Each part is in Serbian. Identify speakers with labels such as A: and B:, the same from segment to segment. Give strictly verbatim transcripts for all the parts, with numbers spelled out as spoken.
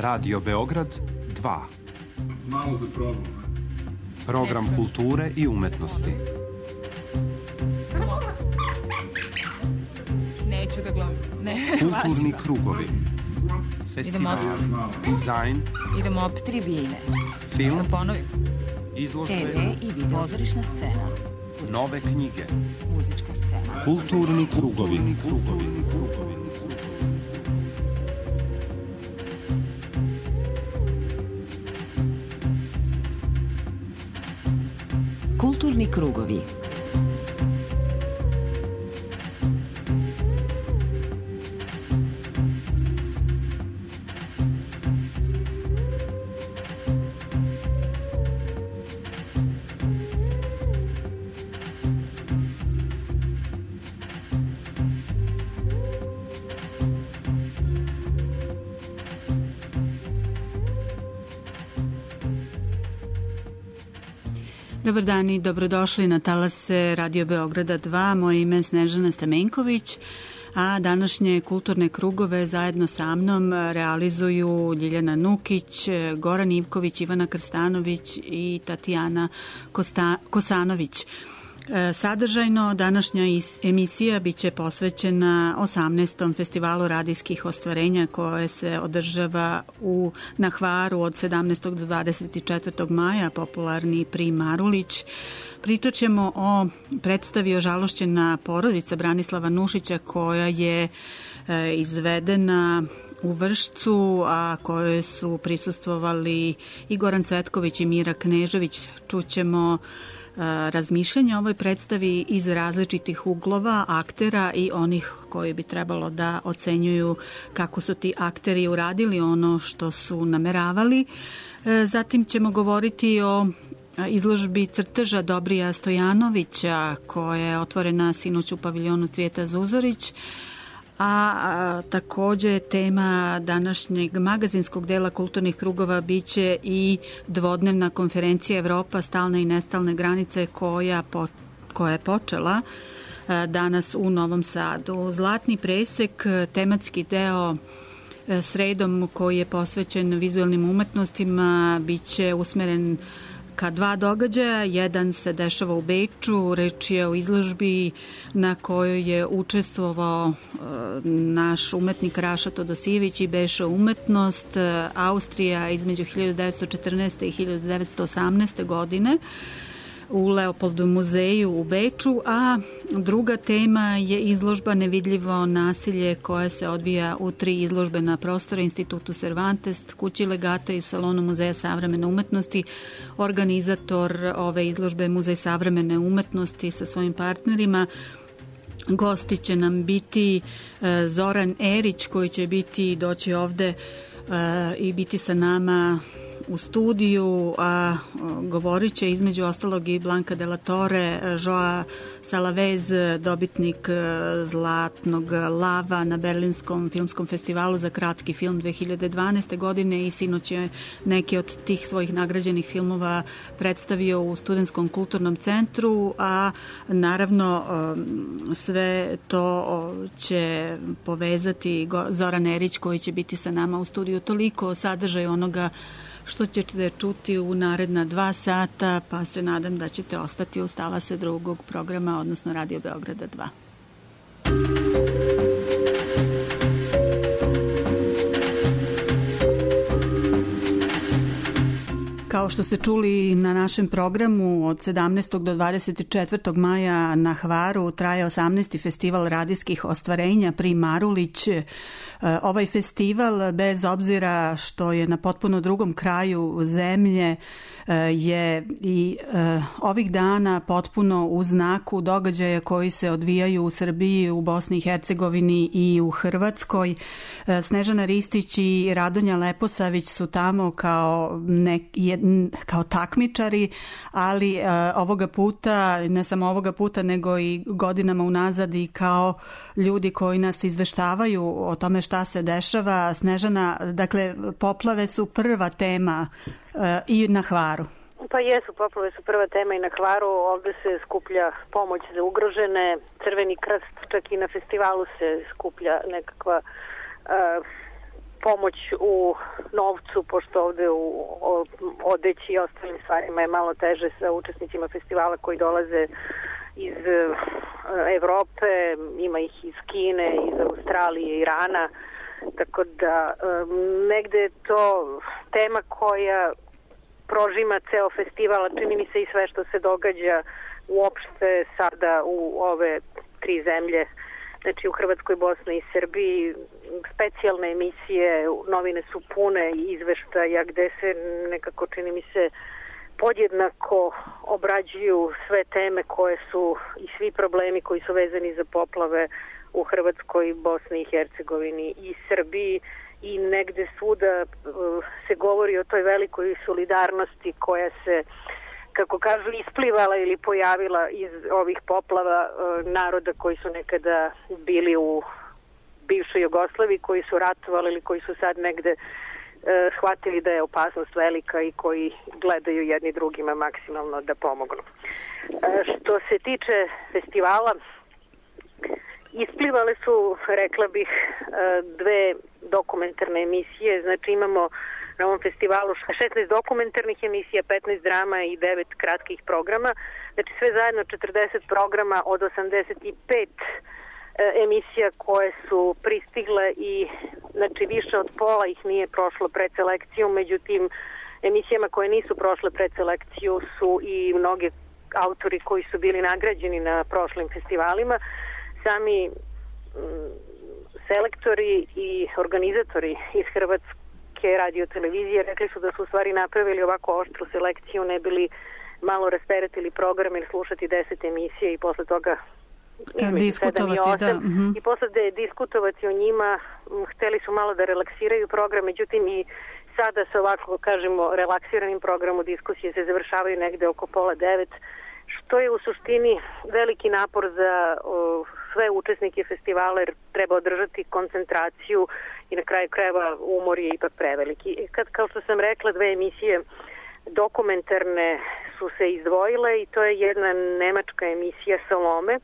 A: Radio Beograd dva.
B: Malo da probam.
A: Program kulture i umetnosti.
C: Neću da gledam. Ne,
A: kulturni krugovi. Festival, dizajn.
D: Idemo opet tribine.
A: Film.
D: Da ponovim.
A: Izložbe.
D: te ve i video. Pozorišna scena.
A: Nove knjige.
D: Muzička scena.
A: Kulturni krugovi. Krugovi. Krugovi.
D: Kulturni krugovi.
E: Dobar dan i dobrodošli na talase Radio Beograda dva. Moje ime je Snežana Stamenković, a današnje kulturne krugove zajedno sa mnom realizuju Ljiljana Nukić, Goran Ivković, Ivana Krstanović i Tatjana Kosta- Kosanović. Sadržajno, današnja emisija biće posvećena osamnaestom festivalu radijskih ostvarenja koje se održava u, na Hvaru od sedamnaestog do dvadeset četvrtog maja, popularni Prim Marulić. Pričat ćemo o predstavi Ožalošćena porodica Branislava Nušića koja je e, izvedena u Vršcu, a koje su prisustvovali i Goran Cvetković i Mira Knežević. Čućemo razmišljanja o ovoj predstavi iz različitih uglova aktera i onih koji bi trebalo da ocenjuju kako su ti akteri uradili ono što su nameravali. Zatim ćemo govoriti o izložbi crteža Dobrija Stojanovića koja je otvorena sinoć u paviljonu Cvijeta Zuzorić. A, a takođe tema današnjeg magazinskog dela kulturnih krugova biće i dvodnevna konferencija Evropa, stalne i nestalne granice koja, po, koja je počela a, danas u Novom Sadu. Zlatni presek, tematski deo a, sredom koji je posvećen vizualnim umetnostima, biće usmeren ka dva događaja. Jedan se dešava u Beču, reč je o izložbi na kojoj je učestvovao e, naš umetnik Raša Todosijević i Beša umetnost, e, Austrija između hiljadu devetsto četrnaeste. i hiljadu devetsto osamnaeste. godine u Leopoldu muzeju u Beču, a druga tema je izložba Nevidljivo nasilje koja se odvija u tri izložbena prostora, Institutu Cervantes, Kući legata i Salonu Muzeja savremene umetnosti. Organizator ove izložbe Muzej savremene umetnosti sa svojim partnerima. Gosti će nam biti Zoran Erić koji će biti doći ovde i biti sa nama u studiju, a govorit će između ostalog i Blanka de la Torre, Joa Salavez, dobitnik Zlatnog lava na Berlinskom filmskom festivalu za kratki film dve hiljade dvanaeste. godine i sinoć je neki od tih svojih nagrađenih filmova predstavio u Studentskom kulturnom centru, a naravno sve to će povezati Zoran Erić koji će biti sa nama u studiju. Toliko o sadržaju onoga što ćete čuti u naredna dva sata, pa se nadam da ćete ostati uz talase drugog programa, odnosno Radio Beograda dva. Kao što ste čuli na našem programu, od sedamnaestog do dvadeset četvrtog maja na Hvaru traje osamnaesti festival radijskih ostvarenja Prim Marulić. Ovaj festival, bez obzira što je na potpuno drugom kraju zemlje, je i ovih dana potpuno u znaku događaja koji se odvijaju u Srbiji, u Bosni i Hercegovini i u Hrvatskoj. Snežana Ristić i Radonja Leposavić su tamo kao, nek, kao takmičari, ali ovoga puta, ne samo ovoga puta, nego i godinama unazad i kao ljudi koji nas izveštavaju o tome šta se dešava. Snežana, dakle, poplave su prva tema uh, i na Hvaru.
F: Pa jesu, poplave su prva tema i na Hvaru. Ovde se skuplja pomoć za ugrožene, Crveni krst, čak i na festivalu se skuplja nekakva uh, pomoć u novcu, pošto ovde u odeći i ostalim stvarima je malo teže sa učesnicima festivala koji dolaze iz Evrope, ima ih iz Kine, iz Australije, Irana, tako da negde je to tema koja prožima ceo festival, čini mi se i sve što se događa uopšte sada u ove tri zemlje, znači u Hrvatskoj, Bosni i Srbiji. Specijalne emisije, novine su pune izveštaja gde se nekako, čini mi se, podjednako obrađuju sve teme koje su i svi problemi koji su vezani za poplave u Hrvatskoj, Bosni i Hercegovini i Srbiji, i negde svuda uh, se govori o toj velikoj solidarnosti koja se, kako kažu, isplivala ili pojavila iz ovih poplava uh, naroda koji su nekada bili u bivšoj Jugoslaviji, koji su ratovali ili koji su sad negde uh, shvatili da je opasnost velika i koji gledaju jedni drugima maksimalno da pomognu. Uh, što se tiče festivala, isplivale su, rekla bih, dve dokumentarne emisije. Znači imamo na ovom festivalu šesnaest dokumentarnih emisija, petnaest drama i devet kratkih programa. Znači sve zajedno četrdeset programa od osamdeset pet emisija koje su pristigle i znači više od pola ih nije prošlo predselekciju. Međutim, emisijama koje nisu prošle predselekciju su i mnogi autori koji su bili nagrađeni na prošlim festivalima. Sami m, selektori i organizatori iz Hrvatske radiotelevizije rekli su da su u stvari napravili ovako oštru selekciju, ne bili malo rasteretili program ili slušati deset emisija i posle toga
E: diskutovati, da. Uh-huh.
F: I posle da je diskutovati o njima, m, hteli su malo da relaksiraju program, međutim i sada se ovako, kažemo, relaksiranim programu diskusije se završavaju negde oko pola devet, što je u suštini veliki napor za o, sve učesnike festivala, jer treba održati koncentraciju i na kraju krajeva umor je ipak preveliki. Kad, kao što sam rekla, dve emisije dokumentarne su se izdvojile i to je jedna nemačka emisija Salome,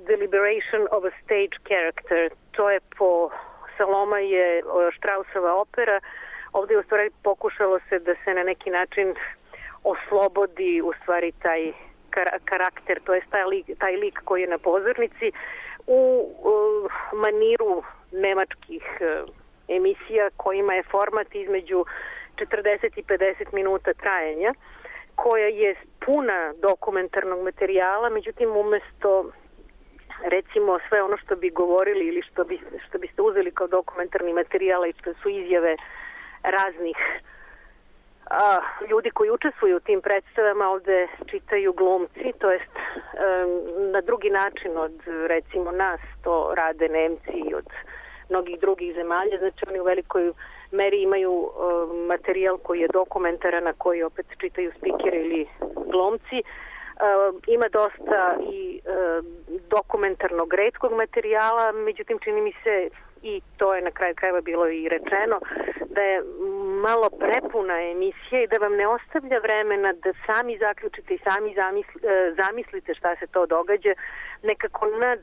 F: The Liberation of a Stage Character. To je po Saloma je Straussova opera. Ovdje je u stvari pokušalo se da se na neki način oslobodi u stvari taj karakter, to je taj lik, taj lik koji je na pozornici u uh, maniru nemačkih uh, emisija kojima je format između četrdeset i pedeset minuta trajanja, koja je puna dokumentarnog materijala, međutim umesto recimo sve ono što bi govorili ili što, bi, što biste uzeli kao dokumentarni materijal i što su izjave raznih a, ljudi koji učestvuju u tim predstavama, ovde čitaju glumci, to jest um, na drugi način od recimo nas to rade Nemci i od mnogih drugih zemalja, znači oni u velikoj meri imaju um, materijal koji je dokumentaran, na koji opet čitaju spikeri ili glumci. Uh, ima dosta i uh, dokumentarnog retkog materijala, međutim čini mi se, i to je na kraju krajeva bilo i rečeno, da je malo prepuna emisija i da vam ne ostavlja vremena da sami zaključite i sami zamisli, uh, zamislite šta se to događa. Nekako nad,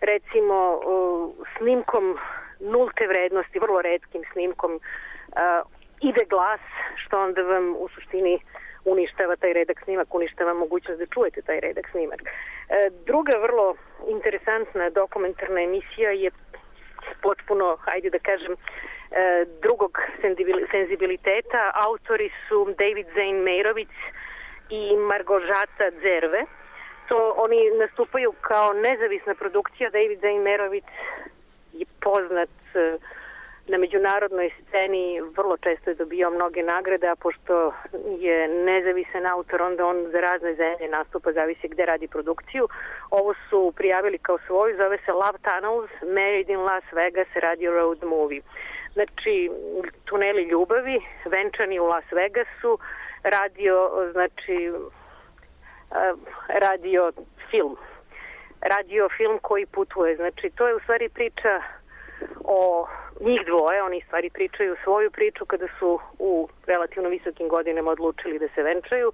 F: recimo, uh, snimkom nulte vrednosti, vrlo retkim snimkom, uh, ide glas, što onda vam u suštini uništava taj redak snimak, uništava mogućnost da čujete taj redak snimak. E, druga vrlo interesantna dokumentarna emisija je potpuno, hajde da kažem, e, drugog senzibiliteta. Autori su David Zane Meirović i Margožata Zerve. To oni nastupaju kao nezavisna produkcija. David Zane Meirović je poznat e, na međunarodnoj sceni, vrlo često je dobijao mnoge nagrade, a pošto je nezavisan autor, onda on za razne zemlje nastupa, zavisi gde radi produkciju. Ovo su prijavili kao svoju, zove se Love Tunnels, Married in Las Vegas, Radio Road Movie. Znači, tuneli ljubavi, venčani u Las Vegasu, radio, znači, radio film. Radio film koji putuje. Znači, to je u stvari priča o njih dvoje, oni stvari pričaju svoju priču kada su u relativno visokim godinama odlučili da se venčaju,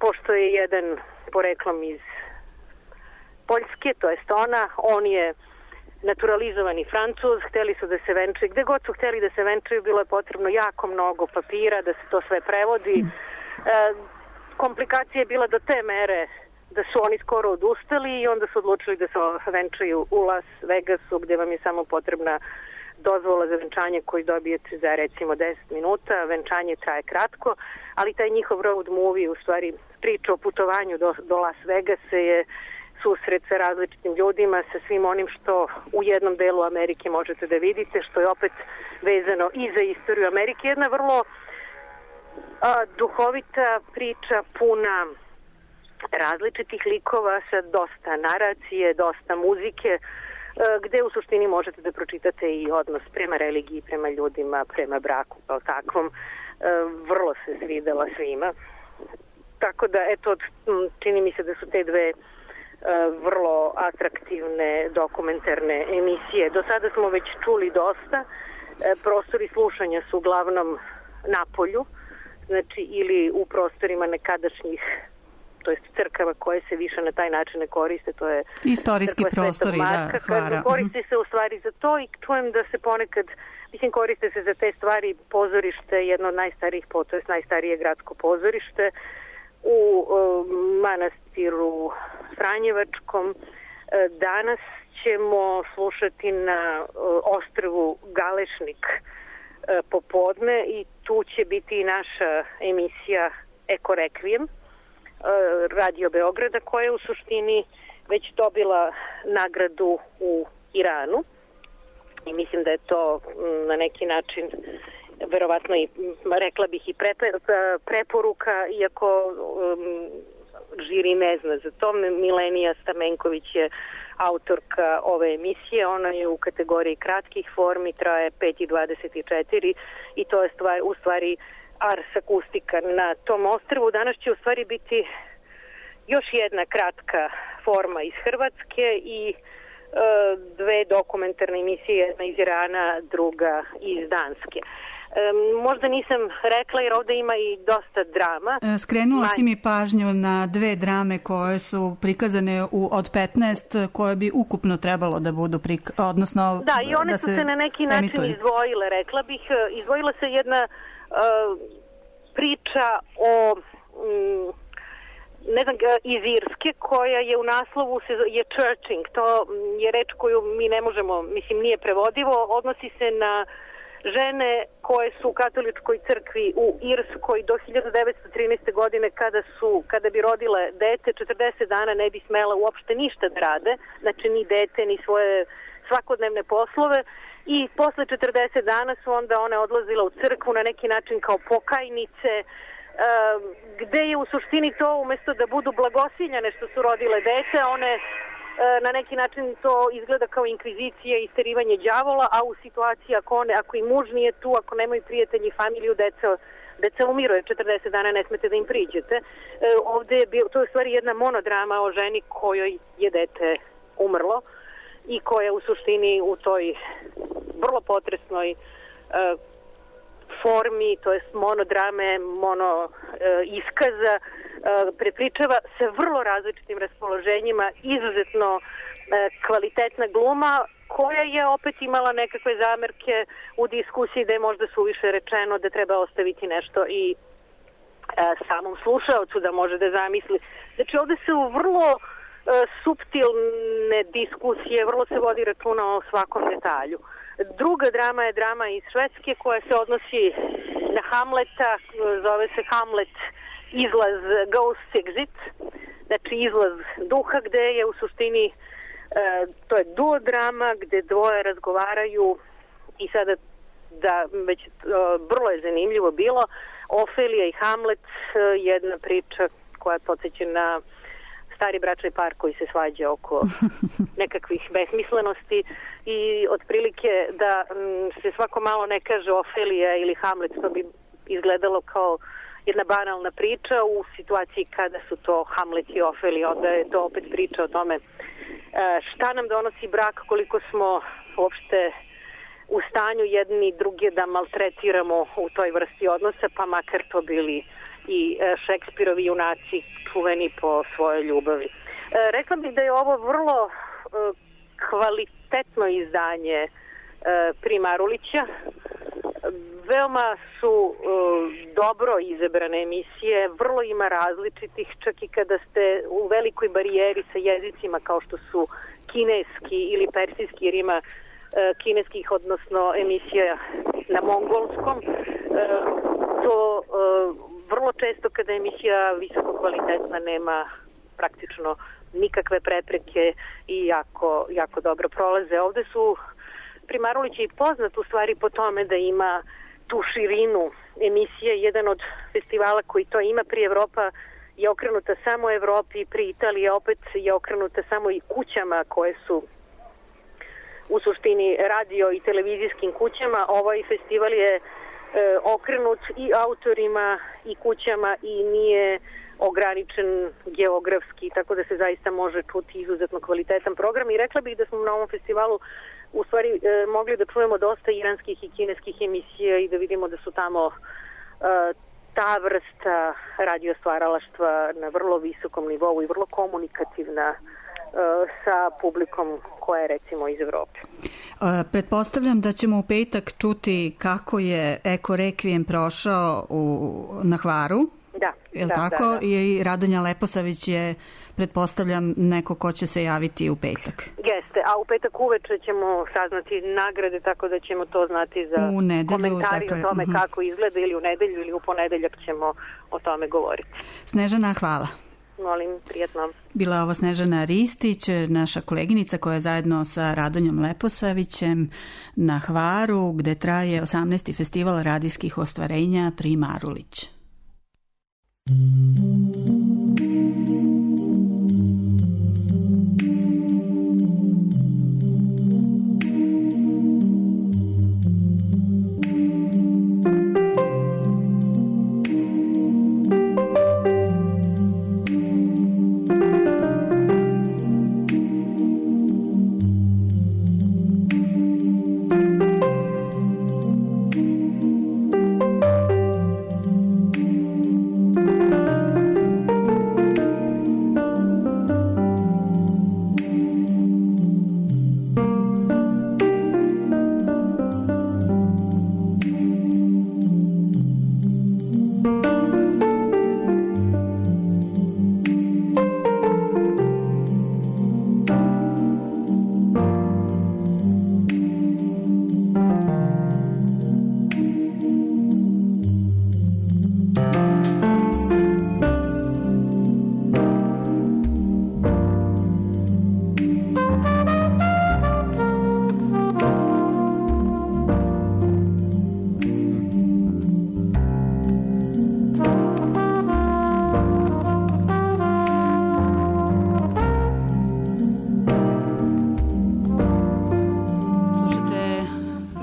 F: pošto je jedan poreklom iz Poljske, to jest ona, on je naturalizovani Francuz, hteli su da se venčaju, gde god su hteli da se venčaju, bilo je potrebno jako mnogo papira da se to sve prevodi. E, komplikacija je bila do te mere da su oni skoro odustali i onda su odlučili da se venčaju u Las Vegasu, gde vam je samo potrebna dozvola za venčanje koju dobijete za recimo deset minuta. Venčanje traje kratko, ali taj njihov road movie, u stvari priča o putovanju do, do Las Vegasa, je susret sa različitim ljudima, sa svim onim što u jednom delu Amerike možete da vidite, što je opet vezano i za istoriju Amerike. Jedna vrlo a, duhovita priča, puna različitih likova, sa dosta naracije, dosta muzike, gde u suštini možete da pročitate i odnos prema religiji, prema ljudima, prema braku kao takvom. Vrlo se svidela svima. Tako da, eto, čini mi se da su te dve vrlo atraktivne dokumentarne emisije. Do sada smo već čuli dosta. Prostori slušanja su uglavnom na polju, znači ili u prostorima nekadašnjih, to jest crkava koje se više na taj način ne koriste, to je
E: istorijski prostori, da, Hvara.
F: Koriste se u stvari za to i čujem da se ponekad, mislim, koriste se za te stvari pozorište, jedno od najstarijih, to je najstarije gradsko pozorište u uh, manastiru Franjevačkom. Danas ćemo slušati na uh, ostrvu Galešnik uh, popodne i tu će biti i naša emisija Eko Rekvijem Radio Beograda, koja je u suštini već dobila nagradu u Iranu i mislim da je to na neki način verovatno i, rekla bih, i pre, preporuka, iako um, žiri ne zna za to. Milenija Stamenković je autorka ove emisije, ona je u kategoriji kratkih formi, traje pet i dvadeset četiri i to je stvar, u stvari Ars akustika na tom ostrvu. Danas će u stvari biti još jedna kratka forma iz Hrvatske i e, dve dokumentarne emisije, jedna iz Irana, druga iz Danske. E, možda nisam rekla jer ovde ima i dosta drama.
E: Skrenula si mi pažnju na dve drame koje su prikazane u, od petnaest, koje bi ukupno trebalo da budu prikazane, odnosno
F: da, i one
E: da
F: su se na neki način emituju. Izdvojile, rekla bih. Izdvojila se jedna uh, priča o um, ne znam, iz Irske, koja je u naslovu je churching. To je reč koju mi ne možemo, mislim, nije prevodivo. Odnosi se na žene koje su u katoličkoj crkvi u Irskoj do hiljadu devetsto trinaeste. godine, kada su, kada bi rodile dete, četrdeset dana ne bi smela uopšte ništa da rade, znači ni dete, ni svoje svakodnevne poslove, i posle četrdeset dana su onda one odlazile u crkvu na neki način kao pokajnice, gde je u suštini to, umesto da budu blagosiljane što su rodile dete, one na neki način to izgleda kao inkvizicija i isterivanje đavola, a u situaciji ako, one, ako i muž nije tu, ako nemaju prijatelji i familiju, deca, deca umiru, jer četrdeset dana ne smete da im priđete. E, ovde je bio, to je u stvari jedna monodrama o ženi kojoj je dete umrlo i koja u suštini u toj vrlo potresnoj e, formi, to jest monodrame, mono e, iskaza, e, prepričava se vrlo različitim raspoloženjima, izuzetno e, kvalitetna gluma, koja je opet imala nekakve zamerke u diskusiji da je možda suviše rečeno, da treba ostaviti nešto i e, samom slušaocu da može da zamisli. Znači, ovde se u vrlo e, suptilne diskusije, vrlo se vodi računa o svakom detalju. Druga drama je drama iz Švedske koja se odnosi na Hamleta, zove se Hamlet izlaz Ghost Exit, znači izlaz duha, gde je u suštini e, to je duo drama gde dvoje razgovaraju i sada da već e, vrlo je zanimljivo bilo. Ofelija i Hamlet, e, jedna priča koja podsjeća na stari bračni par koji se svađa oko nekakvih besmislenosti i otprilike da m, se svako malo ne kaže Ofelija ili Hamlet, to bi izgledalo kao jedna banalna priča. U situaciji kada su to Hamlet i Ofelija, onda je to opet priča o tome e, šta nam donosi brak, koliko smo uopšte u stanju jedni druge da maltretiramo u toj vrsti odnosa, pa makar to bili i Šekspirovi junaci čuveni po svojoj ljubavi. E, rekla bih da je ovo vrlo e, kvalitetno kvalitetno izdanje Primarulića. Veoma su dobro izabrane emisije, vrlo ima različitih, čak i kada ste u velikoj barijeri sa jezicima kao što su kineski ili persijski, jer ima kineskih, odnosno emisija na mongolskom. To vrlo često kada emisija visoko kvalitetna nema praktično nikakve prepreke i jako, jako dobro prolaze. Ovde su Primarulić je i poznat u stvari po tome da ima tu širinu emisije. Jedan od festivala koji to ima, pri Evropa je okrenuta samo Evropi, pri Italiji opet je okrenuta samo i kućama koje su u suštini radio i televizijskim kućama. Ovaj festival je e, okrenut i autorima i kućama i nije ograničen geografski, tako da se zaista može čuti izuzetno kvalitetan program. I rekla bih da smo na ovom festivalu u stvari e, mogli da čujemo dosta iranskih i kineskih emisija i da vidimo da su tamo e, ta vrsta radio stvaralaštva na vrlo visokom nivou i vrlo komunikativna sa publikom koja je recimo iz Evrope.
E: Pretpostavljam da ćemo u petak čuti kako je Eko Rekvijem prošao u, na Hvaru.
F: Da.
E: Je li
F: da,
E: tako?
F: Da, da.
E: I Radonja Leposavić je, pretpostavljam, neko ko će se javiti u petak.
F: Jeste, a u petak uveče ćemo saznati nagrade, tako da ćemo to znati za
E: u nedelju,
F: komentari
E: dakle,
F: o tome
E: uh-huh.
F: kako izgleda, ili u nedelju ili u ponedeljak ćemo o tome govoriti.
E: Snežana, hvala.
F: Molim, prijatno.
E: Bila je ovo Snežana Ristić, naša koleginica koja je zajedno sa Radonjom Leposavićem na Hvaru, gde traje osamnaesti festival radijskih ostvarenja Primarulić.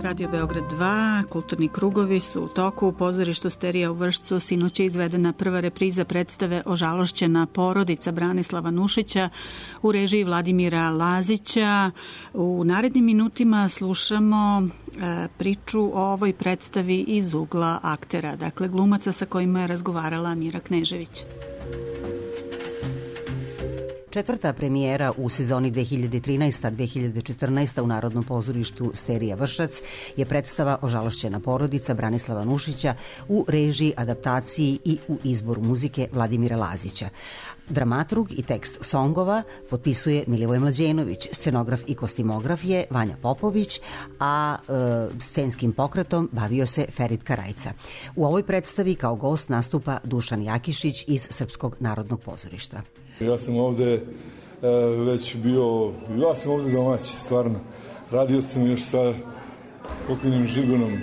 E: Radio Beograd dva, kulturni krugovi su u toku. U pozorištu Sterija u Vršcu sinoć je izvedena prva repriza predstave Ožalošćena porodica Branislava Nušića u režiji Vladimira Lazića. U narednim minutima slušamo e, priču o ovoj predstavi iz ugla aktera, dakle glumaca sa kojima je razgovarala Mira Knežević.
C: Četvrta premijera u sezoni dve hiljade trinaesta dve hiljade četrnaesta u Narodnom pozorištu Sterija Vršac je predstava Ožalošćena porodica Branislava Nušića u režiji, adaptaciji i u izboru muzike Vladimira Lazića. Dramaturg i tekst songova potpisuje Milivoj Mlađenović, scenograf i kostimograf je Vanja Popović, a e, scenskim pokretom bavio se Ferit Karajca. U ovoj predstavi kao gost nastupa Dušan Jakišić iz Srpskog narodnog pozorišta.
B: Ja sam ovde e, već bio, ja sam ovde domaći, stvarno. Radio sam još sa pokojnim Žigonom.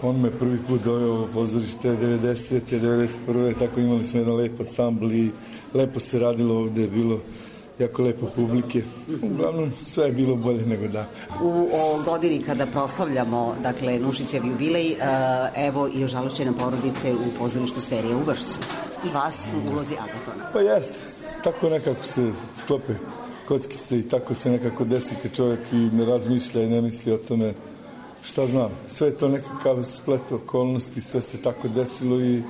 B: On me prvi put doveo u pozorište devedesete, devedeset prve Tako imali smo jedan lep ansambl i lepo se radilo ovde, je bilo jako lepo publike. Uglavnom, sve je bilo bolje nego da.
C: U o godini kada proslavljamo, dakle, Nušićev jubilej, evo i Ožalošćene porodice u pozorištu Sterija u Vršcu. I vas u ulozi Agatona.
B: Pa jeste. Tako nekako se sklope kockice i tako se nekako desi kad čovjek i ne razmišlja i ne misli o tome. Šta znam, sve je to nekakav splet okolnosti, sve se tako desilo i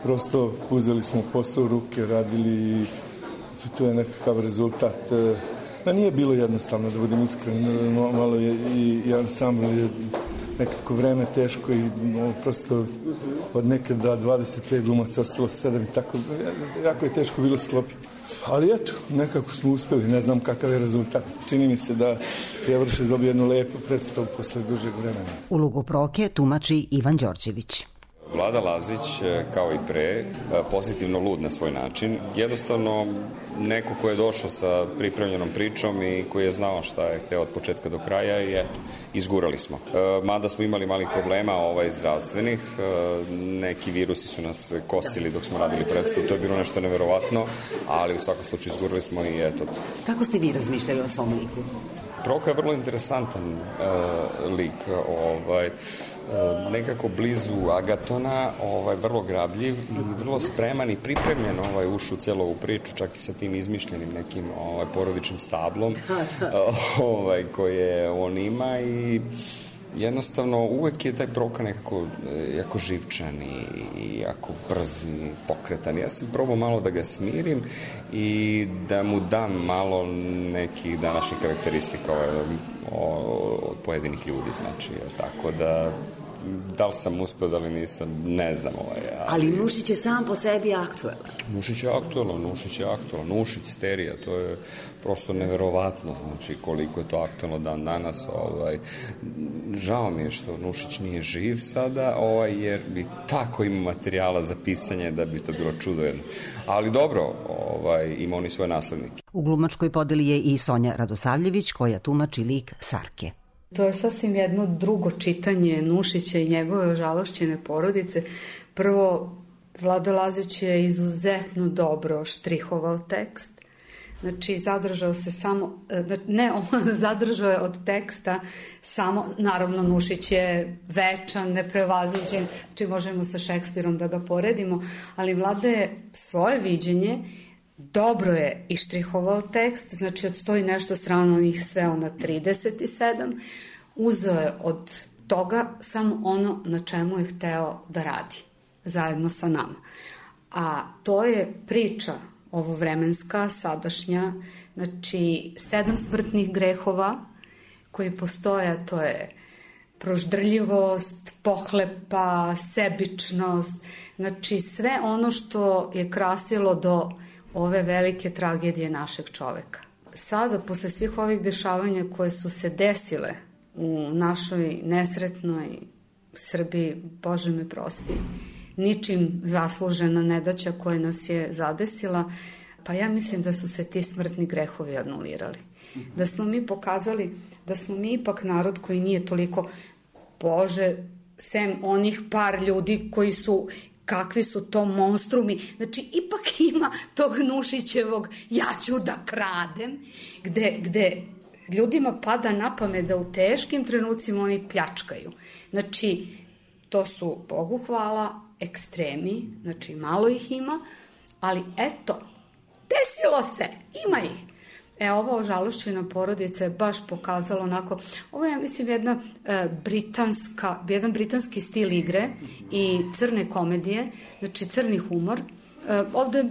B: prosto uzeli smo posao u ruke, radili i to je nekakav rezultat. Ma nije bilo jednostavno, da budem iskren, malo je i, i ansambl je nekako vreme teško i no, prosto od nekada dvadeset pet glumaca ostalo sedam i tako, jako je teško bilo sklopiti. Ali eto, nekako smo uspeli, ne znam kakav je rezultat. Čini mi se da je Vršac dobio jednu lepu predstavu posle dužeg vremena.
C: Ulogu Proke tumači Ivan Đorđević.
G: Vlada Lazić, kao i pre, pozitivno lud na svoj način. Jednostavno, neko ko je došao sa pripremljenom pričom i koji je znao šta je hteo od početka do kraja i eto, izgurali smo. Mada smo imali malih problema ovaj, zdravstvenih, neki virusi su nas kosili dok smo radili predstavu, to je bilo nešto neverovatno, ali u svakom slučaju izgurali smo i eto.
C: Kako ste vi razmišljali o svom liku?
G: Proka je vrlo interesantan uh, lik, ovaj, uh, nekako blizu Agatona, ovaj, vrlo grabljiv i vrlo spreman i pripremljen ovaj, ušu cijelu ovu priču, čak i sa tim izmišljenim nekim ovaj, porodičnim stablom ovaj, koje on ima i jednostavno uvek je taj Proka nekako jako živčan i, i jako brz i pokretan. Ja sam probao malo da ga smirim i da mu dam malo nekih današnjih karakteristika od pojedinih ljudi, znači, tako da da li sam uspeo, da li nisam, ne znam. Ovaj,
H: ali... ali Nušić je sam po sebi aktuelan.
G: Nušić je aktuelan, Nušić je aktuelan, Nušić, Sterija, to je prosto neverovatno, znači koliko je to aktuelno dan danas. Ovaj, žao mi je što Nušić nije živ sada, ovaj, jer bi tako ima materijala za pisanje da bi to bilo čudo jedno. Ali dobro, ovaj, ima oni svoje naslednike.
C: U glumačkoj podeli je i Sonja Radosavljević koja tumači lik Sarke.
I: To je sasvim jedno drugo čitanje Nušića i njegove ožalošćene porodice. Prvo, Vlado Lazić je izuzetno dobro štrihovao tekst. Znači, zadržao se samo, ne, on zadržao je od teksta samo, naravno, Nušić je večan, neprevaziđen, znači možemo sa Šekspirom da ga poredimo, ali Vlada je svoje viđenje dobro je ištrihovao tekst, znači od sto i nešto strana on ih sveo na trideset sedam, uzeo je od toga samo ono na čemu je hteo da radi, zajedno sa nama. A to je priča ovovremenska, sadašnja, znači sedam smrtnih grehova koji postoje, to je proždrljivost, pohlepa, sebičnost, znači sve ono što je krasilo do ove velike tragedije našeg čoveka. Sada, posle svih ovih dešavanja koje su se desile u našoj nesretnoj Srbiji, Bože me prosti, ničim zaslužena nedaća koja nas je zadesila, pa ja mislim da su se ti smrtni grehovi anulirali. Da smo mi pokazali da smo mi ipak narod koji nije toliko, Bože, sem onih par ljudi koji su, kakvi su to monstrumi, znači ipak ima tog Nušićevog ja ću da kradem, gde, gde ljudima pada na pamet da u teškim trenucima oni pljačkaju. Znači, to su, Bogu hvala, ekstremi, znači malo ih ima, ali eto, desilo se, ima ih. E, ova ožalošćena porodica je baš pokazala onako, ovo je, ja mislim, jedna e, britanska, jedan britanski stil igre i crne komedije, znači crni humor. E, ovde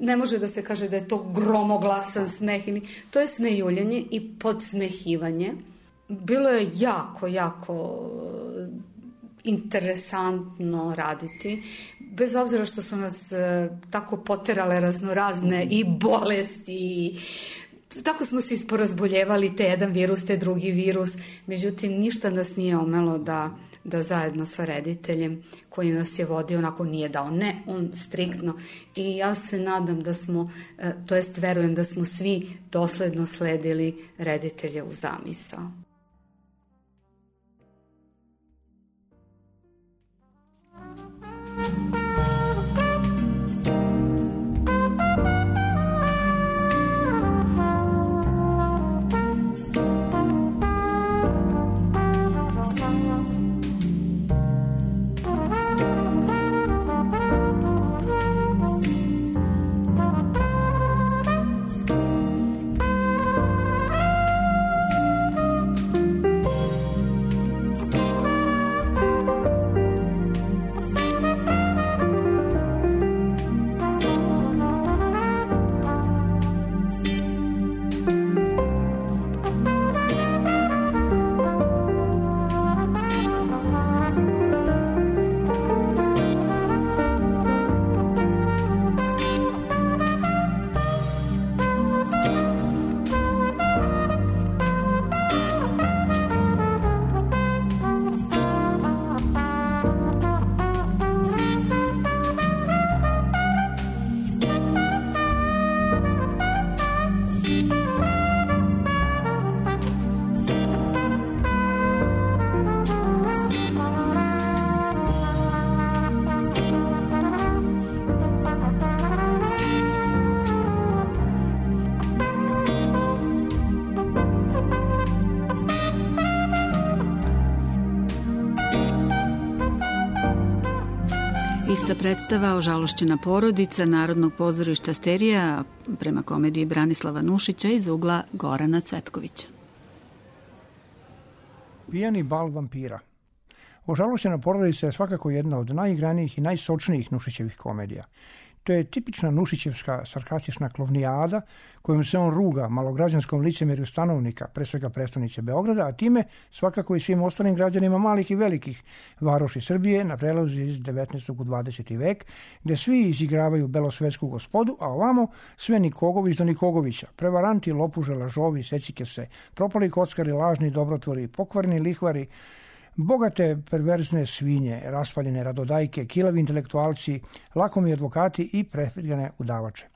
I: ne može da se kaže da je to gromoglasan smeh, ili, to je smejuljenje i podsmehivanje. Bilo je jako, jako interesantno raditi, bez obzira što su nas e, tako poterale raznorazne i bolesti i tako smo se isporazboljevali, te jedan virus, te drugi virus, međutim ništa nas nije omelo da, da zajedno sa rediteljem koji nas je vodio, onako nije dao, ne, on striktno, i ja se nadam da smo, e, to jest verujem da smo svi dosledno sledili reditelje u zamisao.
E: Ista predstava Ožalošćena porodica Narodnog pozorišta Sterija prema komediji Branislava Nušića iz ugla Gorana Cvetkovića.
J: Pijani bal vampira. Ožalošćena porodica je svakako jedna od najigranijih i najsočnijih Nušićevih komedija. To je tipična nušićevska sarkastična klovnijada kojom se on ruga malograđanskom licemerju stanovnika, pre svega prestonice Beograda, a time svakako i svim ostalim građanima malih i velikih varoši Srbije na prelazu iz devetnaestog u dvadeseti vek, gde svi izigravaju belosvetsku gospodu, a ovamo sve Nikogović do Nikogovića, prevaranti, lopuže, lažovi, secike se, propali kockari, lažni dobrotvori, pokvarni lihvari, bogate perverzne svinje, raspaljene radodajke, kilavi intelektualci, lakomi advokati i prefirgane udavače.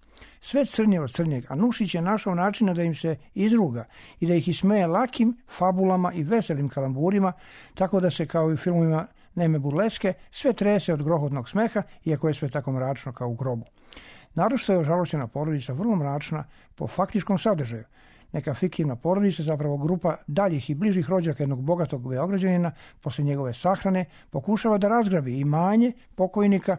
J: Sve crnje od crnjeg, a Nušić je našao načina da im se izruga i da ih ismeje lakim fabulama i veselim kalamburima, tako da se kao i u filmovima neme burleske sve trese od grohotnog smeha, iako je sve tako mračno kao u grobu. Naročito je Ožalošćena porodica vrlo mračna po faktičkom sadržaju. Neka fiktivna porodica, zapravo grupa daljih i bližih rođaka jednog bogatog Beograđanina, posle njegove sahrane, pokušava da razgrabi imanje pokojnika,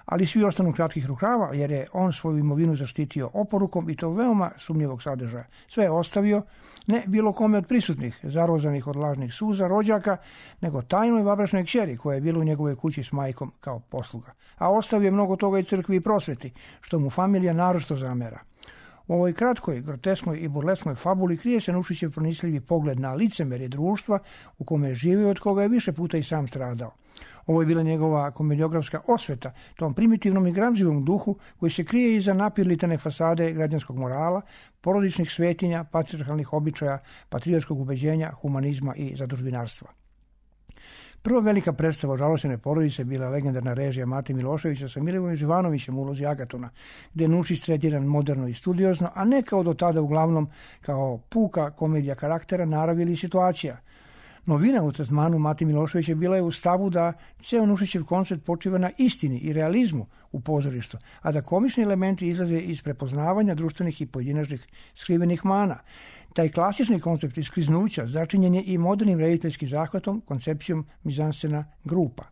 J: ali svi ostanu kratkih rukava, jer je on svoju imovinu zaštitio oporukom i to veoma sumnjivog sadržaja. Sve je ostavio, ne bilo kome od prisutnih, zarozanih od lažnih suza rođaka, nego tajnoj vabrašnoj kćeri koja je bila u njegovoj kući s majkom kao posluga. A ostavio je mnogo toga i crkvi i prosveti, što mu familija naročito zamera. U ovoj kratkoj, grotesknoj i burleskoj fabuli krije se Nušićev pronicljivi pogled na licemerje društva u kome je živio, od koga je više puta i sam stradao. Ovo je bila njegova komediografska osveta tom primitivnom i gramzivom duhu koji se krije iza napirlitane fasade građanskog morala, porodičnih svetinja, patrijarhalnih običaja, patriotskog ubeđenja, humanizma i zadužbinarstva. Prva velika predstava Ožalošćene porodice bila legendarna režija Mate Miloševića sa Milivojem Živanovićem u ulozi Agatona, gde je Nušić tretiran moderno i studiozno, a ne kao do tada uglavnom kao puka komedija karaktera, naravi ili situacija. Novina u tretmanu Mate Miloševića bila je u stavu da ceo Nušićev koncept počiva na istini i realizmu u pozorištu, a da komični elementi izlaze iz prepoznavanja društvenih i pojedinačnih skrivenih mana. Taj klasični koncept iskliznuća začinjen je i modernim rediteljskim zahvatom, koncepcijom mizanscena grupa.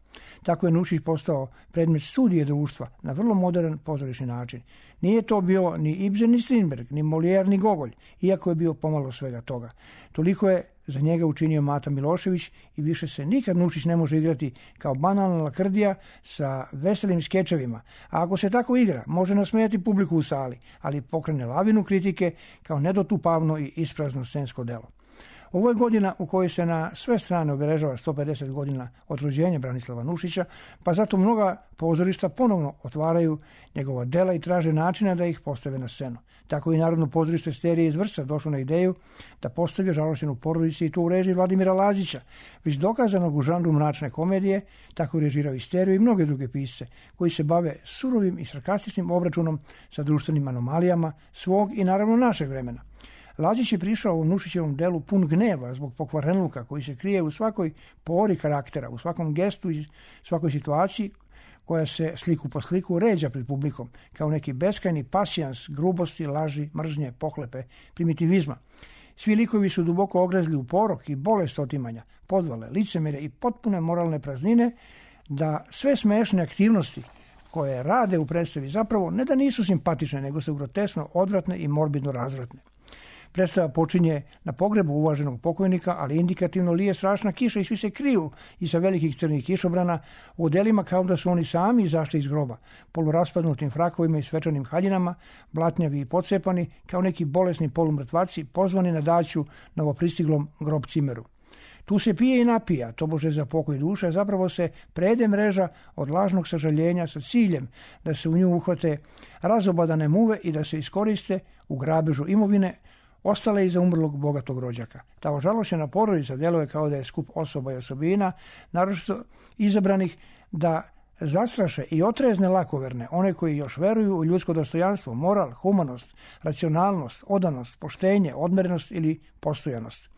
J: Tako je Nušić postao predmet studije društva na vrlo modern pozorišni način. Nije to bio ni Ibsen, ni Strindberg, ni Molière, ni Gogolj, iako je bio pomalo svega toga. Toliko je za njega učinio Mata Milošević i više se nikad Nušić ne može igrati kao banalna lakrdija sa veselim skečevima. A ako se tako igra, može nasmejati publiku u sali, ali pokrene lavinu kritike kao nedotupavno i isprazno scensko delo. Ovo je godina u kojoj se na sve strane obeležava sto pedeset godina od rođenja Branislava Nušića, pa zato mnoga pozorišta ponovno otvaraju njegova dela i traže načina da ih postave na scenu. Tako i Narodno pozorište Sterije iz Vršca došlo na ideju da postavi Ožalošćenu porodicu i to u režiji Vladimira Lazića, već dokazanog u žanru mračne komedije, tako je režirao i Steriju i mnoge druge pisce, koji se bave surovim i sarkastičnim obračunom sa društvenim anomalijama svog i naravno našeg vremena. Lazić je prišao u Nušićevom delu pun gneva zbog pokvarenluka koji se krije u svakoj pori karaktera, u svakom gestu i svakoj situaciji koja se sliku po sliku ređa pred publikom, kao neki beskajni pasijans grubosti, laži, mržnje, pohlepe, primitivizma. Svi likovi su duboko ogrezli u porok i bolest otimanja, podvale, licemere i potpune moralne praznine, da sve smešne aktivnosti koje rade u predstavi zapravo ne da nisu simpatične, nego su grotesno odvratne i morbidno razvratne. Predstava počinje na pogrebu uvaženog pokojnika, ali indikativno lije strašna kiša i svi se kriju iza velikih crnih kišobrana u odelima kao da su oni sami izašli iz groba, poluraspadnutim frakovima i svečanim haljinama, blatnjavi i pocepani, kao neki bolesni polumrtvaci pozvani na daću novopristiglom grob cimeru. Tu se pije i napija, tobože za pokoj duše, zapravo se prede mreža od lažnog sažaljenja sa ciljem da se u nju uhvate razobadane muve i da se iskoriste u grabežu imovine ostale iza umrlog bogatog rođaka. Ta ožalošćena porodica djeluje kao da je skup osoba i osobina, naročito izabranih da zastraše i otrezne lakoverne, one koji još veruju u ljudsko dostojanstvo, moral, humanost, racionalnost, odanost, poštenje, odmerenost ili postojanost.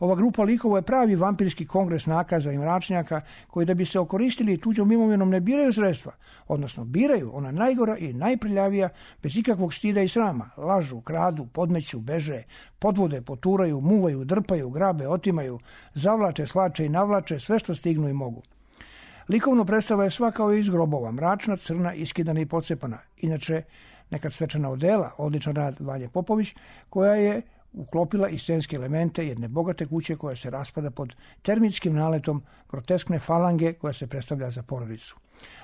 J: Ova grupa likova je pravi vampirski kongres nakaza i mračnjaka koji da bi se okoristili tuđom imovinom ne biraju sredstva, odnosno biraju ona najgora i najprljavija bez ikakvog stida i srama, lažu, kradu, podmeću, beže, podvode, poturaju, muvaju, drpaju, grabe, otimaju, zavlače, slače i navlače sve što stignu i mogu. Likovno predstava je sva kao iz grobova, mračna, crna, iskidana i pocepana. Inače, nekad svečana odela, odličan rad Vanje Popović, koja je uklopila i scenske elemente jedne bogate kuće koja se raspada pod termitskim naletom groteskne falange koja se predstavlja za porodicu.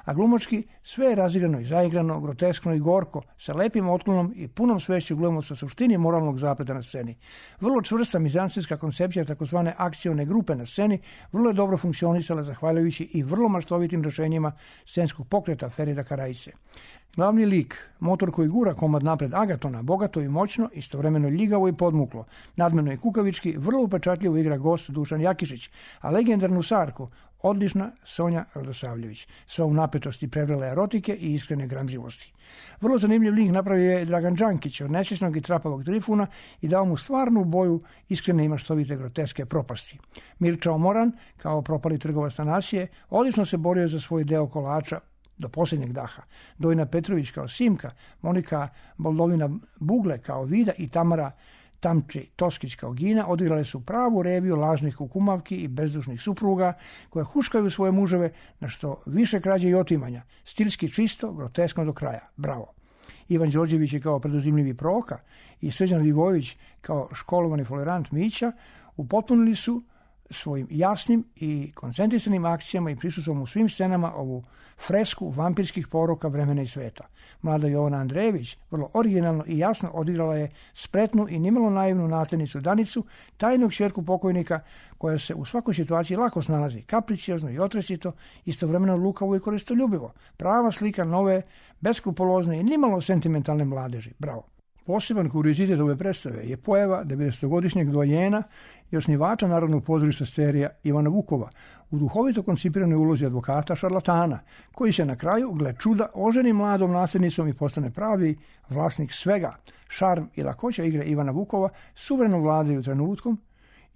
J: A glumački sve je razigrano i zaigrano, groteskno i gorko, sa lepim otklonom i punom svešću glumaca suštini moralnog zapleta na sceni. Vrlo čvrsta mizansenska koncepcija takozvane akcione grupe na sceni vrlo je dobro funkcionisala zahvaljujući i vrlo maštovitim rešenjima scenskog pokreta Ferida Karajice. Glavni lik, motor koji gura komad napred Agatona, bogato i moćno, istovremeno ljigavo i podmuklo, nadmeno i kukavički, vrlo upečatljivo igra gost Dušan Jakišić, a legendarnu Sarku, odlična Sonja Radosavljević, sva u napetosti prevrele erotike i iskrene gramzivosti. Vrlo zanimljiv lik napravio je Dragan Đankić od nesvjesnog i trapavog Trifuna i dao mu stvarnu boju iskrene i maštovite groteske propasti. Mirča Omoran, kao propali trgovac Tanasije, odlično se borio za svoj deo kolača do posljednjeg daha. Dojna Petrović kao Simka, Monika Boldovina Bugle kao Vida i Tamara Tamči Toskić kao Gina odigrale su pravu reviju lažnih kukumavki i bezdušnih supruga koje huškaju svoje muževe na što više krađe i otimanja. Stilski čisto, groteskno do kraja. Bravo. Ivan Đorđević je kao preduzimljivi Proka i Srđan Vivojević kao školovani folirant Mića upotpunili su svojim jasnim i koncentrisanim akcijama i prisustvom u svim scenama ovu fresku vampirskih poroka vremena i sveta. Mlada Jovana Andrejević vrlo originalno i jasno odigrala je spretnu i nimalo naivnu nasljednicu Danicu, tajnog ćerku pokojnika koja se u svakoj situaciji lako snalazi, kapriciozno i otresito, istovremeno lukavo i koristoljubivo. Prava slika nove, beskrupulozne i nimalo sentimentalne mladeži. Bravo. Poseban kuriozitet ove predstave je pojava devedesetogodišnjeg dojena i osnivača Narodnog pozorišta Sterija Ivana Vukova u duhovito koncipiranoj ulozi advokata šarlatana, koji se na kraju, gle čuda, oženi mladom nasljednicom i postane pravi vlasnik svega. Šarm i lakoća igre Ivana Vukova suvereno vladaju trenutkom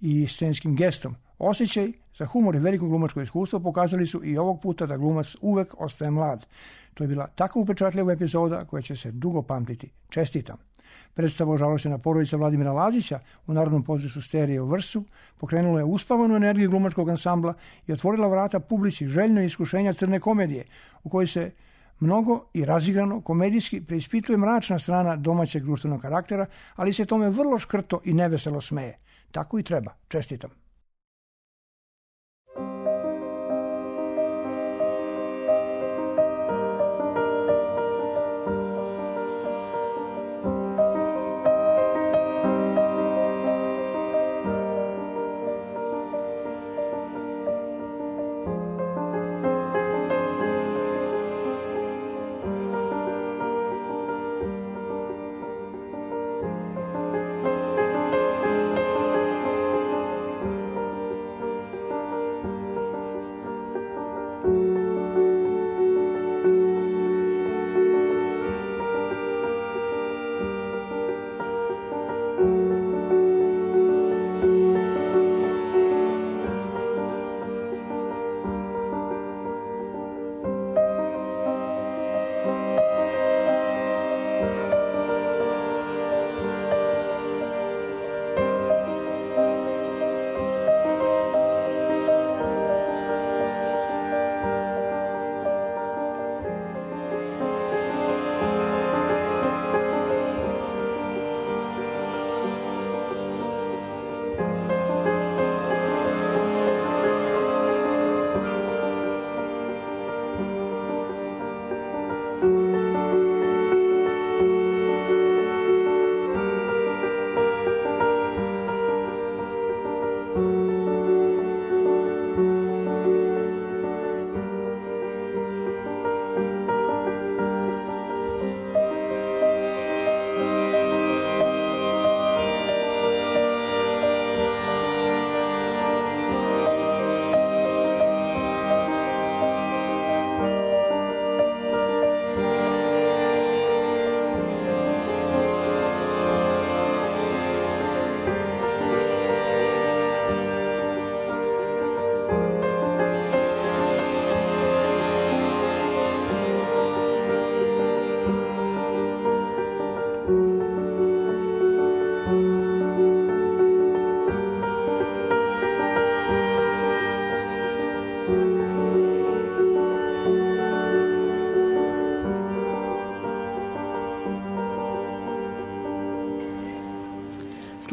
J: i scenskim gestom. Osjećaj za humor i veliko glumačko iskustvo pokazali su i ovog puta da glumac uvek ostaje mlad. To je bila tako upečatljiva epizoda koja će se dugo pamtiti. Čestitam. Predstava Ožalošćena porodica Vladimira Lazića u Narodnom pozorištu Sterije u Vrsu pokrenula je uspavanu energiju glumačkog ansambla i otvorila vrata publici željno iskušenja crne komedije, u kojoj se mnogo i razigrano komedijski preispituje mračna strana domaćeg društvenog karaktera, ali se tome vrlo škrto i neveselo smeje. Tako i treba. Čestitam.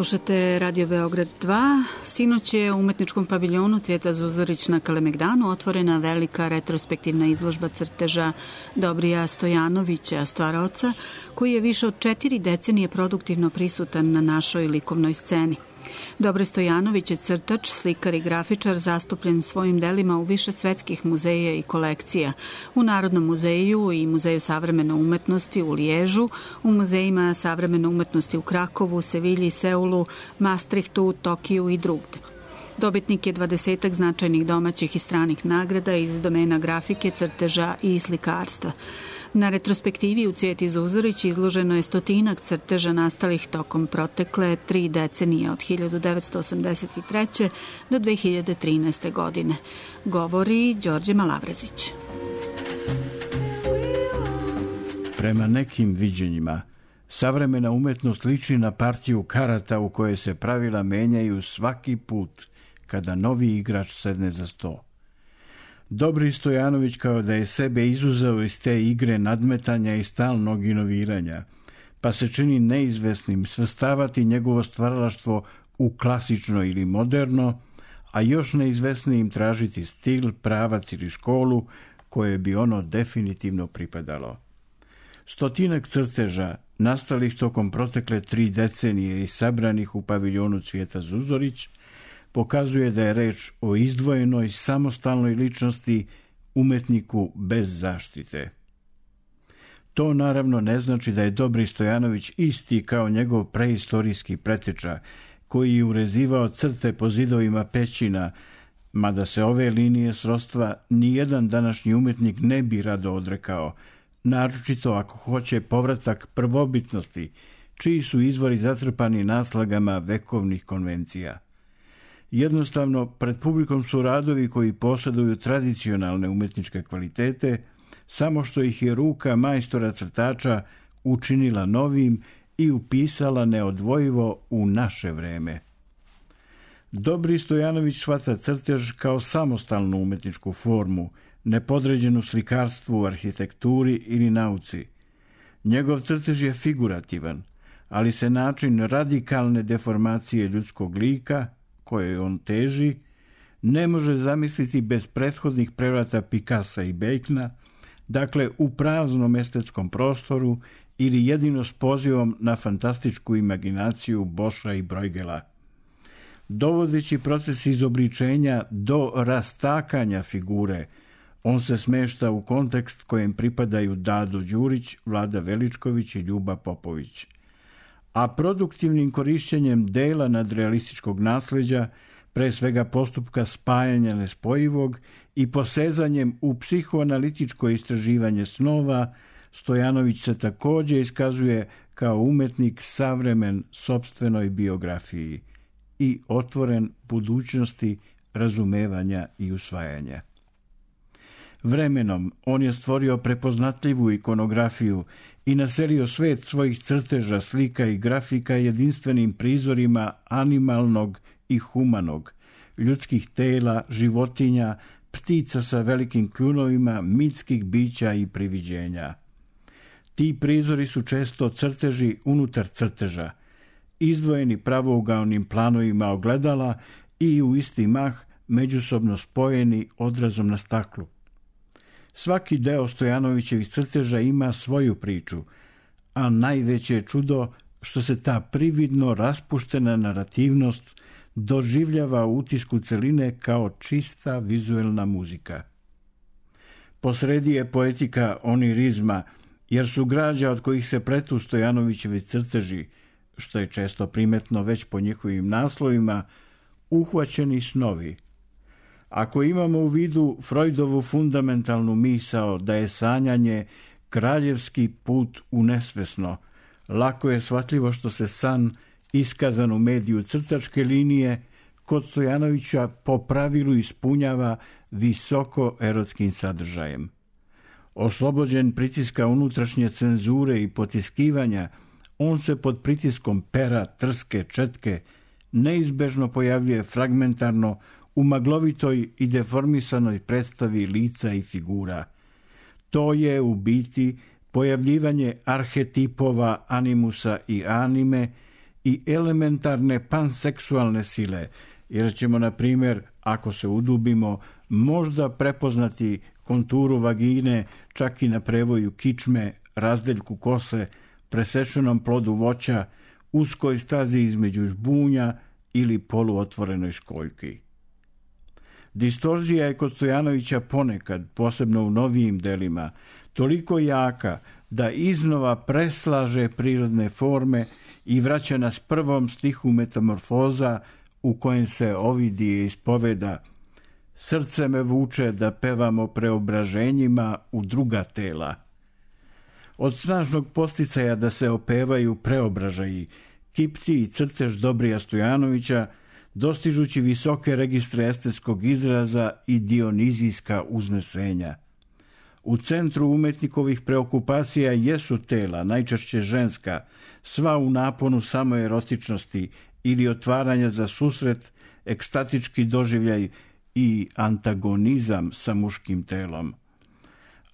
E: Slušate Radio Beograd dva. Sinoć je u umetničkom paviljonu Cvijeta Zuzorić na Kalemegdanu otvorena velika retrospektivna izložba crteža Dobrija Stojanovića, stvaraoca, koji je više od četiri decenije produktivno prisutan na našoj likovnoj sceni. Dobroj Stojanović je crtač, slikar i grafičar zastupljen svojim delima u više svetskih muzeja i kolekcija. U Narodnom muzeju i Muzeju savremene umetnosti u Liježu, u muzejima savremene umetnosti u Krakovu, Sevilji, Seulu, Maastrichtu, Tokiju i drugde. Dobitnik je dvadesetak značajnih domaćih i stranih nagrada iz domena grafike, crteža i slikarstva. Na retrospektivi u Cvijeti Zuzorić izloženo je stotinak crteža nastalih tokom protekle tri decenije od hiljadu devetsto osamdeset treće. do dve hiljade trinaeste. godine. Govori Đorđe Malavrezić.
K: Prema nekim viđenjima, savremena umetnost liči na partiju karata u kojoj se pravila menjaju svaki put kada novi igrač sedne za sto. Dobri Stojanović kao da je sebe izuzeo iz te igre nadmetanja i stalnog inoviranja, pa se čini neizvesnim svrstavati njegovo stvaralaštvo u klasično ili moderno, a još neizvesnijim tražiti stil, pravac ili školu koje bi ono definitivno pripadalo. Stotinak crteža, nastalih tokom protekle tri decenije i sabranih u paviljonu Cvijeta Zuzorić, pokazuje da je reč o izdvojenoj, samostalnoj ličnosti, umetniku bez zaštite. To naravno ne znači da je Dobri Stojanović isti kao njegov preistorijski preteča, koji je urezivao crte po zidovima pećina, mada se ove linije srodstva nijedan današnji umetnik ne bi rado odrekao, naročito ako hoće povratak prvobitnosti, čiji su izvori zatrpani naslagama vekovnih konvencija. Jednostavno, pred publikom su radovi koji posjeduju tradicionalne umetničke kvalitete, samo što ih je ruka majstora crtača učinila novim i upisala neodvojivo u naše vreme. Dobri Stojanović shvata crtež kao samostalnu umetničku formu, nepodređenu slikarstvu, arhitekturi ili nauci. Njegov crtež je figurativan, ali se način radikalne deformacije ljudskog lika, koje on teži, ne može zamisliti bez prethodnih prevrata Picassa i Bacona, dakle u praznom estetskom prostoru ili jedino s pozivom na fantastičku imaginaciju Boša i Bruegela. Dovodeći proces izobličenja do rastakanja figure, on se smešta u kontekst kojem pripadaju Dado Đurić, Vlada Veličković i Ljuba Popović. A produktivnim korišćenjem dela nadrealističkog nasleđa, pre svega postupka spajanja nespojivog i posezanjem u psihoanalitičko istraživanje snova, Stojanović se također iskazuje kao umetnik savremen sopstvenoj biografiji i otvoren budućnosti razumevanja i usvajanja. Vremenom on je stvorio prepoznatljivu ikonografiju i naselio svet svojih crteža, slika i grafika jedinstvenim prizorima animalnog i humanog, ljudskih tela, životinja, ptica sa velikim kljunovima, mitskih bića i priviđenja. Ti prizori su često crteži unutar crteža, izdvojeni pravougaonim planovima ogledala i u isti mah međusobno spojeni odrazom na staklu. Svaki deo Stojanovićevih crteža ima svoju priču, a najveće je čudo što se ta prividno raspuštena narativnost doživljava u utisku celine kao čista vizuelna muzika. Posredi je poetika onirizma, jer su građa od kojih se pletu Stojanovićevi crteži, što je često primetno već po njihovim naslovima, uhvaćeni snovi. Ako imamo u vidu Freudovu fundamentalnu misao da je sanjanje kraljevski put u nesvesno, lako je shvatljivo što se san, iskazan u mediju crtačke linije, kod Stojanovića po pravilu ispunjava visoko erotskim sadržajem. Oslobođen pritiska unutrašnje cenzure i potiskivanja, on se pod pritiskom pera, trske, četke neizbežno pojavljuje fragmentarno u maglovitoj i deformisanoj predstavi lica i figura. To je u biti pojavljivanje arhetipova animusa i anime i elementarne panseksualne sile, jer ćemo, na primjer, ako se udubimo, možda prepoznati konturu vagine čak i na prevoju kičme, razdeljku kose, presečenom plodu voća, uskoj stazi između žbunja ili poluotvorenoj školjki. Distorzija je kod Stojanovića ponekad, posebno u novijim delima, toliko jaka da iznova preslaže prirodne forme i vraća nas prvom stihu Metamorfoza u kojem se Ovidije ispoveda: srce me vuče da pevamo preobraženjima u druga tela. Od snažnog posticaja da se opevaju preobražaji, kipti i crtež Dobrija Stojanovića, dostižući visoke registre estetskog izraza i dionizijska uznesenja. U centru umetnikovih preokupacija jesu tela, najčešće ženska, sva u naponu samoerotičnosti ili otvaranja za susret, ekstatički doživljaj i antagonizam sa muškim telom.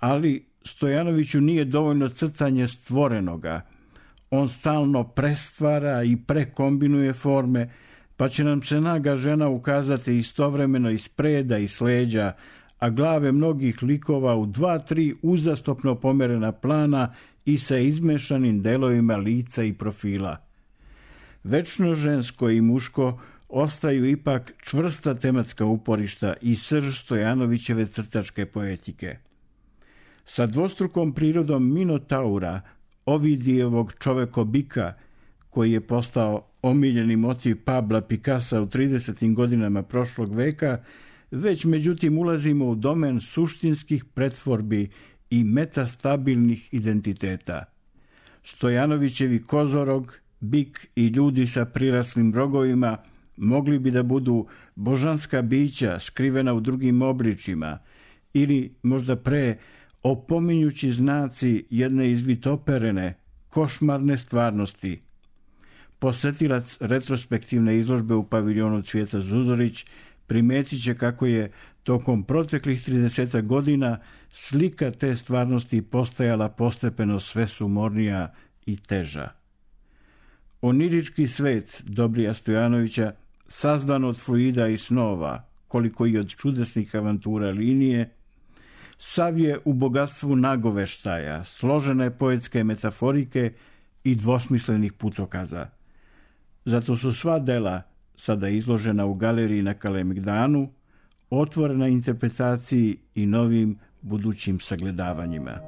K: Ali Stojanoviću nije dovoljno crtanje stvorenoga. On stalno prestvara i prekombinuje forme, pa će nam se naga žena ukazati istovremeno iz preda i sleđa, a glave mnogih likova u dva, tri uzastopno pomerena plana i sa izmešanim delovima lica i profila. Večno žensko i muško ostaju ipak čvrsta tematska uporišta i srž Stojanovićeve crtačke poetike. Sa dvostrukom prirodom Minotaura, Ovidijevog čovekobika, koji je postao omiljeni motiv Pabla Picassa u tridesetim godinama prošlog veka, već međutim ulazimo u domen suštinskih pretvorbi i metastabilnih identiteta. Stojanovićevi kozorog, bik i ljudi sa priraslim rogovima mogli bi da budu božanska bića skrivena u drugim obličima ili možda pre opominjući znaci jedne izvitoperene, košmarne stvarnosti. Posetilac retrospektivne izložbe u paviljonu Cvijeta Zuzorić primetit će kako je tokom proteklih tridesetak godina slika te stvarnosti postajala postepeno sve sumornija i teža. Onirički svet Dobrija Stojanovića, sazdan od fluida i snova, koliko i od čudesnih avantura linije, sav je u bogatstvu nagoveštaja, složene poetske metaforike i dvosmislenih putokaza. Zato su sva dela, sada izložena u galeriji na Kalemegdanu, otvorena interpretaciji i novim budućim sagledavanjima.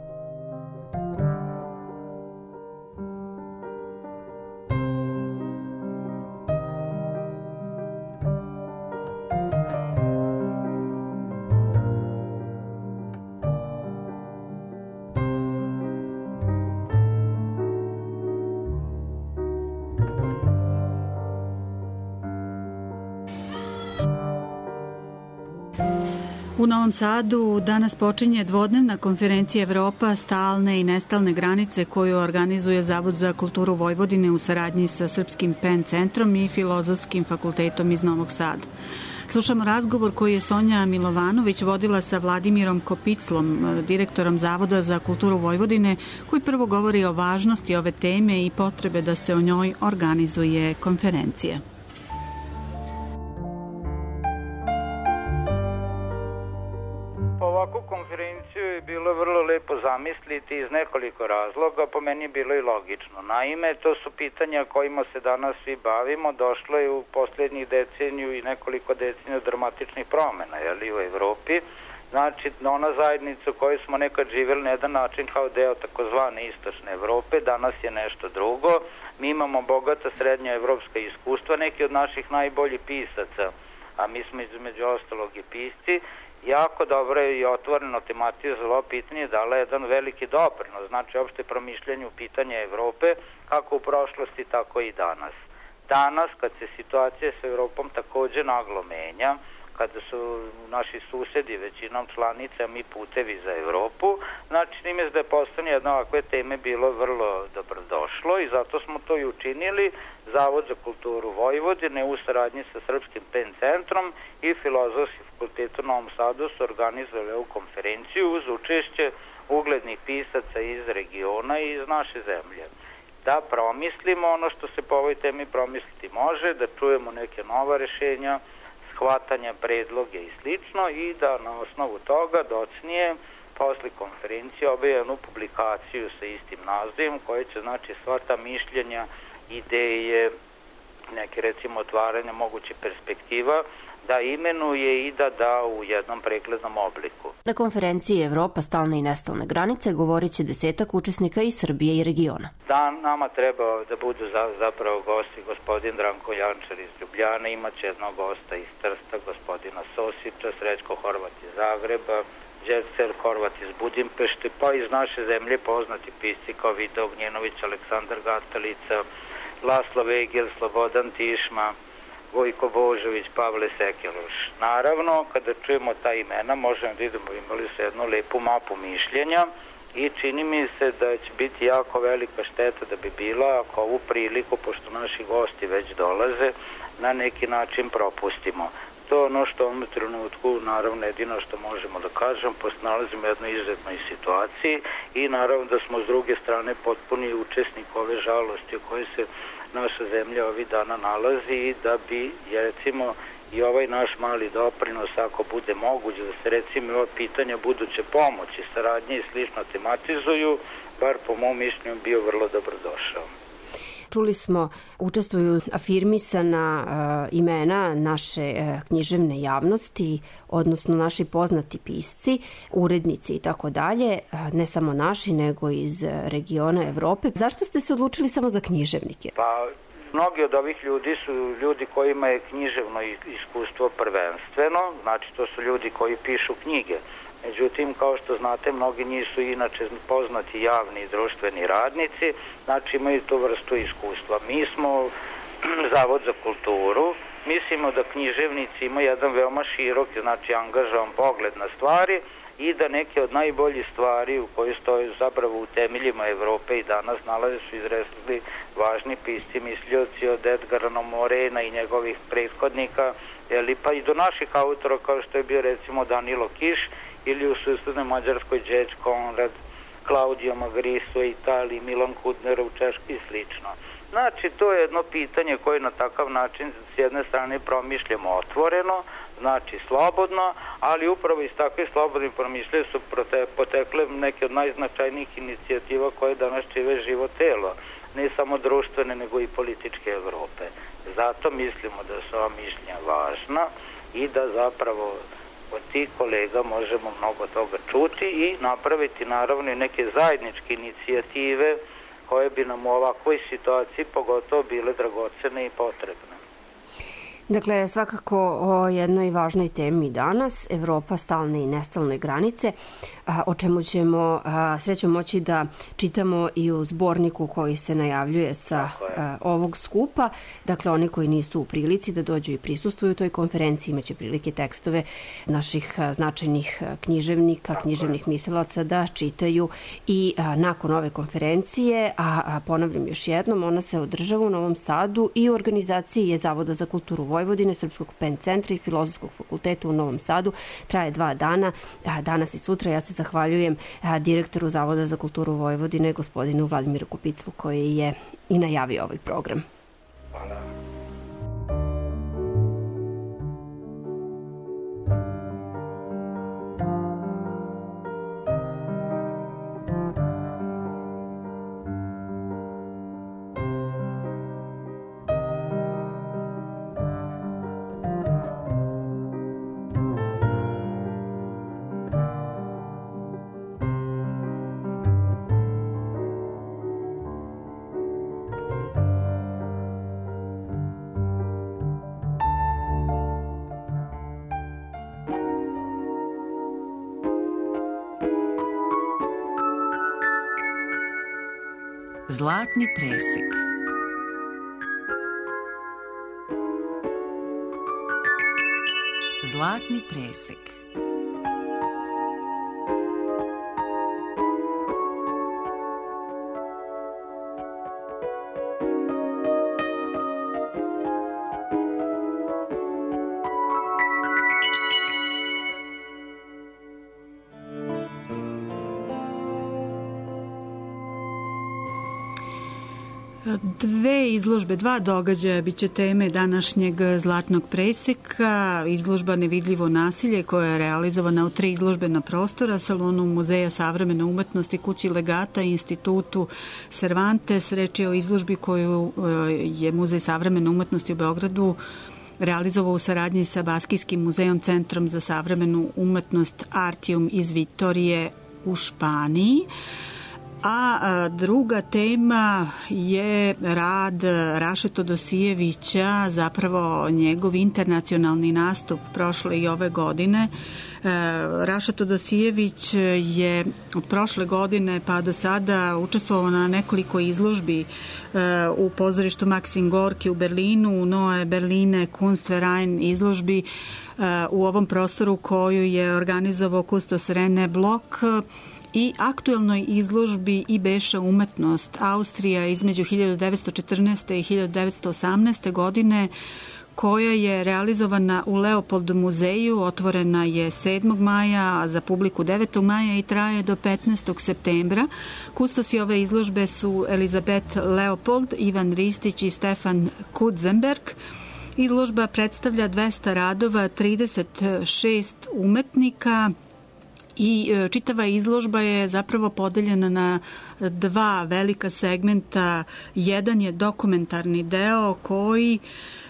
E: U Novom Sadu danas počinje dvodnevna konferencija Evropa, stalne i nestalne granice, koju organizuje Zavod za kulturu Vojvodine u saradnji sa Srpskim pen centrom i Filozofskim fakultetom iz Novog Sada. Slušamo razgovor koji je Sonja Milovanović vodila sa Vladimirom Kopiclom, direktorom Zavoda za kulturu Vojvodine, koji prvo govori o važnosti ove teme i potrebe da se o njoj organizuje konferencija.
L: Ovakvu konferenciju je bilo vrlo lepo zamisliti iz nekoliko razloga, po meni je bilo i logično. Naime, to su pitanja kojima se danas svi bavimo, došlo je u posljednjih deceniju i nekoliko deceniju dramatičnih promjena, jeli, u Evropi. Znači, ona zajednica u kojoj smo nekad živjeli na jedan način kao deo takozvane istočne Evrope, danas je nešto drugo. Mi imamo bogata srednja evropska iskustva, neki od naših najboljih pisaca, a mi smo između ostalog i pisci, jako dobro je i otvoreno tematizovalo pitanje, dala je jedan veliki doprinos, znači opšte promišljanju pitanja Evrope, kako u prošlosti, tako i danas. Danas, kad se situacija s Evropom takođe naglo menja, kada su naši susedi većinom članice, a mi putevi za Evropu, znači njime da je postane jedno ovakve teme bilo vrlo dobrodošlo i zato smo to i učinili. Zavod za kulturu Vojvodine u saradnji sa Srpskim pen centrom i Filozofskim fakultetom u Novom Sadu su organizovali ovu konferenciju uz učešće uglednih pisaca iz regiona i iz naše zemlje. da promislimo ono što se po ovoj temi promisliti može, da čujemo neke nova rešenja, shvatanja, predloge i slično i da na osnovu toga docnije posle konferencije objavi jednu publikaciju sa istim nazivom koja će znači sva ta mišljenja, ideje, neke recimo otvaranja moguće perspektiva da imenuje i da da u jednom preglednom obliku.
M: Na konferenciji Evropa stalne i nestalne granice govorit će desetak učesnika iz Srbije i regiona.
L: Da, nama treba da budu za, zapravo gosti gospodin Branko Jančar iz Ljubljane, imaće jednog gosta iz Trsta, gospodina Sosića, Srećko Horvat iz Zagreba, Đercer Horvat iz Budimpešte, pa iz naše zemlje poznati pisci kao Vida Ognjenović, Aleksandar Gatalica, Laslo Vegel, Slobodan Tišma, Vojko Božović, Pavle Sekeloš. Naravno, kada čujemo ta imena, možemo da idemo, imali su jednu lepu mapu mišljenja i čini mi se da će biti jako velika šteta da bi bila ako ovu priliku, pošto naši gosti već dolaze, na neki način propustimo. To je ono što u ovom trenutku, naravno, jedino što možemo da kažem, pošto nalazimo u jednoj izuzetnoj situaciji i naravno da smo s druge strane potpuni učesnik ove žalosti u kojoj se naša zemlja ovih dana nalazi i da bi, recimo, i ovaj naš mali doprinos, ako bude moguće, da se recimo ova pitanja buduće pomoći, saradnje i slično tematizuju, bar po mom mišljenju bio vrlo dobrodošao.
M: Čuli smo, učestvuju afirmisana uh, imena naše uh, književne javnosti, odnosno naši poznati pisci, urednici i tako dalje, ne samo naši, nego iz regiona Evrope. Zašto ste se odlučili samo za književnike?
L: Pa, mnogi od ovih ljudi su ljudi kojima je književno iskustvo prvenstveno, znači to su ljudi koji pišu knjige. Međutim, kao što znate, mnogi njih su inače poznati javni i društveni radnici, znači imaju tu vrstu iskustva. Mi smo Zavod za kulturu, mislimo da književnici imaju jedan veoma širok, znači angažovan pogled na stvari i da neke od najboljih stvari u kojoj stoje zapravo u temeljima Evrope i danas nalaze su izresli važni pisci, mislioci od Edgara Morena i njegovih prethodnika, jeli, pa i do naših autora kao što je bio recimo Danilo Kiš, ili u susednoj Mađarskoj Đeđ Konrad, Claudio Magrisso u Italiji, Milan Kudner u Češkoj i slično. Znači, to je jedno pitanje koje na takav način s jedne strane promišljamo otvoreno, znači slobodno, ali upravo iz takve slobodne promišlje su potekle neke od najznačajnijih inicijativa koje danas čive živo telo, ne samo društvene nego i političke Evrope. Zato mislimo da su ova mišljenja važna i da zapravo od tih kolega možemo mnogo toga čuti i napraviti naravno i neke zajedničke inicijative koje bi nam u ovakvoj situaciji pogotovo bile dragocene i potrebne.
M: Dakle, svakako o jednoj važnoj temi danas, Evropa stalne i nestalne granice, o čemu ćemo srećom moći da čitamo i u zborniku koji se najavljuje sa ovog skupa. Dakle, oni koji nisu u prilici da dođu i prisustvuju toj konferenciji imaće prilike tekstove naših značajnih književnika, književnih mislilaca da čitaju i nakon ove konferencije, a ponavljam još jednom, ona se održava u Novom Sadu i u organizaciji je Zavoda za kulturu Vojvodine, Srpskog pen centra i Filozofskog fakulteta u Novom Sadu. Traje dva dana, danas i sutra. Ja se zahvaljujem direktoru Zavoda za kulturu Vojvodine, gospodinu Vladimiru Kupiclu, koji je i najavio ovaj program.
L: Hvala.
D: Zlatni presek. Zlatni presek.
E: Dve izložbe, dva događaja biće teme današnjeg Zlatnog preseka. Izložba Nevidljivo nasilje koja je realizovana u tri izložbena prostora, salonu Muzeja savremene umetnosti, kući Legata i institutu Cervantes. Reč je o izložbi koju je Muzej savremene umetnosti u Beogradu realizovao u saradnji sa Baskijskim muzejom, Centrom za savremenu umetnost Artium iz Vitorije u Španiji. A druga tema je rad Raše Todosijevića, zapravo njegov internacionalni nastup prošle i ove godine. Raša Todosijević je od prošle godine pa do sada učestvovao na nekoliko izložbi u pozorištu Maxim Gorki u Berlinu, u Neue Berliner Kunstverein izložbi u ovom prostoru koju je organizovao kustos René Block, i aktuelnoj izložbi I Beša umetnost Austrija između hiljadu devetsto četrnaeste. i hiljadu devetsto osamnaeste. godine, koja je realizovana u Leopold muzeju, otvorena je sedmog maja, a za publiku devetog maja i traje do petnaestog septembra. Kustosi ove izložbe su Elizabeth Leopold, Ivan Ristić i Stefan Kudzenberg. Izložba predstavlja dvesta radova, trideset šest umetnika, i čitava izložba je zapravo podeljena na dva velika segmenta. Jedan je dokumentarni deo koji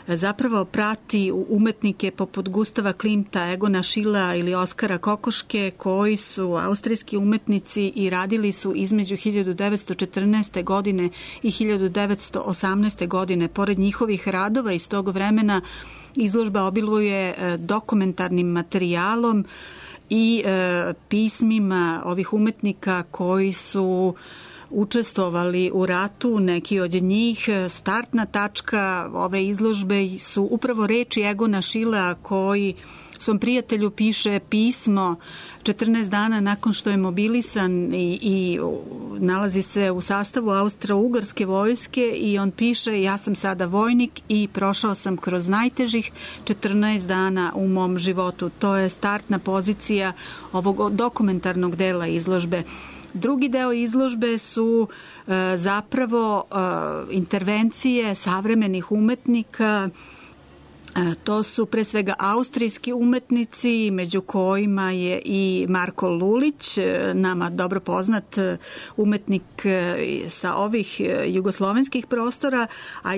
E: zapravo prati umetnike poput Gustava Klimta, Egona Schillea ili Oskara Kokoške, koji su austrijski umetnici i radili su između hiljadu devetsto četrnaeste. godine i hiljadu devetsto osamnaeste. godine. Pored njihovih radova iz tog vremena, izložba obiluje dokumentarnim materijalom i e, pismima ovih umetnika koji su učestvovali u ratu. Neki od njih, startna tačka ove izložbe su upravo reči Egona Schillea, koji svom prijatelju piše pismo četrnaest dana nakon što je mobilisan i, i nalazi se u sastavu Austro-Ugarske vojske, i on piše: ja sam sada vojnik i prošao sam kroz najtežih četrnaest dana u mom životu. To je startna pozicija ovog dokumentarnog dela izložbe. Drugi deo izložbe su e, zapravo e, intervencije savremenih umetnika. To su pre svega austrijski umetnici, među kojima je i Marko Lulić, nama dobro poznat umetnik sa ovih jugoslovenskih prostora, a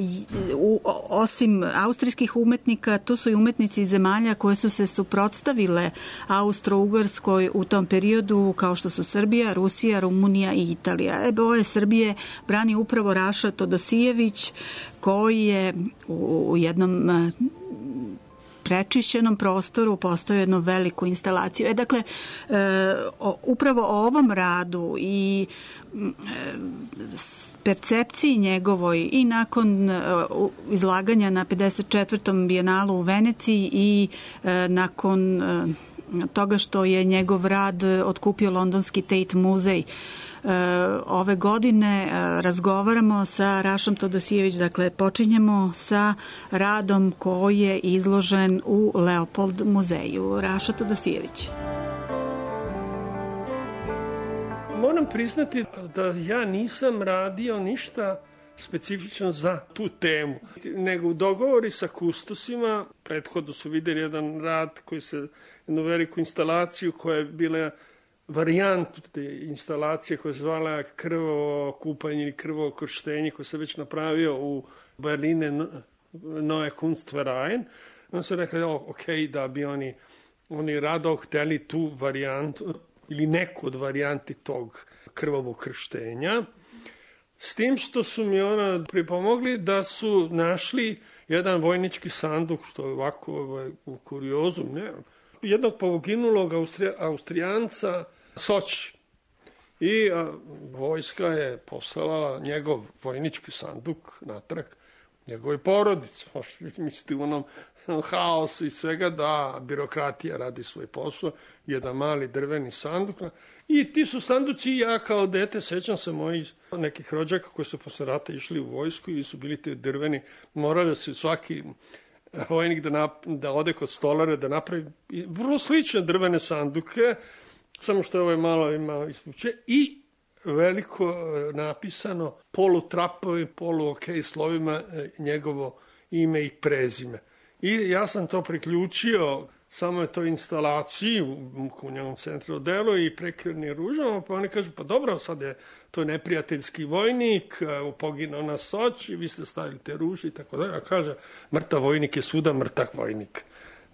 E: osim austrijskih umetnika, tu su i umetnici zemalja koje su se suprotstavile Austro-Ugarskoj u tom periodu, kao što su Srbija, Rusija, Rumunija i Italija. E, boje Srbije brani upravo Raša Todosijević, koji je u jednom prečišćenom prostoru postoji jednu veliku instalaciju. E, dakle, e, o, upravo o ovom radu i e, percepciji njegovoj i nakon e, izlaganja na pedeset četvrtom bijenalu u Veneciji i e, nakon e, toga što je njegov rad otkupio londonski Tate muzej, ove godine razgovaramo sa Rašom Todosijević. Dakle, počinjemo sa radom koji je izložen u Leopold muzeju. Raša Todosijević.
N: Moram priznati da ja nisam radio ništa specifično za tu temu, nego u dogovori sa kustosima. Prethodno su videli jedan rad koji se, jednu veliku instalaciju koja je bila varijantu te instalacije koja se zvala krvovo kupanje ili krvovo krštenje, koje se već napravio u Berline Neue Kunstverein. On su rekli, ok, da bi oni, oni rado hteli tu varijantu ili neku od varijanti tog krvovog krštenja. S tim što su mi ona pripomogli da su našli jedan vojnički sanduk, što je ovako ovaj, u kuriozu, ne, jednog poginulog Austrija, Austrijanca Soči. I a, vojska je poslala njegov vojnički sanduk natrag njegove porodice. Možete misliti u onom haosu i svega da birokratija radi svoj posao, jedan mali drveni sanduk. I ti su sanduci, ja kao dete sećam se mojih nekih rođaka koji su posle rata išli u vojsku i su bili te drveni, morali su svaki vojnik da, nap, da ode kod stolara da napravi vrlo slične drvene sanduke, samo što je ovo malo ima ispuće, i veliko napisano polutrapovim, polu ok slovima njegovo ime i prezime. I ja sam to priključio samo je to instalaciji u, u njegovom centru delu i prekirni ružama, pa oni kažu, pa dobro, sad je to neprijateljski vojnik, poginao na Soči, vi ste stavili te ruže i tako dalje. A kaže, mrtav vojnik je svuda mrtav vojnik.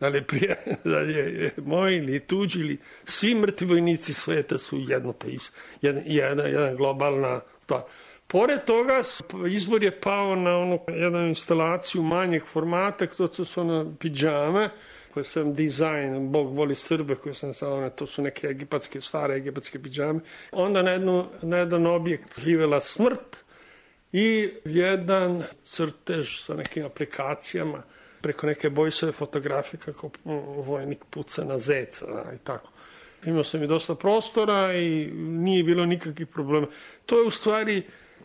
N: Da li, prije, da li je moj ili tuđi ili svi mrtvi vojnici sveta su jedno te is, jedna, jedna, jedna globalna stvar. Pored toga, izbor je pao na onu jednu instalaciju manjeg formata, to su ono pidžame, koje sam dizajn, Bog voli Srbe, koje sam samo, to su neke egipatske, stare egipatske pidžame. Onda na, jednu, na jedan objekt živela smrt i jedan crtež sa nekim aplikacijama preko neke Bojsove fotografije kako vojnik puca na zeca i tako. Imao sam i dosta prostora i nije bilo nikakvih problema. To je u stvari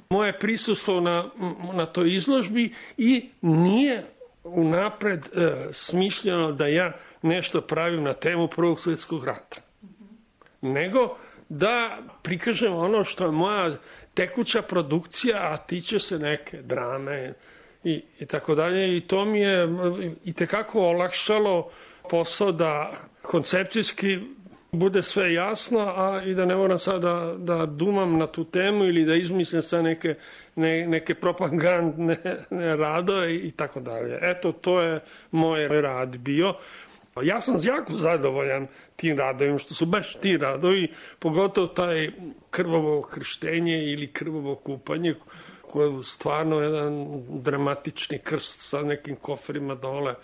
N: moje prisustvo na, na toj izložbi i nije unapred e, smišljeno da ja nešto pravim na temu Prvog svjetskog rata. Nego da prikažem ono što je moja tekuća produkcija, a tiče se neke drame i, i tako dalje. I to mi je i tekako olakšalo posao da koncepcijski bude sve jasno, a i da ne moram sad da, da dumam na tu temu ili da izmislim sa neke, ne, neke propagandne radove i tako dalje. Eto, to je moj rad bio. Ja sam jako zadovoljan tim radovima, što su baš ti radovi, pogotovo taj krvavo krštenje ili krvavo kupanje, koje je stvarno jedan dramatični krst sa nekim koferima dole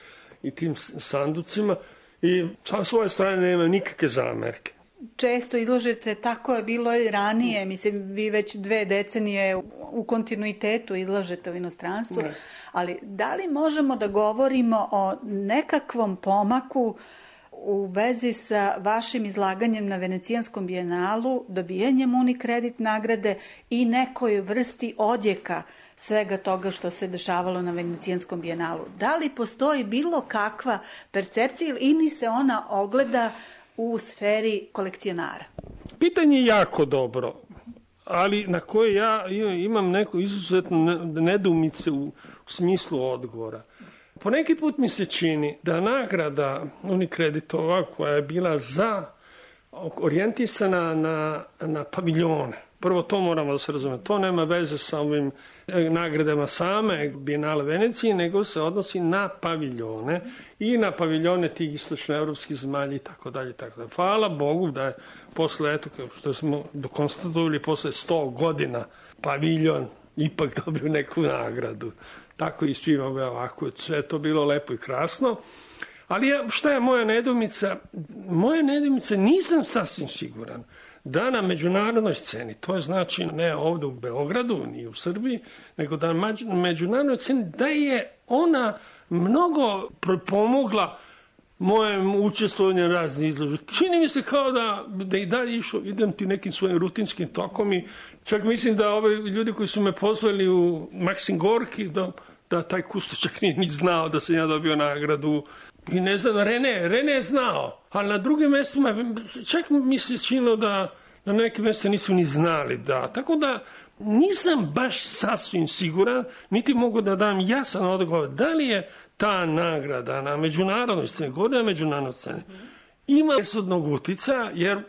N: i tim sanducima. I sa svoje strane nema nikakve zamerke.
E: Često izlažete, tako je bilo i ranije, mislim, vi već dve decenije u kontinuitetu izlažete u inostranstvu, ne. Ali da li možemo da govorimo o nekakvom pomaku u vezi sa vašim izlaganjem na Venecijanskom bijenalu, dobijanjem Unikredit nagrade i nekoj vrsti odjeka svega toga što se dešavalo na Venecijanskom bijenalu? Da li postoji bilo kakva percepcija ili se ona ogleda u sferi kolekcionara?
N: Pitanje je jako dobro, ali na koje ja imam neku izuzetnu nedoumice u, u smislu odgovora. Po neki put mi se čini da nagrada Unikreditova koja je bila za orijentisana na, na paviljone. Prvo to moramo da se razume. To nema veze sa ovim nagradama same Bijenale Venecije, nego se odnosi na paviljone i na paviljone tih istočnoevropskih zemalja i tako dalje. Hvala Bogu da je posle, eto, što smo dokonstatovali, posle sto godina paviljon ipak dobio neku nagradu. Tako i svima ovako, sve to bilo lepo i krasno. Ali ja, šta je moja nedoumica? Moja nedoumica, nisam sasvim siguran da na međunarodnoj sceni, to je znači ne ovde u Beogradu, ni u Srbiji, nego da na međunarodnoj sceni, da je ona mnogo pomogla mojem učestvovanju raznih izložbi. Čini mi se kao da, da i dalje išao, idem ti nekim svojim rutinskim tokom i čak mislim da ove ljudi koji su me pozvali u Maksim Gorki, da, da taj kustoš čak nije ni znao da sam ja dobio nagradu. I ne znam, Rene, Rene je znao, ali na drugim mjestima, čak mi se činilo da na nekim mjesta nisu ni znali da. Tako da nisam baš sasvim siguran, niti mogu da dam jasan odgovor da li je ta nagrada na međunarodnoj sceni, govorim na međunarodnoj sceni, ima presudnog utica, jer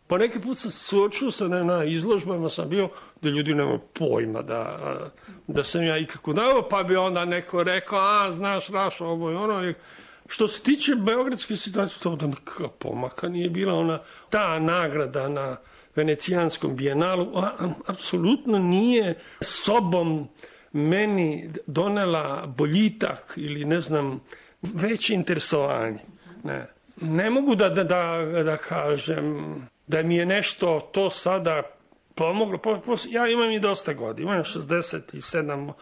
N: po neki put sam suočio sa na, na izložbama, sam bio da ljudi nemaju pojma da, da sam ja ikako dao, pa bi onda neko rekao, a znaš, Raš, ovo i ono. Što se tiče beogradske situacije, to da nikakva pomaka nije bila ona, ta nagrada na Venecijanskom bijenalu, a, a, apsolutno nije sobom meni donela boljitak ili ne znam, veće interesovanje. Ne, ne mogu da, da, da, da kažem da mi je nešto to sada pomoglo. Po, po, ja imam i dosta godina, imam šezdeset sedam,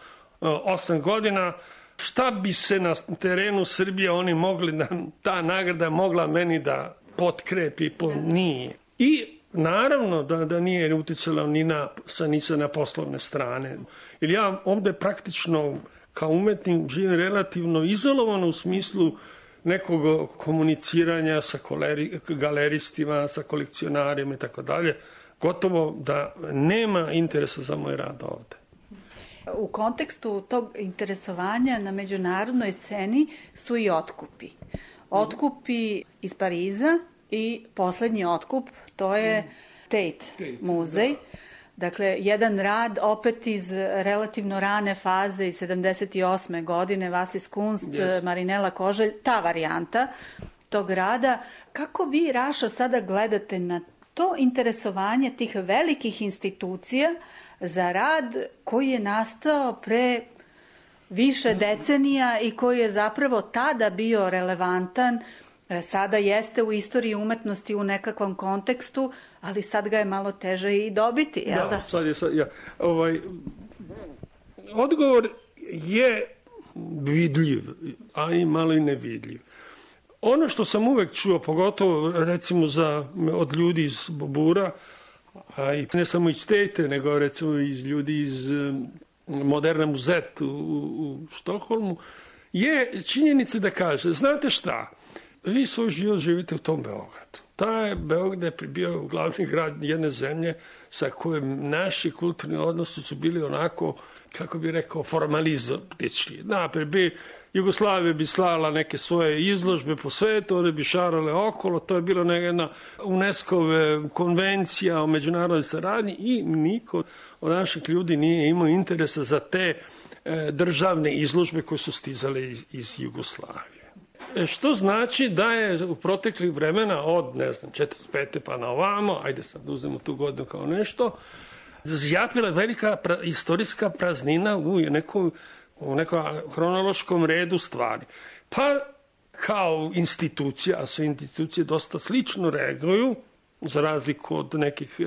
N: osam godina. Šta bi se na terenu Srbije oni mogli, da ta nagrada mogla meni da potkrepi, po, nije. I naravno da, da nije uticala ni na, ni sa na poslovne strane. Jer ja ovde praktično kao umetnik živim relativno izolovano u smislu nekog komuniciranja sa koleri, galeristima, sa kolekcionarima i tako dalje. gotovo da nema interesa za moj rad ovde.
E: U kontekstu tog interesovanja na međunarodnoj sceni su i otkupi. Otkupi iz Pariza i poslednji otkup, to je Tate muzej. Dakle, jedan rad opet iz relativno rane faze iz sedamdeset osme godine, Vasis Kunst, yes. Marinela Koželj, ta varijanta tog rada. Kako vi, Rašo, sada gledate na to interesovanje tih velikih institucija za rad koji je nastao pre više decenija i koji je zapravo tada bio relevantan, sada jeste u istoriji umetnosti u nekakvom kontekstu, ali sad ga je malo teže i dobiti, jel da?
N: Da, sad je sad, ja. Ovaj, odgovor je vidljiv, a i malo i nevidljiv. Ono što sam uvek čuo, pogotovo recimo za, od ljudi iz Bobura, a i ne samo iz Tate, nego recimo iz ljudi iz Moderna muzet u, u Štokholmu, je činjenica da kaže, znate šta, vi svoj život živite u tom Beogradu. Taj Beograd je bio glavni grad jedne zemlje sa kojim naši kulturni odnosi su bili onako, kako bi rekao, formalizotični. Naprijed bi Jugoslavija bi slala neke svoje izložbe po svetu, one bi šarale okolo, to je bilo jedna UNESCO-ve konvencija o međunarodnoj saradnji i niko od naših ljudi nije imao interesa za te e, državne izložbe koje su stizale iz, iz Jugoslavije. E, što znači da je u proteklih vremena od, ne znam, četrdeset pete pa na ovamo, ajde sad uzmemo tu godinu kao nešto, zjapila velika pra, istorijska praznina u nekom u nekom hronološkom redu stvari. Pa kao institucija, a sve institucije dosta slično reaguju, za razliku od nekih,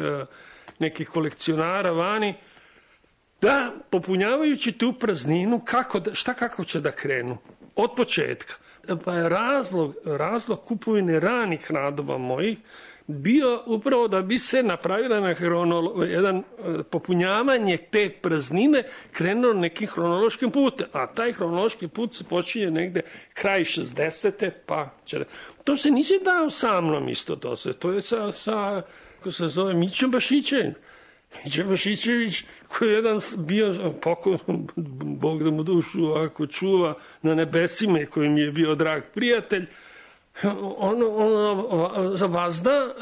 N: nekih kolekcionara vani, da popunjavajući tu prazninu, kako da, šta kako će da krenu? Od početka. Pa je razlog, razlog kupovine ranih radova mojih bio upravo da bi se napravila na hronolo, jedan popunjavanje te praznine krenulo nekim hronološkim putem. A taj hronološki put se počinje negde kraj šezdesete pa će... To se nisi dao sa mnom isto to se. To je sa, sa kako se zove, Mićom Bašićem. Mića Bašićević koji je jedan bio pokoj, Bog da mu dušu ako čuva na nebesima i koji mi je bio drag prijatelj, on, on za vazda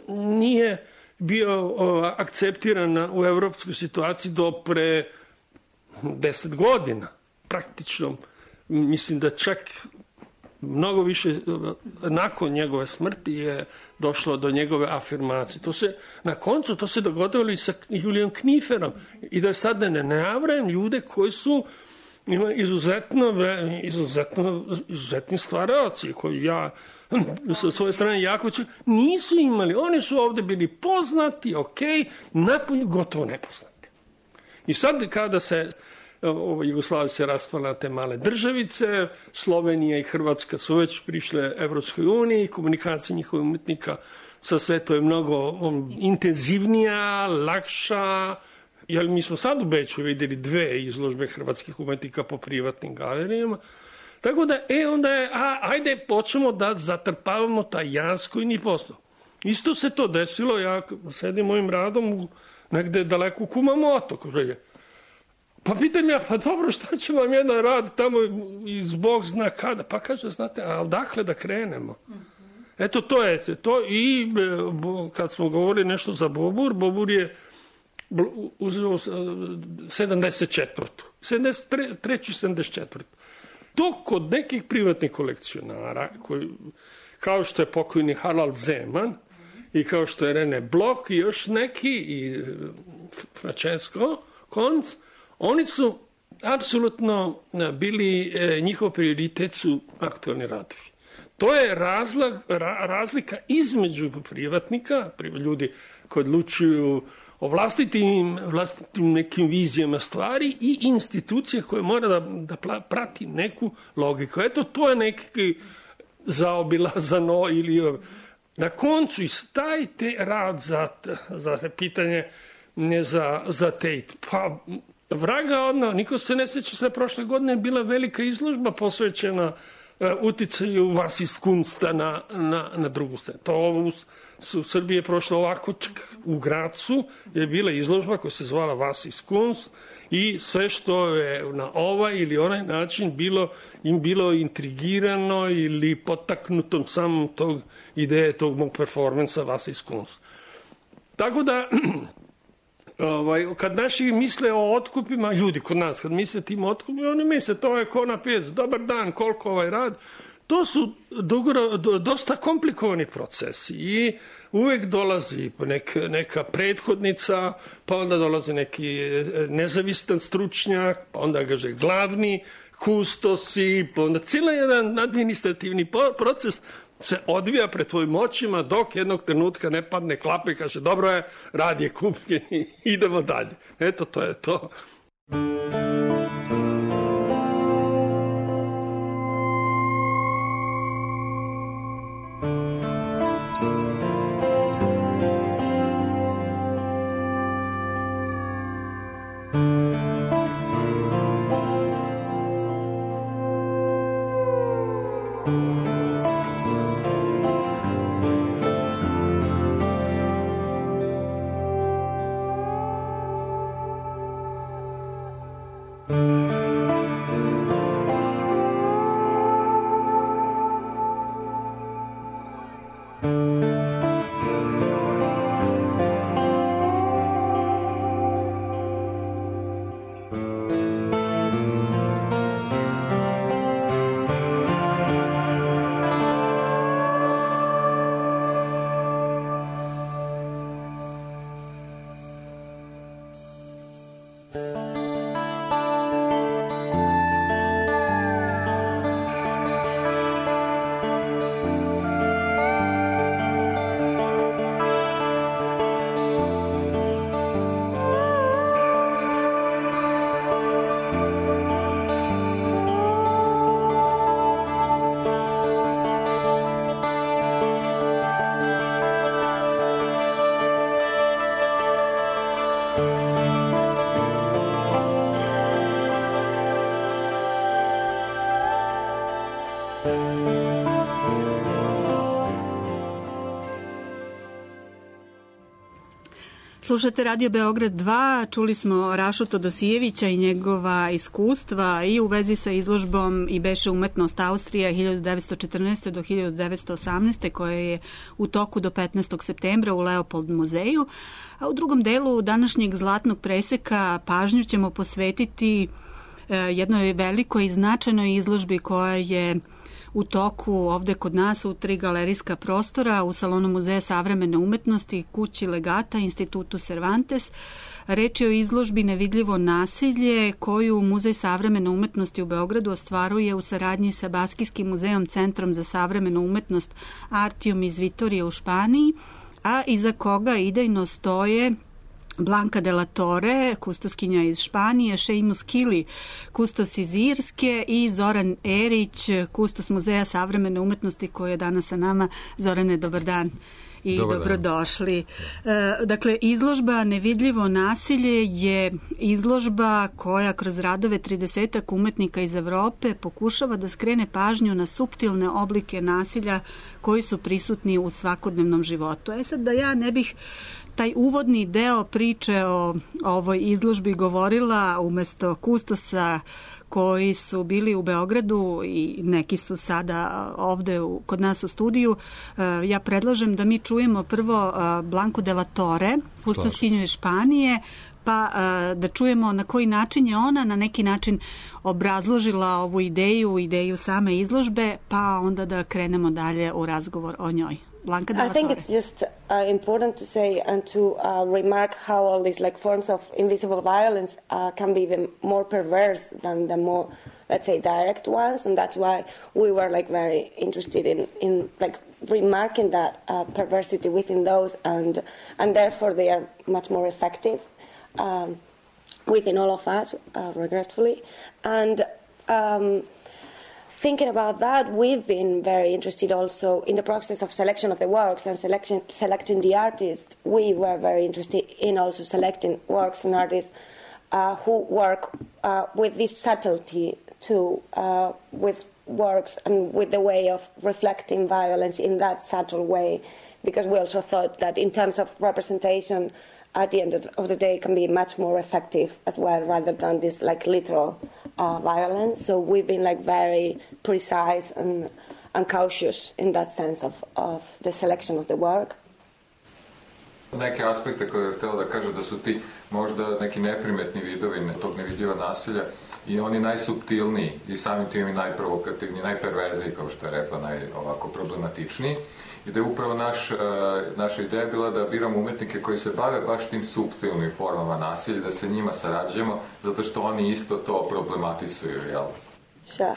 N: nije bio akceptiran u evropskoj situaciji do pre deset godina. Praktično, mislim da čak mnogo više nakon njegove smrti je došlo do njegove afirmacije. To se, na koncu to se dogodilo i sa Julijom Kniferom. I da sad ne navrajem ljude koji su ima izuzetno, izuzetno, izuzetni stvaraoci koji ja sa svoje strane jako ću, nisu imali, oni su ovde bili poznati, ok, napolju gotovo nepoznati. I sad kada se ovo, Jugoslavija se raspala na te male državice, Slovenija i Hrvatska su već prišle Evropskoj uniji, komunikacija njihovih umetnika sa svetom je mnogo on, intenzivnija, lakša. Jer mi smo sad u Beču vidjeli dve izložbe hrvatskih umetnika po privatnim galerijama. Tako da, e, onda je, a, ajde, počnemo da zatrpavamo taj jaz koji ni postao. Isto se to desilo, ja sedim mojim radom u, negde daleko u Kumamoto, kaže, pa pitam ja, pa dobro, šta će vam jedan rad tamo iz Bog zna kada? Pa kaže, znate, a odakle da krenemo? Eto, to je to. I kad smo govorili nešto za Bobur, Bobur je uzeo sedamdeset četvrtu sedamdeset treću sedamdeset četvrtu To kod nekih privatnih kolekcionara, koji, kao što je pokojni Harald Zeman i kao što je Rene Block i još neki i Francesco Konc, oni su apsolutno bili, njihov prioritet su aktualni radovi. To je razlag, ra, razlika između privatnika, ljudi koji odlučuju o vlastitim, vlastitim nekim vizijama stvari i institucije koje mora da, da prati neku logiku. Eto, to je neki zaobilazano ili na koncu istajte rad za, za pitanje ne za, za Tate. Pa, vraga odno, niko se ne sjeća, sve prošle godine je bila velika izložba posvećena uticaju vas iz kunsta na, na, na drugu stranu. To ovo u, u Srbiji je prošlo ovako, čak u Gracu je bila izložba koja se zvala Vas iz kunst i sve što je na ovaj ili onaj način bilo, im bilo intrigirano ili potaknutom samom tog ideje tog mog performansa Vas iz kunst. Tako da, ovaj, kad naši misle o otkupima, ljudi kod nas, kad misle tim otkupima, oni misle to je ko na pijac, dobar dan, koliko ovaj rad. To su dugoro, dosta komplikovani procesi i uvek dolazi neka, neka prethodnica, pa onda dolazi neki nezavistan stručnjak, pa onda kaže glavni kustosi, pa onda cijela jedan administrativni proces se odvija pred tvojim očima dok jednog trenutka ne padne klapa i kaže dobro je, rad je kupljen i idemo dalje. Eto, to je to.
E: Slušate Radio Beograd dva, čuli smo Rašu Todosijevića i njegova iskustva i u vezi sa izložbom I beše umetnost Austrija hiljadu devetsto četrnaeste. do hiljadu devetsto osamnaeste. koja je u toku do petnaestog septembra u Leopold muzeju. A u drugom delu današnjeg zlatnog preseka pažnju ćemo posvetiti jednoj velikoj i značajnoj izložbi koja je u toku ovde kod nas u tri galerijska prostora u Salonu muzeja savremene umetnosti, kući Legata, Institutu Cervantes. Reč je o izložbi Nevidljivo nasilje koju Muzej savremene umetnosti u Beogradu ostvaruje u saradnji sa Baskijskim muzejom Centrom za savremenu umetnost Artium iz Vitorije u Španiji, a iza koga idejno stoje Blanka de la Torre, kustoskinja iz Španije, Seamus Kili, kustos iz Irske i Zoran Erić, kustos Muzeja savremene umetnosti koji je danas sa nama. Zorane, dobar dan i dobar dobrodošli. Dan. Dakle, izložba Nevidljivo nasilje je izložba koja kroz radove tridesetak umetnika iz Evrope pokušava da skrene pažnju na suptilne oblike nasilja koji su prisutni u svakodnevnom životu. E sad, da ja ne bih taj uvodni deo priče o ovoj izložbi govorila umesto kustosa koji su bili u Beogradu i neki su sada ovde u, kod nas u studiju, ja predlažem da mi čujemo prvo Blanku de la Torre, kustoskinju iz Španije, pa da čujemo na koji način je ona na neki način obrazložila ovu ideju, ideju same izložbe, pa onda da krenemo dalje u razgovor o njoj. Blanca de la
O: I think it's just uh, important to say and to uh, remark how all these like forms of invisible violence uh, can be even more perverse than the more, let's say, direct ones, and that's why we were like very interested in in like remarking that uh, perversity within those, and and therefore they are much more effective um, within all of us, uh, regretfully, and. Um, Thinking about that, we've been very interested also in the process of selection of the works and selection, selecting the artists. We were very interested in also selecting works and artists uh, who work uh, with this subtlety to uh, with works and with the way of reflecting violence in that subtle way, because we also thought that in terms of representation, at the end of the day, can be much more effective as well, rather than this like literal uh, violence. So we've been like very precise and, and cautious in that sense of, of the selection of the work.
P: Neke aspekte koje je htjela da kaže da su ti možda neki neprimetni vidovi tog nevidljiva nasilja i oni najsuptilniji i samim tim i najprovokativniji, najperverzniji, kao što je rekla, naj ovako problematičniji. I da je upravo naš, naša ideja bila da biramo umetnike koji se bave baš tim suptilnim formama nasilja, da se njima sarađujemo, zato što oni isto to problematisuju, jel?
O: Sure.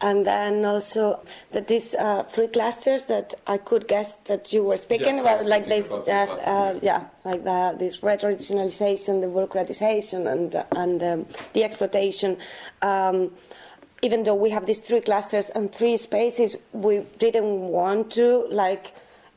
O: And then also that these uh, three clusters that I could guess that you were speaking yes, about, like this, just uh, yeah, like the, this retraditionalization, the bureaucratization, and and um, the exploitation. Um, even though we have these three clusters and three spaces, we didn't want to like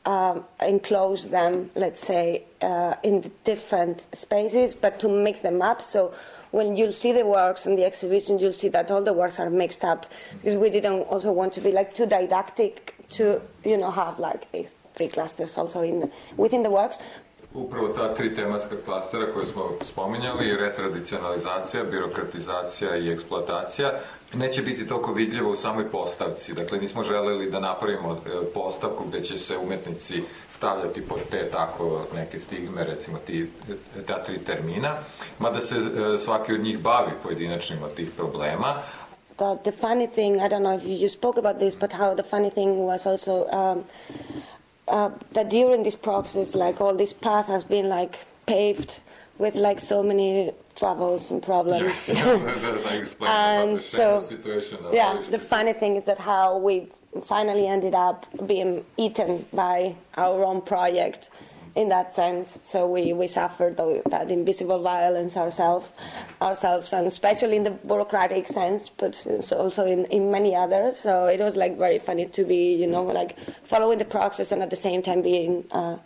O: um, enclose them, let's say, uh, in the different spaces, but to mix them up. So when you'll see the works in the exhibition, you'll see that all the works are mixed up, because we didn't also want to be like too didactic to, you know, have like these three clusters also in within the works.
P: Upravo ta tri tematska klastera koje smo spominjali, retradicionalizacija, birokratizacija i eksploatacija, neće biti toliko vidljivo u samoj postavci. Dakle, nismo želeli da napravimo postavku gde će se umetnici stavljati pod te tako neke stigme, recimo ti, ta tri termina, mada se svaki od njih bavi pojedinačnim od tih problema.
O: The, the funny thing, I don't know if you spoke about this, but how the funny thing was also um, uh, that during this process, like all this path has been like paved with like so many troubles and problems.
P: Yes, as I explained
O: and
P: about the
O: so,
P: situation.
O: Yeah, the funny thing is that how we finally ended up being eaten by our own project in that sense. So we, we suffered that invisible violence ourselves, ourselves, and especially in the bureaucratic sense, but also in, in many others. So it was like very funny to be, you know, like following the process and at the same time being uh,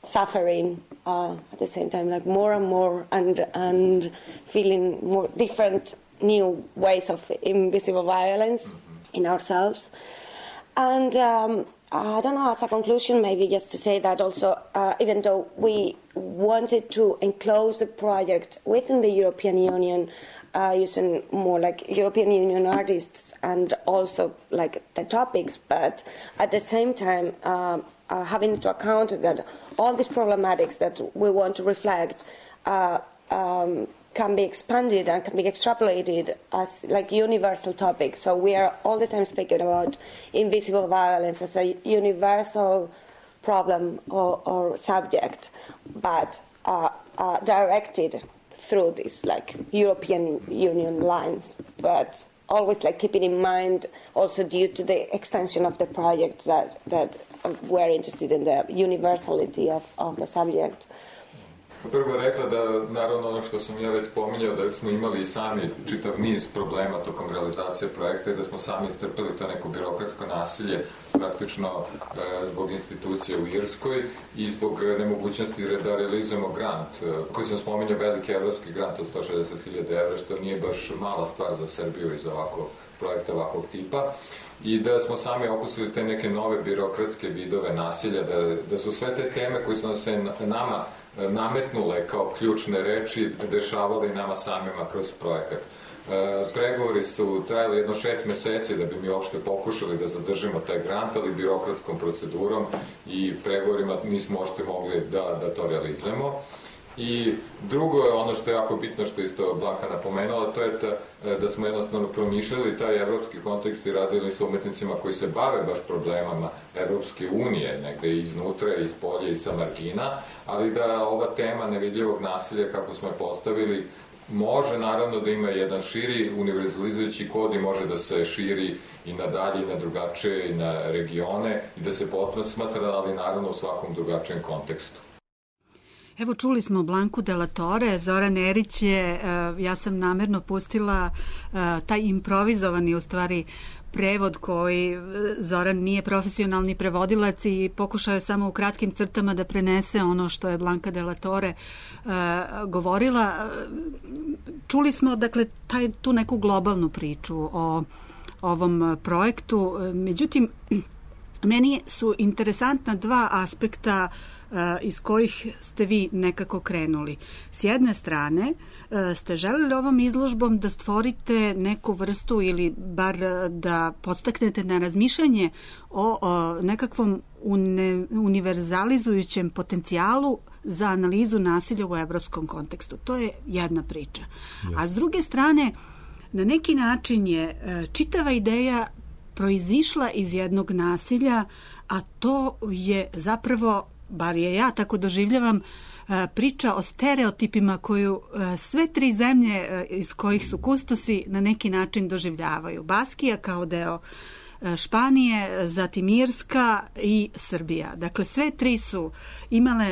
O: suffering uh, at the same time, like more and more, and and feeling more different, new ways of invisible violence mm-hmm. in ourselves. And um, I don't know, as a conclusion, maybe just to say that also, uh, even though we wanted to enclose the project within the European Union, uh, using more like European Union artists and also like the topics, but at the same time, uh, uh, having to account that all these problematics that we want to reflect uh, um, can be expanded and can be extrapolated as like universal topics. So we are all the time speaking about invisible violence as a universal problem or, or subject, but uh, uh, directed through these like European Union lines, but always like keeping in mind also due to the extension of the project that, that we're interested in the universality of, of the subject.
P: Prvo je rekla da, naravno, ono što sam ja već pominjao, da smo imali i sami čitav niz problema tokom realizacije projekta i da smo sami istrpeli to neko birokratsko nasilje, praktično e, zbog institucije u Irskoj i zbog nemogućnosti da realizujemo grant, e, koji sam spominjao, veliki evropski grant od sto šezdeset hiljada evra, što nije baš mala stvar za Srbiju i za ovako projekta ovakvog tipa. I da smo sami okusili te neke nove birokratske vidove nasilja, da, da su sve te teme koje su nas se nama nametnule kao ključne reči dešavale i nama samima kroz projekat. E, pregovori su trajali jedno šest meseci da bi mi uopšte pokušali da zadržimo taj grant, ali birokratskom procedurom i pregovorima nismo uopšte mogli da, da to realizujemo. I drugo je ono što je jako bitno, što isto Blanka napomenula, to je ta, da smo jednostavno promišljali taj evropski kontekst i radili sa umetnicima koji se bave baš problemama Evropske unije, negde iznutra, iz polja i sa margina, ali da ova tema nevidljivog nasilja, kako smo je postavili, može naravno da ima jedan širi univerzalizujući kod i može da se širi i na dalje, i na drugačije, i na regione, i da se potpuno smatra, ali naravno u svakom drugačijem kontekstu.
E: Evo, čuli smo Blanku de la Torre, Zoran Erić je, ja sam namerno pustila taj improvizovani u stvari prevod koji Zoran nije profesionalni prevodilac i pokušao je samo u kratkim crtama da prenese ono što je Blanka de la Torre govorila. Čuli smo, dakle, taj, tu neku globalnu priču o ovom projektu. Međutim, meni su interesantna dva aspekta iz kojih ste vi nekako krenuli. S jedne strane, ste želeli ovom izložbom da stvorite neku vrstu ili bar da podstaknete na razmišljanje o, o nekakvom une, univerzalizujućem potencijalu za analizu nasilja u evropskom kontekstu. To je jedna priča. Yes. A s druge strane, na neki način je čitava ideja proizišla iz jednog nasilja, a to je zapravo, bar je ja tako doživljavam, priča o stereotipima koju sve tri zemlje iz kojih su kustosi na neki način doživljavaju. Baskija kao deo Španije, zatim Irska i Srbija. Dakle, sve tri su imale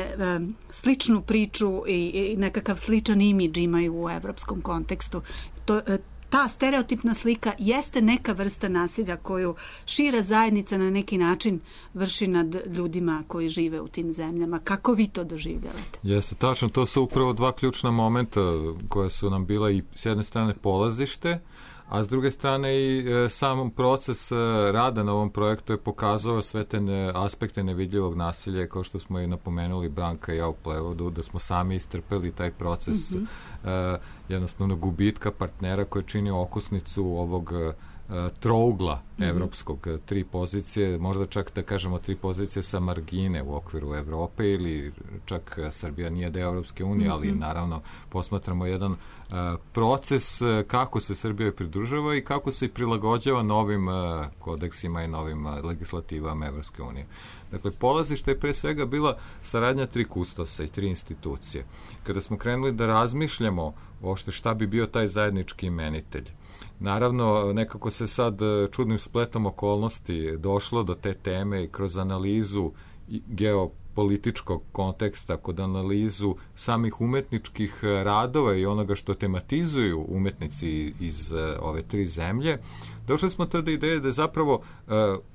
E: sličnu priču i nekakav sličan imidž imaju u evropskom kontekstu. To, ta stereotipna slika jeste neka vrsta nasilja koju šira zajednica na neki način vrši nad ljudima koji žive u tim zemljama. Kako vi to doživljavate?
Q: Jeste, tačno. To su upravo dva ključna momenta koja su nam bila i s jedne strane polazište, a s druge strane i e, sam proces e, rada na ovom projektu je pokazao sve te ne, aspekte nevidljivog nasilja, kao što smo i napomenuli Branka i ja u prevodu, da smo sami istrpeli taj proces mm-hmm. e, jednostavno gubitka partnera koji čini okosnicu ovog e, trougla mm-hmm. evropskog, tri pozicije, možda čak da kažemo tri pozicije sa margine u okviru Evrope ili čak Srbija nije deo Evropske unije, mm-hmm. ali naravno posmatramo jedan uh, proces uh, kako se Srbija pridružava i kako se prilagođava novim uh, kodeksima i novim uh, legislativama Evropske unije. Dakle, polazište je pre svega bila saradnja tri kustosa i tri institucije. Kada smo krenuli da razmišljamo uopšte šta bi bio taj zajednički imenitelj, naravno, nekako se sad čudnim spletom okolnosti došlo do te teme i kroz analizu geopolitičkog konteksta, kod analizu samih umetničkih radova i onoga što tematizuju umetnici iz ove tri zemlje, došli smo to do ideje da je zapravo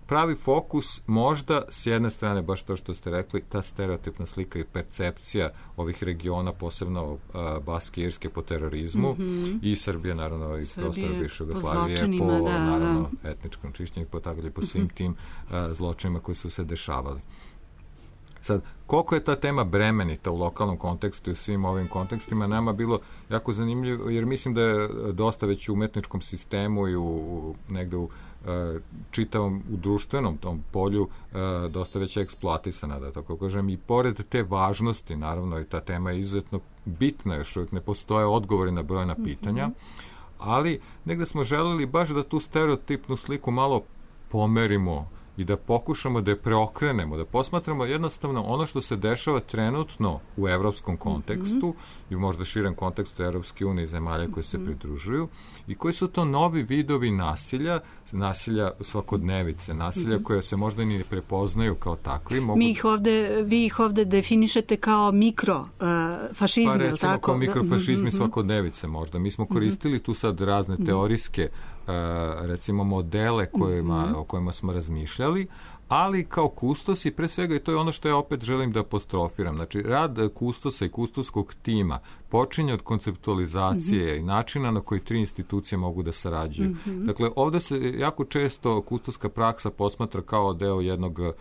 Q: pravi fokus možda s jedne strane, baš to što ste rekli, ta stereotipna slika i percepcija ovih regiona, posebno uh, Baske i Irske po terorizmu mm-hmm. i Srbije, naravno, i prostora bivše Jugoslavije po, po da, naravno, da. etničkom čišćenju, po tako po svim mm-hmm. tim uh, zločinima koji su se dešavali. Sad, koliko je ta tema bremenita u lokalnom kontekstu i u svim ovim kontekstima, nama bilo jako zanimljivo, jer mislim da je dosta već u umetničkom sistemu i u, u negde u Uh, čitavom u društvenom tom polju uh, dosta već eksploatisana, da tako kažem, i pored te važnosti, naravno, i ta tema je izuzetno bitna, još uvijek ne postoje odgovori na brojna pitanja, mm-hmm. ali negde smo želeli baš da tu stereotipnu sliku malo pomerimo i da pokušamo da je preokrenemo, da posmatramo jednostavno ono što se dešava trenutno u evropskom kontekstu mm-hmm. i u možda širem kontekstu Evropske unije i zemalja koje se pridružuju i koji su to novi vidovi nasilja, nasilja svakodnevice, nasilja mm-hmm. koje se možda ni ne prepoznaju kao takvi. Mogu...
E: Mi ih ovde, vi ih ovde definišete kao mikrofašizmi, uh,
Q: pa recimo
E: tako?
Q: Kao mikrofašizmi mm-hmm. svakodnevice možda. Mi smo koristili tu sad razne teorijske Uh, recimo modele kojima, mm-hmm. o kojima smo razmišljali, ali kao kustosi, pre svega, i to je ono što ja opet želim da apostrofiram, znači rad kustosa i kustoskog tima počinje od konceptualizacije mm-hmm. i načina na koji tri institucije mogu da sarađuju. Mm-hmm. Dakle, ovde se jako često kustoska praksa posmatra kao deo jednog uh,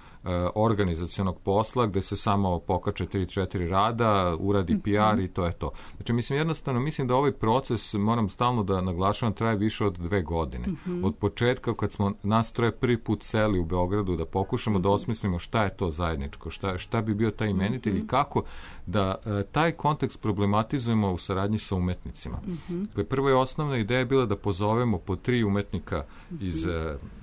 Q: organizacionog posla gde se samo pokače tri četiri rada, uradi mm-hmm. P R i to je to. Znači, mislim, jednostavno, mislim da ovaj proces, moram stalno da naglašavam, traje više od dve godine. Mm-hmm. Od početka, kad smo nas troje prvi put seli u Beogradu da pokušamo mm-hmm. da osmislimo šta je to zajedničko, šta, šta bi bio taj imenitelj mm-hmm. i kako da uh, taj kontekst problematizujemo u saradnji sa umetnicima. Mm-hmm. Dakle, prva i osnovna ideja je bila da pozovemo po tri umetnika mm-hmm. iz uh,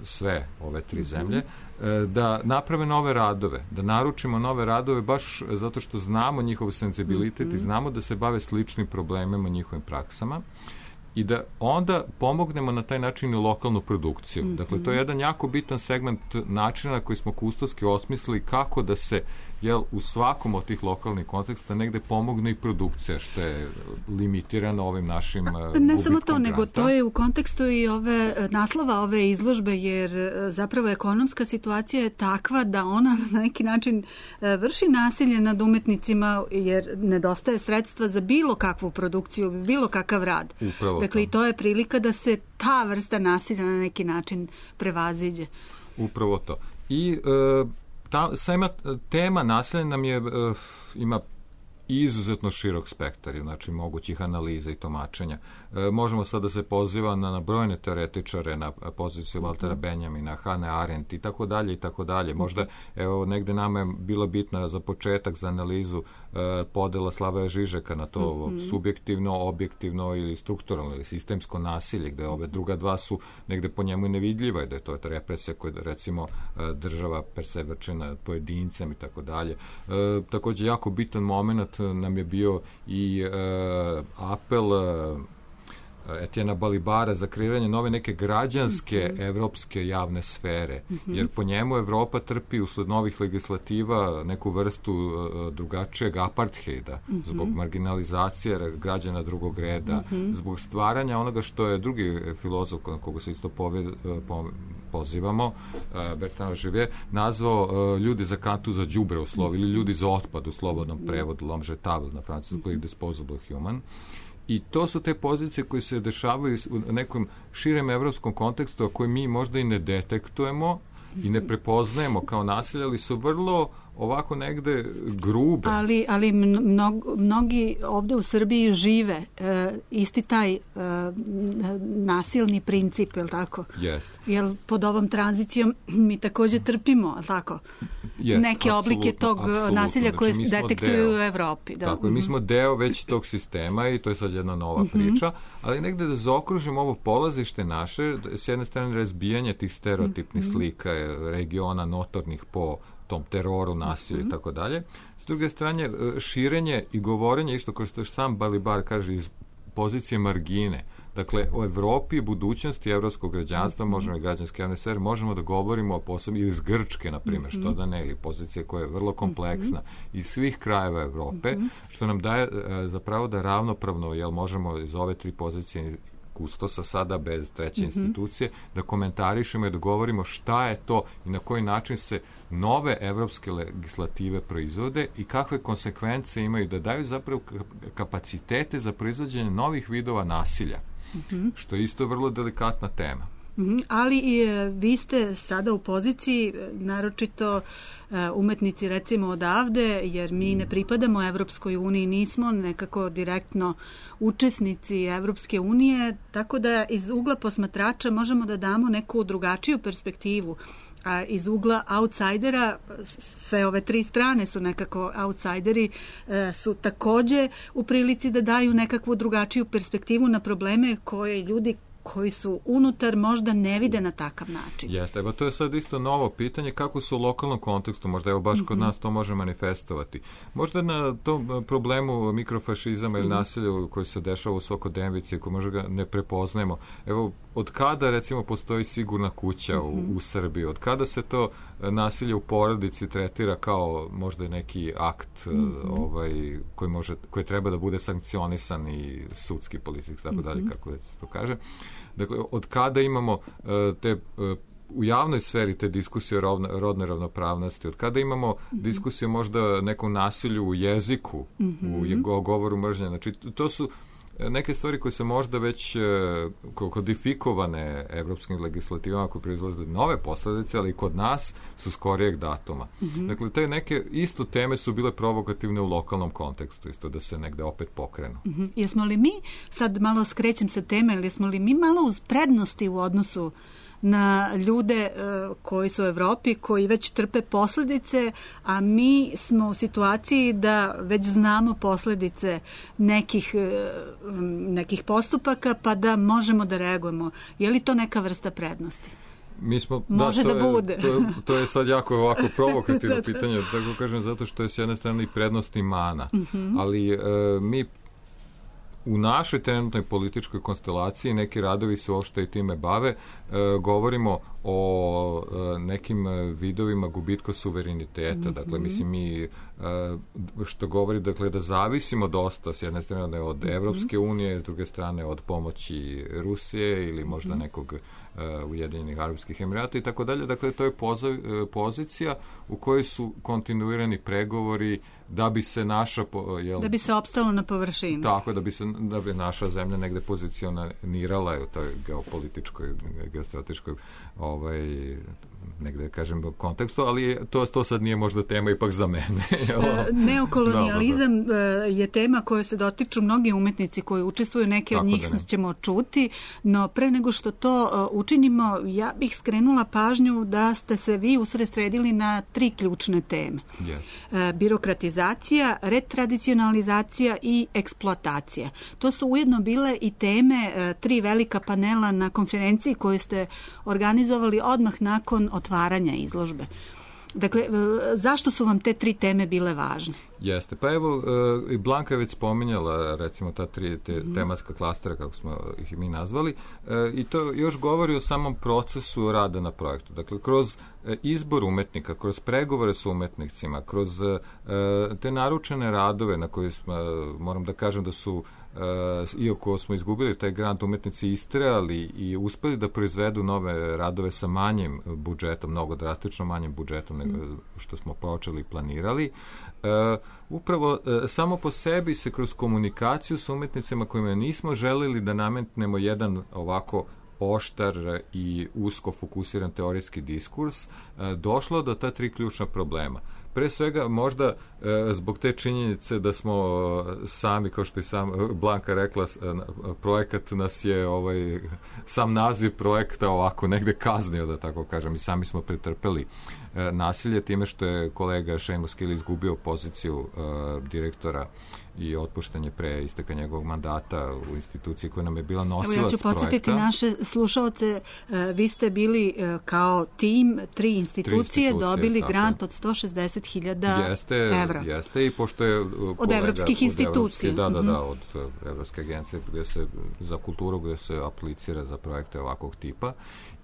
Q: sve ove tri mm-hmm. zemlje, uh, da naprave nove radove, da naručimo nove radove baš zato što znamo njihov senzibilitet mm-hmm. i znamo da se bave sličnim problemima, njihovim praksama, i da onda pomognemo na taj način i lokalnu produkciju. Mm-hmm. Dakle, to je jedan jako bitan segment načina na koji smo kustoski osmislili kako da se jel, u svakom od tih lokalnih konteksta negde pomogne i produkcija, što je limitirano ovim našim gubitkom
E: Ne samo to,
Q: granta.
E: nego to je u kontekstu i ove naslova ove izložbe, jer zapravo ekonomska situacija je takva da ona na neki način vrši nasilje nad umetnicima, jer nedostaje sredstva za bilo kakvu produkciju, bilo kakav rad.
Q: Upravo
E: dakle,
Q: to.
E: i to je prilika da se ta vrsta nasilja na neki način prevaziđe.
Q: Upravo to. I e, ta, sama tema nasilja nam je, e, ima izuzetno širok spektar, znači mogućih analiza i tumačenja. E, možemo sad da se poziva na, na brojne teoretičare, na poziciju Valtera Benjamina, Hane Arendt i tako dalje i tako dalje. Možda, evo, negde nama je bila bitna za početak, za analizu e, podela Slavoja Žižeka na to mm-hmm. subjektivno, objektivno ili strukturalno ili sistemsko nasilje, gde ove druga dva su negde po njemu nevidljiva i da je to represija koja, recimo, e, država persevrče nad pojedincem i tako dalje. E, takođe, jako bitan moment nam je bio i e, apel e, Etijena Balibara za kreiranje nove neke građanske mm-hmm. evropske javne sfere, mm-hmm. jer po njemu Evropa trpi usled novih legislativa neku vrstu uh, drugačijeg apartheida, mm-hmm. zbog marginalizacije građana drugog reda, mm-hmm. zbog stvaranja onoga što je drugi filozof na koga se isto pove, po, pozivamo, uh, Bertrand Živier, nazvao uh, ljudi za kantu za đubre u slovu, mm-hmm. ili ljudi za otpad u slobodnom prevodu, l'homme jetable na francuskom, mm-hmm. disposable human. I to su te pozicije koje se dešavaju u nekom širem evropskom kontekstu, a koje mi možda i ne detektujemo i ne prepoznajemo kao nasilje, ali su vrlo ovako negde grube.
E: Ali, ali mnog, mnogi ovde u Srbiji žive e, isti taj e, nasilni princip, je li tako?
Q: Jest.
E: Jer pod ovom tranzicijom mi takođe trpimo, je li tako?
Q: Jest,
E: neke oblike tog nasilja koje
Q: znači,
E: detektuju
Q: deo,
E: u Evropi. Da.
Q: Tako je, mi smo deo već tog sistema i to je sad jedna nova mm-hmm. priča, ali negde da zaokružimo ovo polazište naše, s jedne strane razbijanje tih stereotipnih mm-hmm. slika regiona notornih po tom teroru, nasilju mm-hmm. i tako dalje. S druge strane, širenje i govorenje, isto kao što sam Balibar kaže, iz pozicije margine. Dakle, o Evropi i budućnosti evropskog građanstva, mm-hmm. možemo i građanske javne sfere, možemo da govorimo o posebno iz Grčke, na primjer, mm-hmm. što da ne, ili pozicije koja je vrlo kompleksna, mm-hmm. iz svih krajeva Evrope, mm-hmm. što nam daje e, zapravo da ravnopravno, jel možemo iz ove tri pozicije kustosa sada bez treće mm-hmm. institucije, da komentarišemo i da govorimo šta je to i na koji način se nove evropske legislative proizvode i kakve konsekvence imaju, da daju zapravo kapacitete za proizvođenje novih vidova nasilja, mm-hmm. što je isto vrlo delikatna tema.
E: Mm-hmm. Ali i vi ste sada u poziciji, naročito umetnici recimo odavde, jer mi ne pripadamo Evropskoj uniji, nismo nekako direktno učesnici Evropske unije, tako da iz ugla posmatrača možemo da damo neku drugačiju perspektivu. A iz ugla outsidera, sve ove tri strane su nekako outsideri, su takođe u prilici da daju nekakvu drugačiju perspektivu na probleme koje ljudi koji su unutar možda ne vide na takav način.
Q: Jeste, evo to je sad isto novo pitanje kako se u lokalnom kontekstu, možda evo baš mm-hmm. kod nas to može manifestovati. Možda na tom problemu mikrofašizama ili mm-hmm. nasilja koji se dešava u svakodnevnici, koji možda ga ne prepoznajemo. Evo, od kada recimo postoji sigurna kuća mm-hmm. u, u Srbiji? Od kada se to nasilje u porodici tretira kao možda neki akt mm-hmm. ovaj, koji, može, koji treba da bude sankcionisan i sudski, policijski, tako dalje, mm-hmm. kako se to kaže. Dakle, od kada imamo uh, te uh, u javnoj sferi te diskusije o rovna, rodnoj ravnopravnosti, od kada imamo mm-hmm. diskusije možda nekom nasilju u jeziku, mm-hmm. u govoru mržnje, znači to su neke stvari koje se možda već kodifikovane evropskim legislativama koje proizlaze nove posledice, ali i kod nas su skorijeg datuma. Mm-hmm. Dakle, te neke isto teme su bile provokativne u lokalnom kontekstu, isto da se negde opet pokrenu.
E: Mm-hmm. Jesmo li mi, sad malo skrećem sa teme, ali jesmo li mi malo uz prednosti u odnosu na ljude uh, koji su u Evropi, koji već trpe posledice, a mi smo u situaciji da već znamo posledice nekih, uh, nekih postupaka, pa da možemo da reagujemo. Je li to neka vrsta prednosti?
Q: Mi smo,
E: Može
Q: da, to
E: da
Q: je,
E: bude.
Q: To je, to je sad jako ovako provokativno da, da. pitanje, tako kažem, zato što je s jedne strane i prednost i mana. Mm-hmm. Ali uh, mi u našoj trenutnoj političkoj konstelaciji neki radovi se uopšte i time bave. Govorimo o nekim vidovima gubitka suvereniteta. Mm-hmm. Dakle, mislim, mi što govori, dakle, da zavisimo dosta s jedne strane od Evropske unije, s druge strane od pomoći Rusije ili možda nekog Ujedinjenih Arapskih Emirata i tako dalje. Dakle, to je pozicija u kojoj su kontinuirani pregovori da bi se naša... Jel,
E: da bi se opstalo na površini.
Q: Tako, da bi se da bi naša zemlja negde pozicionirala u toj geopolitičkoj, geostrateškoj ovaj, negde, kažem, kontekstu, ali to, to sad nije možda tema ipak za mene.
E: Neokolonijalizam da, da, da. je tema koja se dotiču mnogi umetnici koji učestvuju, neke od njih da ćemo čuti, no pre nego što to učinimo, ja bih skrenula pažnju da ste se vi usredsredili na tri ključne teme.
Q: Yes.
E: Birokratizacija, retradicionalizacija i eksploatacija. To su ujedno bile i teme tri velika panela na konferenciji koju ste organizovali odmah nakon otvaranja izložbe. Dakle, zašto su vam te tri teme bile važne?
Q: Jeste. Pa evo, i Blanka je već spominjala, recimo, ta tri te, tematska klastera, kako smo ih mi nazvali, i to još govori o samom procesu rada na projektu. Dakle, kroz izbor umetnika, kroz pregovore s umetnicima, kroz te naručene radove na koje smo, moram da kažem da su Uh, iako smo izgubili taj grant, umetnici istrajali i uspeli da proizvedu nove radove sa manjim budžetom, mnogo drastično manjim budžetom nego što smo počeli i planirali. Uh, upravo uh, samo po sebi se kroz komunikaciju sa umetnicima kojima nismo želeli da nametnemo jedan ovako oštar i usko fokusiran teorijski diskurs, uh, došlo do ta tri ključna problema. Pre svega, možda e, zbog te činjenice da smo e, sami, kao što i sam Blanka rekla, e, projekat nas je, ovaj, sam naziv projekta ovako negde kaznio, da tako kažem, i sami smo pretrpeli e, nasilje time što je kolega Seamus Keely izgubio poziciju e, direktora i otpuštanje pre isteka njegovog mandata u instituciji koja nam je bila nosilac projekta.
E: Evo, ja ću podsjetiti naše slušalce, vi ste bili kao tim, tri institucije, tri institucije dobili tako. Grant od sto šezdeset hiljada evra.
Q: Jeste, i pošto je kolega,
E: od evropskih institucija.
Q: Da, da, da, od Evropske agencije gde se, za kulturu gde se aplicira za projekte ovakvog tipa.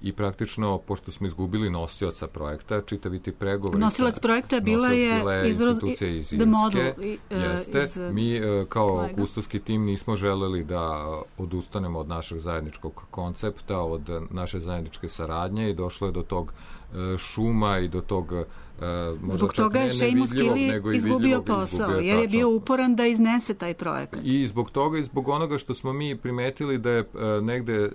Q: I praktično, pošto smo izgubili nosioca projekta, čitavi ti pregovori...
E: Nosilac projekta bila je
Q: institucija iz Irske. Jeste. Mi kao kustoski tim nismo želeli da odustanemo od našeg zajedničkog koncepta, od naše zajedničke saradnje i došlo je do tog šuma i do tog Uh,
E: zbog toga je Seamus Keely izgubio posao, izgubio, jer je bio uporan da iznese taj projekat.
Q: I zbog toga i zbog onoga što smo mi primetili da je uh, negde uh,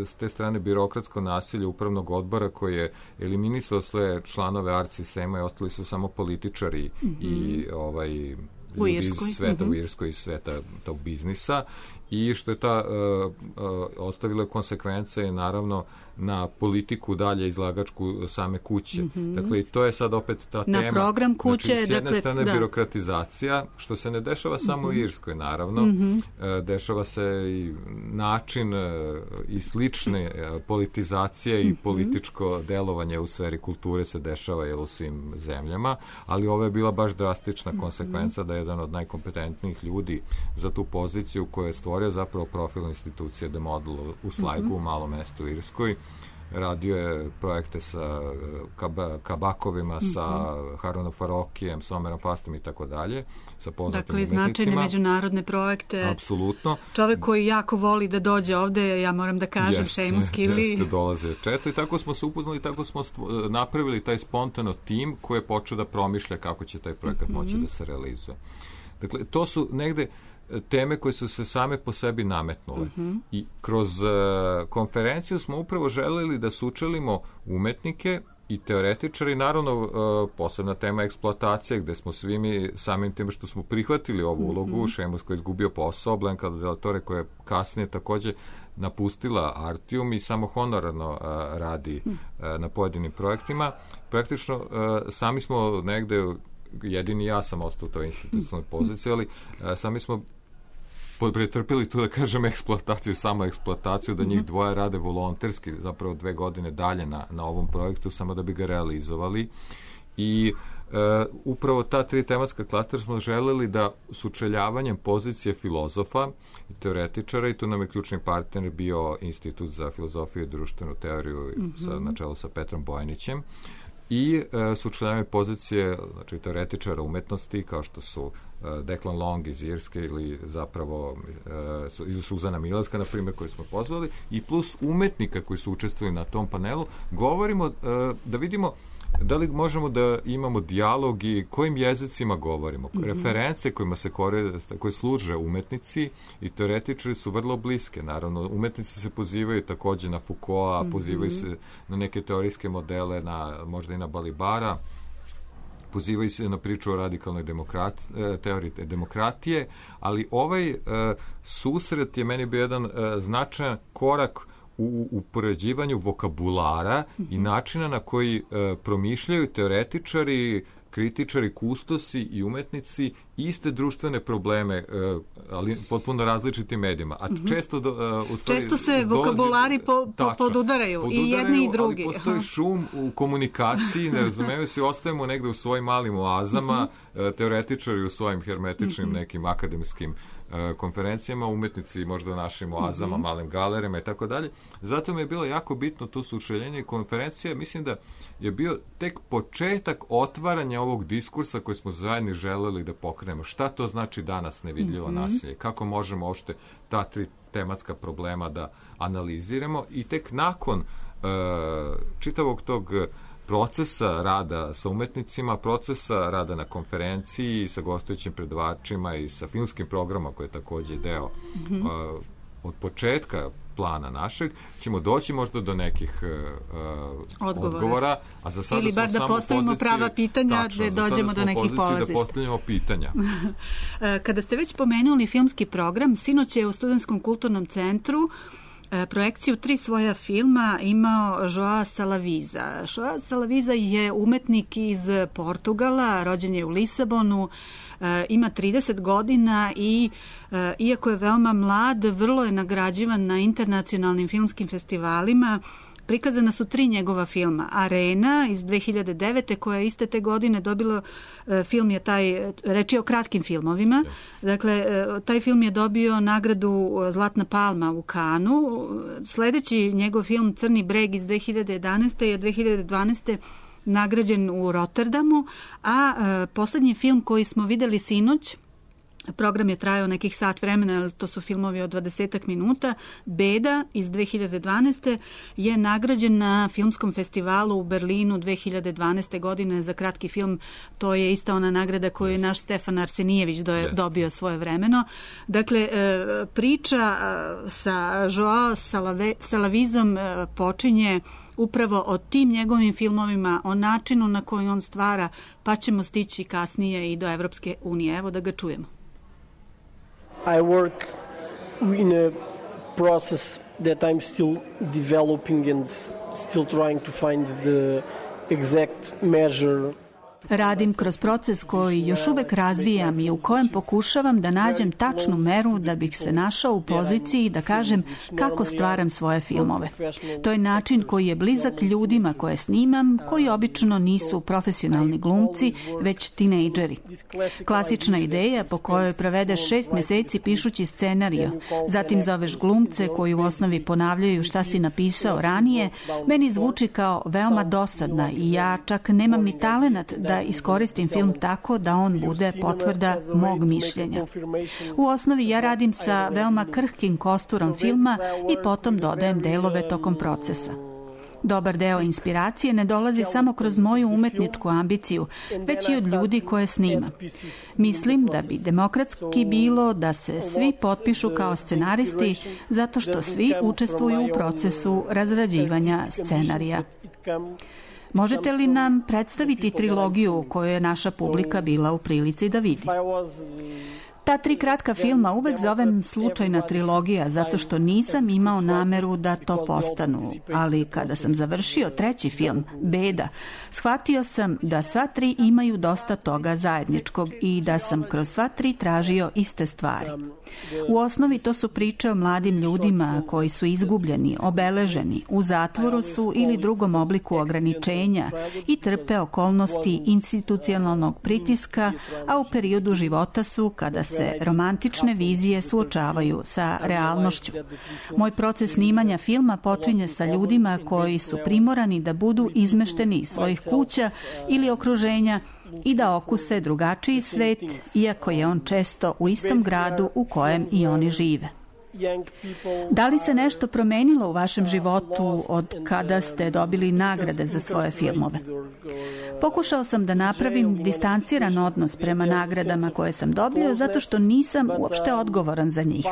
Q: s te strane birokratsko nasilje upravnog odbora koji je eliminisao sve članove art sistema i ostali su samo političari mm-hmm. i ovaj, ljudi iz sveta mm-hmm. u Irskoj i sveta tog biznisa i što je ta uh, uh, ostavila konsekvence naravno na politiku dalje izlagačku same kuće. Mm-hmm. Dakle, i to je sad opet ta
E: na
Q: tema.
E: Na program kuće.
Q: Znači, s jedne
E: dakle,
Q: strane
E: da.
Q: birokratizacija, što se ne dešava samo mm-hmm. u Irskoj, naravno.
E: Mm-hmm.
Q: Uh, dešava se i način uh, i slične uh, politizacije mm-hmm. i političko delovanje u sferi kulture se dešava jel, u svim zemljama, ali ovo je bila baš drastična mm-hmm. konsekvenca da je jedan od najkompetentnijih ljudi za tu poziciju koja je stvorio zapravo profil institucije The Model u Slajgu, mm-hmm. u malom mestu u Irskoj. Radio je projekte sa kaba, kabakovima, mm-hmm. sa Harunom Farokijem, sa Omerom Fastom i tako dalje, sa poznatim
E: dakle,
Q: umetnicima.
E: Dakle, značajne međunarodne projekte.
Q: Apsolutno.
E: Čovek koji jako voli da dođe ovde, ja moram da kažem, Seamus Keely.
Q: Jeste, dolaze često i tako smo se upoznali, tako smo stvo, napravili taj spontano tim koji je počeo da promišlja kako će taj projekat mm-hmm. moći da se realizuje. Dakle, to su negde teme koje su se same po sebi nametnule. Uh-huh. I kroz uh, konferenciju smo upravo želeli da sučelimo umetnike i teoretičari, naravno uh, posebna tema eksploatacije, gde smo svi mi samim tim što smo prihvatili ovu ulogu, uh-huh. Seamus koji je izgubio posao, Blanka Del Torre koja je kasnije takođe napustila Artium i samo honorarno uh, radi uh, na pojedinim projektima. Praktično uh, sami smo negde jedini ja sam ostao u toj institucionalnoj poziciji, ali a, sami smo pretrpili tu, da kažem, eksploataciju, samo eksploataciju, da njih dvoje rade volonterski, zapravo dve godine dalje na, na ovom projektu, samo da bi ga realizovali. I upravo ta tri tematska klastera smo želeli da sučeljavanjem pozicije filozofa i teoretičara, i tu nam je ključni partner bio Institut za filozofiju i društvenu teoriju mm-hmm. sa, na čelu sa Petrom Bojanićem, i e, sučeljavanje pozicije, znači, teoretičara umetnosti kao što su e, Declan Long iz Irske ili zapravo e, iz Suzana Mileska, na primjer, koji smo pozvali, i plus umetnika koji su učestvovali na tom panelu. Govorimo e, da vidimo da li možemo da imamo dijalog i kojim jezicima govorimo. Mm-hmm. Reference kojima se koriste, koje služe umetnici i teoretičari su vrlo bliske. Naravno, umetnici se pozivaju takođe na Foucaulta, mm-hmm. pozivaju se na neke teorijske modele, na, možda i na Balibara, pozivaju se na priču o radikalnoj demokrat, teoriji demokratije, ali ovaj uh, susret je meni bio jedan uh, značajan korak u upoređivanju vokabulara mm-hmm. i načina na koji e, promišljaju teoretičari, kritičari, kustosi i umetnici iste društvene probleme, e, ali potpuno različitim medijima. A mm-hmm. često, do, e, u stvari,
E: često se vokabulari po, po, tačno, podudaraju, podudaraju, i jedni i drugi.
Q: Ali postoji šum u komunikaciji, ne razumijemo se, ostajemo negde u svojim malim oazama, mm-hmm. e, teoretičari u svojim hermetičnim mm-hmm. nekim akademskim konferencijama, umetnici možda u našim oazama, mm-hmm. malim galerima i tako dalje. Zato mi je bilo jako bitno to sučeljenje i konferencija. Mislim da je bio tek početak otvaranja ovog diskursa koji smo zajedno želeli da pokrenemo. Šta to znači danas nevidljivo mm-hmm. nasilje? Kako možemo uopšte ta tri tematska problema da analiziramo, i tek nakon uh, čitavog tog procesa rada sa umetnicima, procesa rada na konferenciji sa gostujućim predavačima i sa filmskim programom koji je takođe deo mm-hmm. uh, od početka plana našeg, ćemo doći možda do nekih uh, odgovora. odgovora, a za sada
E: ili bar
Q: smo
E: da postavimo
Q: poziciji,
E: prava pitanja,
Q: tačno,
E: da dođemo do nekih polazišta.
Q: Da postavljamo pitanja.
E: Kada ste već pomenuli filmski program, sinoć je u Studentskom kulturnom centru projekciju tri svoja filma imao Joao Salaviza. Joao Salaviza je umetnik iz Portugala, rođen je u Lisabonu, ima trideset godina i iako je veoma mlad, vrlo je nagrađivan na internacionalnim filmskim festivalima. Prikazana su tri njegova filma. Arena iz dve hiljade devete koja je iste te godine dobilo, film je taj, reč je o kratkim filmovima, dakle, taj film je dobio nagradu Zlatna palma u Kanu. Sledeći njegov film Crni breg iz dve hiljade jedanaeste je dve hiljade dvanaeste nagrađen u Rotterdamu, a poslednji film koji smo videli sinoć, program je trajao nekih sat vremena, ali to su filmovi od dvadesetak minuta. Beda iz dve hiljade dvanaeste je nagrađen na filmskom festivalu u Berlinu dve hiljade dvanaeste godine za kratki film. To je ista ona nagrada koju je naš Stefan Arsenijević do, dobio svoje vremeno. Dakle, priča sa Joao Salavizom počinje upravo o tim njegovim filmovima, o načinu na koji on stvara, pa ćemo stići kasnije i do Evropske unije. Evo da ga čujemo.
R: I work in a process that I'm still developing and still trying to find the exact measure.
E: Radim kroz proces koji još uvek razvijam i u kojem pokušavam da nađem tačnu meru da bih se našao u poziciji da kažem kako stvaram svoje filmove. To je način koji je blizak ljudima koje snimam, koji obično nisu profesionalni glumci, već tinejdžeri. Klasična ideja po kojoj provedeš šest meseci pišući scenario, zatim zoveš glumce koji u osnovi ponavljaju šta si napisao ranije, meni zvuči kao veoma dosadna i ja čak nemam ni talenat da da iskoristim film tako da on bude potvrda mog mišljenja. U osnovi ja radim sa veoma krhkim kosturom filma i potom dodajem delove tokom procesa. Dobar deo inspiracije ne dolazi samo kroz moju umetničku ambiciju, već i od ljudi koje snimam. Mislim da bi demokratski bilo da se svi potpišu kao scenaristi zato što svi učestvuju u procesu razrađivanja scenarija. Možete li nam predstaviti trilogiju koju je naša publika bila u prilici da vidi? Ta tri kratka filma uvek zovem slučajna trilogija zato što nisam imao nameru da to postanu, ali kada sam završio treći film, Beda, shvatio sam da sva tri imaju dosta toga zajedničkog i da sam kroz sva tri tražio iste stvari. U osnovi to su priče o mladim ljudima koji su izgubljeni, obeleženi, u zatvoru su ili drugom obliku ograničenja i trpe okolnosti institucionalnog pritiska, a u periodu života su kada se romantične vizije suočavaju sa realnošću. Moj proces snimanja filma počinje sa ljudima koji su primorani da budu izmešteni iz svojih kuća ili okruženja i da okuse drugačiji svet, iako je on često u istom gradu u kojem i oni žive. Da li se nešto promenilo u vašem životu od kada ste dobili nagrade za svoje filmove? Pokušao sam da napravim distanciran odnos prema nagradama koje sam dobio zato što nisam uopšte odgovoran za njih.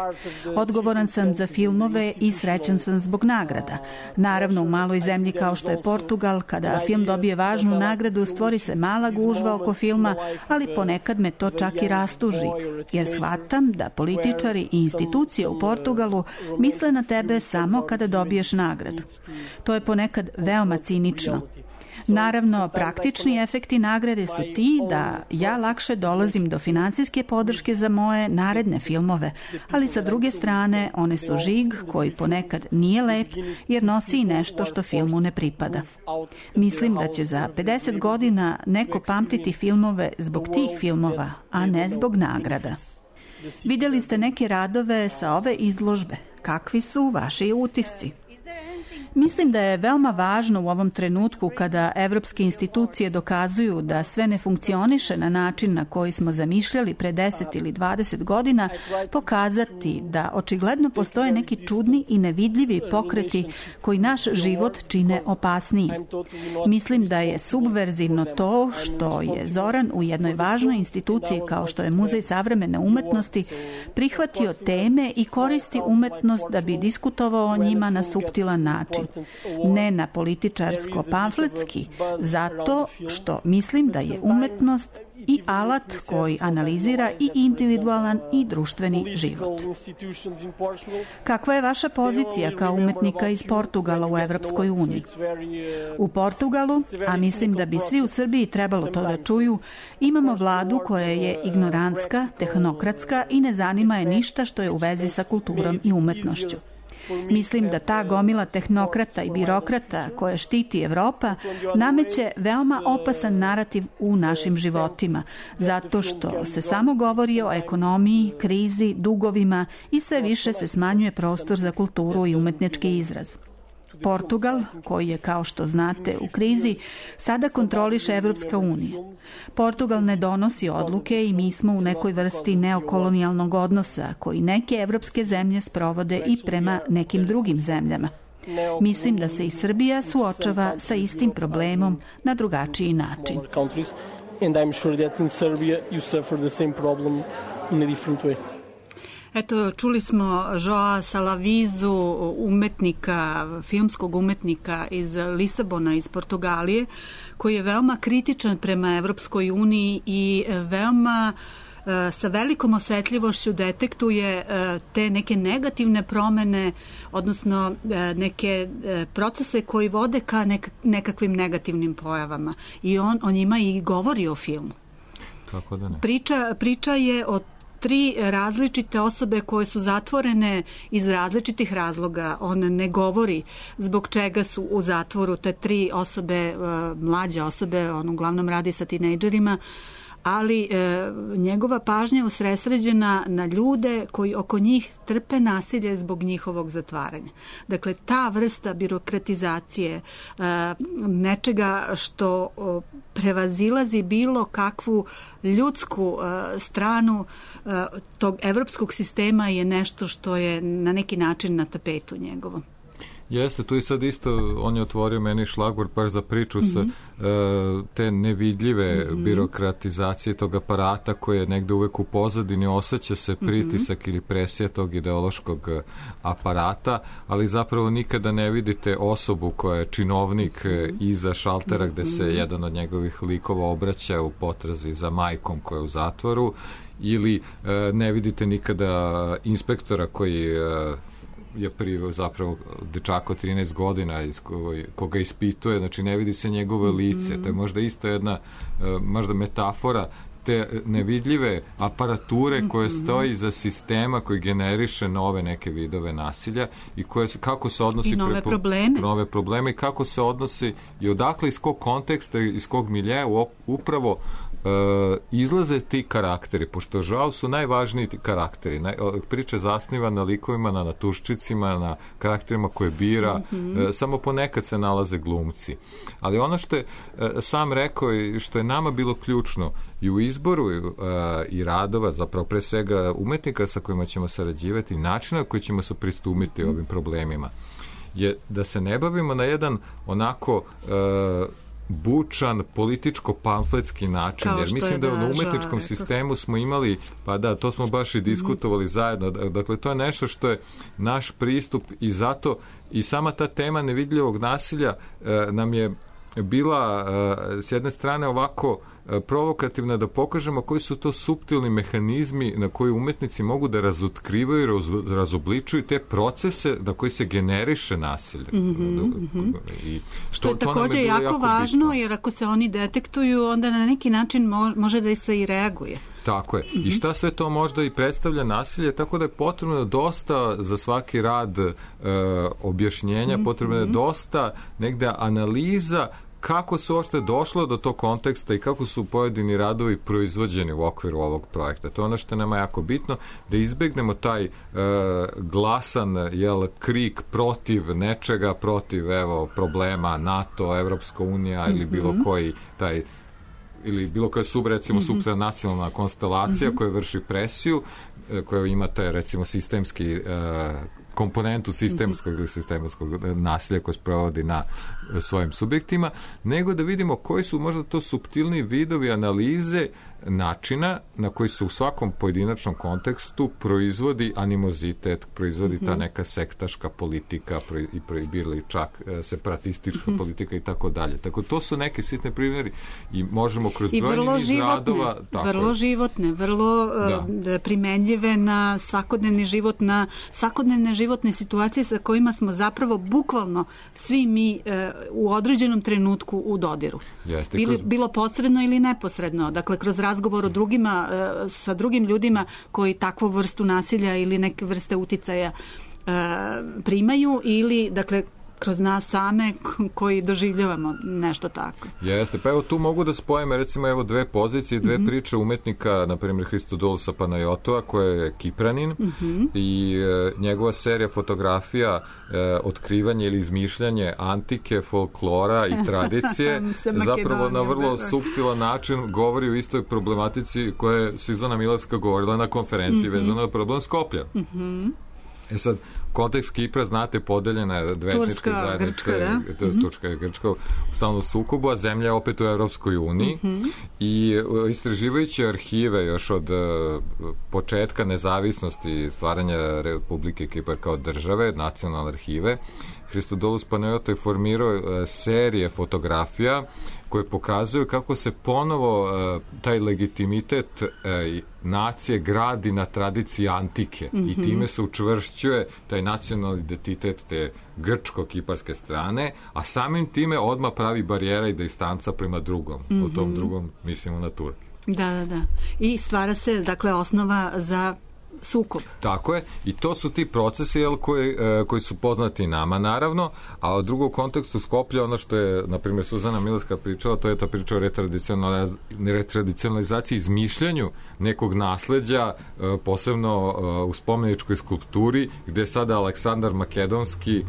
E: Odgovoran sam za filmove i srećan sam zbog nagrada. Naravno, u maloj zemlji kao što je Portugal, kada film dobije važnu nagradu, stvori se mala gužva oko filma, ali ponekad me to čak i rastuži, jer shvatam da političari i institucije u Portugalu misle na tebe samo kada dobiješ nagradu. To je ponekad veoma cinično. Naravno, praktični efekti nagrade su ti da ja lakše dolazim do finansijske podrške za moje naredne filmove, ali sa druge strane one su žig koji ponekad nije lep jer nosi i nešto što filmu ne pripada. Mislim da će za pedeset godina neko pamtiti filmove zbog tih filmova, a ne zbog nagrada. Vidjeli ste neke radove sa ove izložbe. Kakvi su vaši utisci? Mislim da je veoma važno u ovom trenutku kada evropske institucije dokazuju da sve ne funkcioniše na način na koji smo zamišljali pre deset ili dvadeset godina, pokazati da očigledno postoje neki čudni i nevidljivi pokreti koji naš život čine opasnijim. Mislim da je subverzivno to što je Zoran u jednoj važnoj instituciji kao što je Muzej savremene umetnosti prihvatio teme i koristi umetnost da bi diskutovao o njima na suptilan način. Ne na političarsko-pamfletski, zato što mislim da je umetnost i alat koji analizira i individualan i društveni život. Kakva je vaša pozicija kao umetnika iz Portugala u Evropskoj uniji? U Portugalu, a mislim da bi svi u Srbiji trebalo to da čuju, imamo vladu koja je ignorantska, tehnokratska i ne zanima je ništa što je u vezi sa kulturom i umetnošću. Mislim da ta gomila tehnokrata i birokrata koje štiti Evropa nameće veoma opasan narativ u našim životima, zato što se samo govori o ekonomiji, krizi, dugovima i sve više se smanjuje prostor za kulturu i umetnički izraz. Portugal, koji je, kao što znate, u krizi, sada kontroliše Evropska unija. Portugal ne donosi odluke i mi smo u nekoj vrsti neokolonijalnog odnosa koji neke evropske zemlje sprovode i prema nekim drugim zemljama. Mislim da se i Srbija suočava sa istim problemom na drugačiji način.
R: And I'm sure that in Serbia you suffer the same problem in a different way.
E: Eto, čuli smo Joa Salavizu, umetnika, filmskog umetnika iz Lisabona, iz Portugalije, koji je veoma kritičan prema Evropskoj uniji i veoma sa velikom osetljivošću detektuje te neke negativne promene, odnosno neke procese koji vode ka nekakvim negativnim pojavama. I on o njima i govori o filmu.
Q: Kako da ne?
E: Priča, priča je o tri različite osobe koje su zatvorene iz različitih razloga. On ne govori zbog čega su u zatvoru te tri osobe, mlađe osobe, on uglavnom radi sa tinejdžerima, ali e, njegova pažnja je usredsređena na ljude koji oko njih trpe nasilje zbog njihovog zatvaranja. Dakle, ta vrsta birokratizacije, e, nečega što o, prevazilazi bilo kakvu ljudsku e, stranu e, tog evropskog sistema je nešto što je na neki način na tapetu njegovom.
Q: Jeste, tu i sad isto, on je otvorio meni šlagvort baš za priču mm-hmm. sa uh, te nevidljive mm-hmm. birokratizacije tog aparata koji je negde uvek u pozadini, osjeća se pritisak mm-hmm. ili presija tog ideološkog aparata, ali zapravo nikada ne vidite osobu koja je činovnik mm-hmm. iza šaltera gde se mm-hmm. jedan od njegovih likova obraća u potrazi za majkom koja je u zatvoru, ili uh, ne vidite nikada inspektora koji uh, je priveo zapravo dečaka od trinaest godina iz koga, koga ispituje, znači ne vidi se njegovo lice. Mm-hmm. To je možda isto jedna možda metafora te nevidljive aparature koje mm-hmm. stoji za sistema koji generiše nove neke vidove nasilja i koje se, kako se odnosi
E: i nove
Q: prepo,
E: probleme.
Q: nove probleme i kako se odnosi i odakle iz kog konteksta, iz kog miljeja upravo Uh, izlaze ti karakteri, pošto žao su najvažniji ti karakteri. Naj, priča zasniva na likovima, na natuščicima, na karakterima koje bira, mm-hmm. uh, samo ponekad se nalaze glumci. Ali ono što je uh, sam rekao i što je nama bilo ključno i u izboru uh, i radova, zapravo pre svega umetnika sa kojima ćemo sarađivati, načina koji ćemo se pristupiti ovim problemima, je da se ne bavimo na jedan onako uh, bučan, političko-pamfletski način, kao jer mislim da, da u umetničkom žao, sistemu smo imali, pa da, to smo baš i diskutovali mm-hmm. zajedno, dakle to je nešto što je naš pristup i zato i sama ta tema nevidljivog nasilja eh, nam je bila eh, s jedne strane ovako provokativna, da pokažemo koji su to suptilni mehanizmi na koji umetnici mogu da razotkrivaju i raz, razobličuju te procese na koji se generiše nasilje.
E: Mm-hmm. I što, to je takođe je jako, jako važno, bitno. Jer ako se oni detektuju, onda na neki način mo, može da se i reaguje.
Q: Tako je. Mm-hmm. I šta sve to možda i predstavlja nasilje, tako da je potrebno dosta za svaki rad e, objašnjenja, mm-hmm. potrebno je dosta negde analiza kako se uopšte došlo do tog konteksta i kako su pojedini radovi proizvođeni u okviru ovog projekta. To je ono što je nama jako bitno, da izbegnemo taj e, glasan jel, krik protiv nečega, protiv evo, problema NATO, Evropska unija mm-hmm. ili bilo koji taj ili bilo koja sub, recimo, mm-hmm. supranacionalna konstelacija mm-hmm. koja vrši presiju, koja ima taj, recimo, sistemski e, komponentu sistemskog ili sistemskog nasilja koje sprovodi na svojim subjektima, nego da vidimo koji su možda to suptilni vidovi analize načina na koji se u svakom pojedinačnom kontekstu proizvodi animozitet, proizvodi ta neka sektaška politika i proibili čak separatistička politika i tako dalje. Tako to su neke sitne primjeri i možemo kroz brojni niz radova...
E: Tako vrlo je. životne, vrlo da. primenljive na svakodnevni život, na svakodnevne životne situacije sa kojima smo zapravo bukvalno svi mi e, u određenom trenutku u dodiru.
Q: Jeste,
E: Bili,
Q: kroz...
E: Bilo posredno ili neposredno. Dakle, kroz razgovor o drugima, e, sa drugim ljudima koji takvu vrstu nasilja ili neke vrste uticaja e, primaju ili, dakle, kroz nas same koji doživljavamo nešto tako.
Q: Jeste, pa evo tu mogu da spojime recimo evo dve pozicije, dve mm-hmm. priče umetnika, na primjer Hristodolusa Panajotova koji je Kipranin mm-hmm. i e, njegova serija fotografija e, otkrivanje ili izmišljanje antike, folklora i tradicije zapravo na vrlo suptilan način govori o istoj problematici koje je Sizana Milavska govorila na konferenciji mm-hmm. vezano na problem Skoplja. Mm-hmm. E sad, kontekst Kipra, znate, podeljena je dve etničke zajednice, Turska i Grčka u stalnom sukobu, a zemlja je opet u Evropskoj uniji mm-hmm. i istraživajući arhive još od uh, početka nezavisnosti stvaranja Republike Kipar kao države, nacionalne arhive, Hristodolus Panajotov je formirao uh, serije fotografija koje pokazuju kako se ponovo uh, taj legitimitet uh, nacije gradi na tradiciji antike mm-hmm. i time se učvršćuje taj nacionalni identitet te grčko-kiparske strane, a samim time odmah pravi barijera i distanca prema drugom. Mm-hmm. U tom drugom mislimo na Turke.
E: Da, da, da. I stvara se, dakle, osnova za sukob.
Q: Tako je. I to su ti procesi jel, koji, e, koji su poznati nama, naravno, a u drugom kontekstu Skoplja, ono što je, na primjer, Suzana Milavska pričala, to je ta priča o retradicionaliz... retradicionalizaciji, izmišljanju nekog nasleđa, e, posebno e, u spomeničkoj skulpturi, gde sada Aleksandar Makedonski e,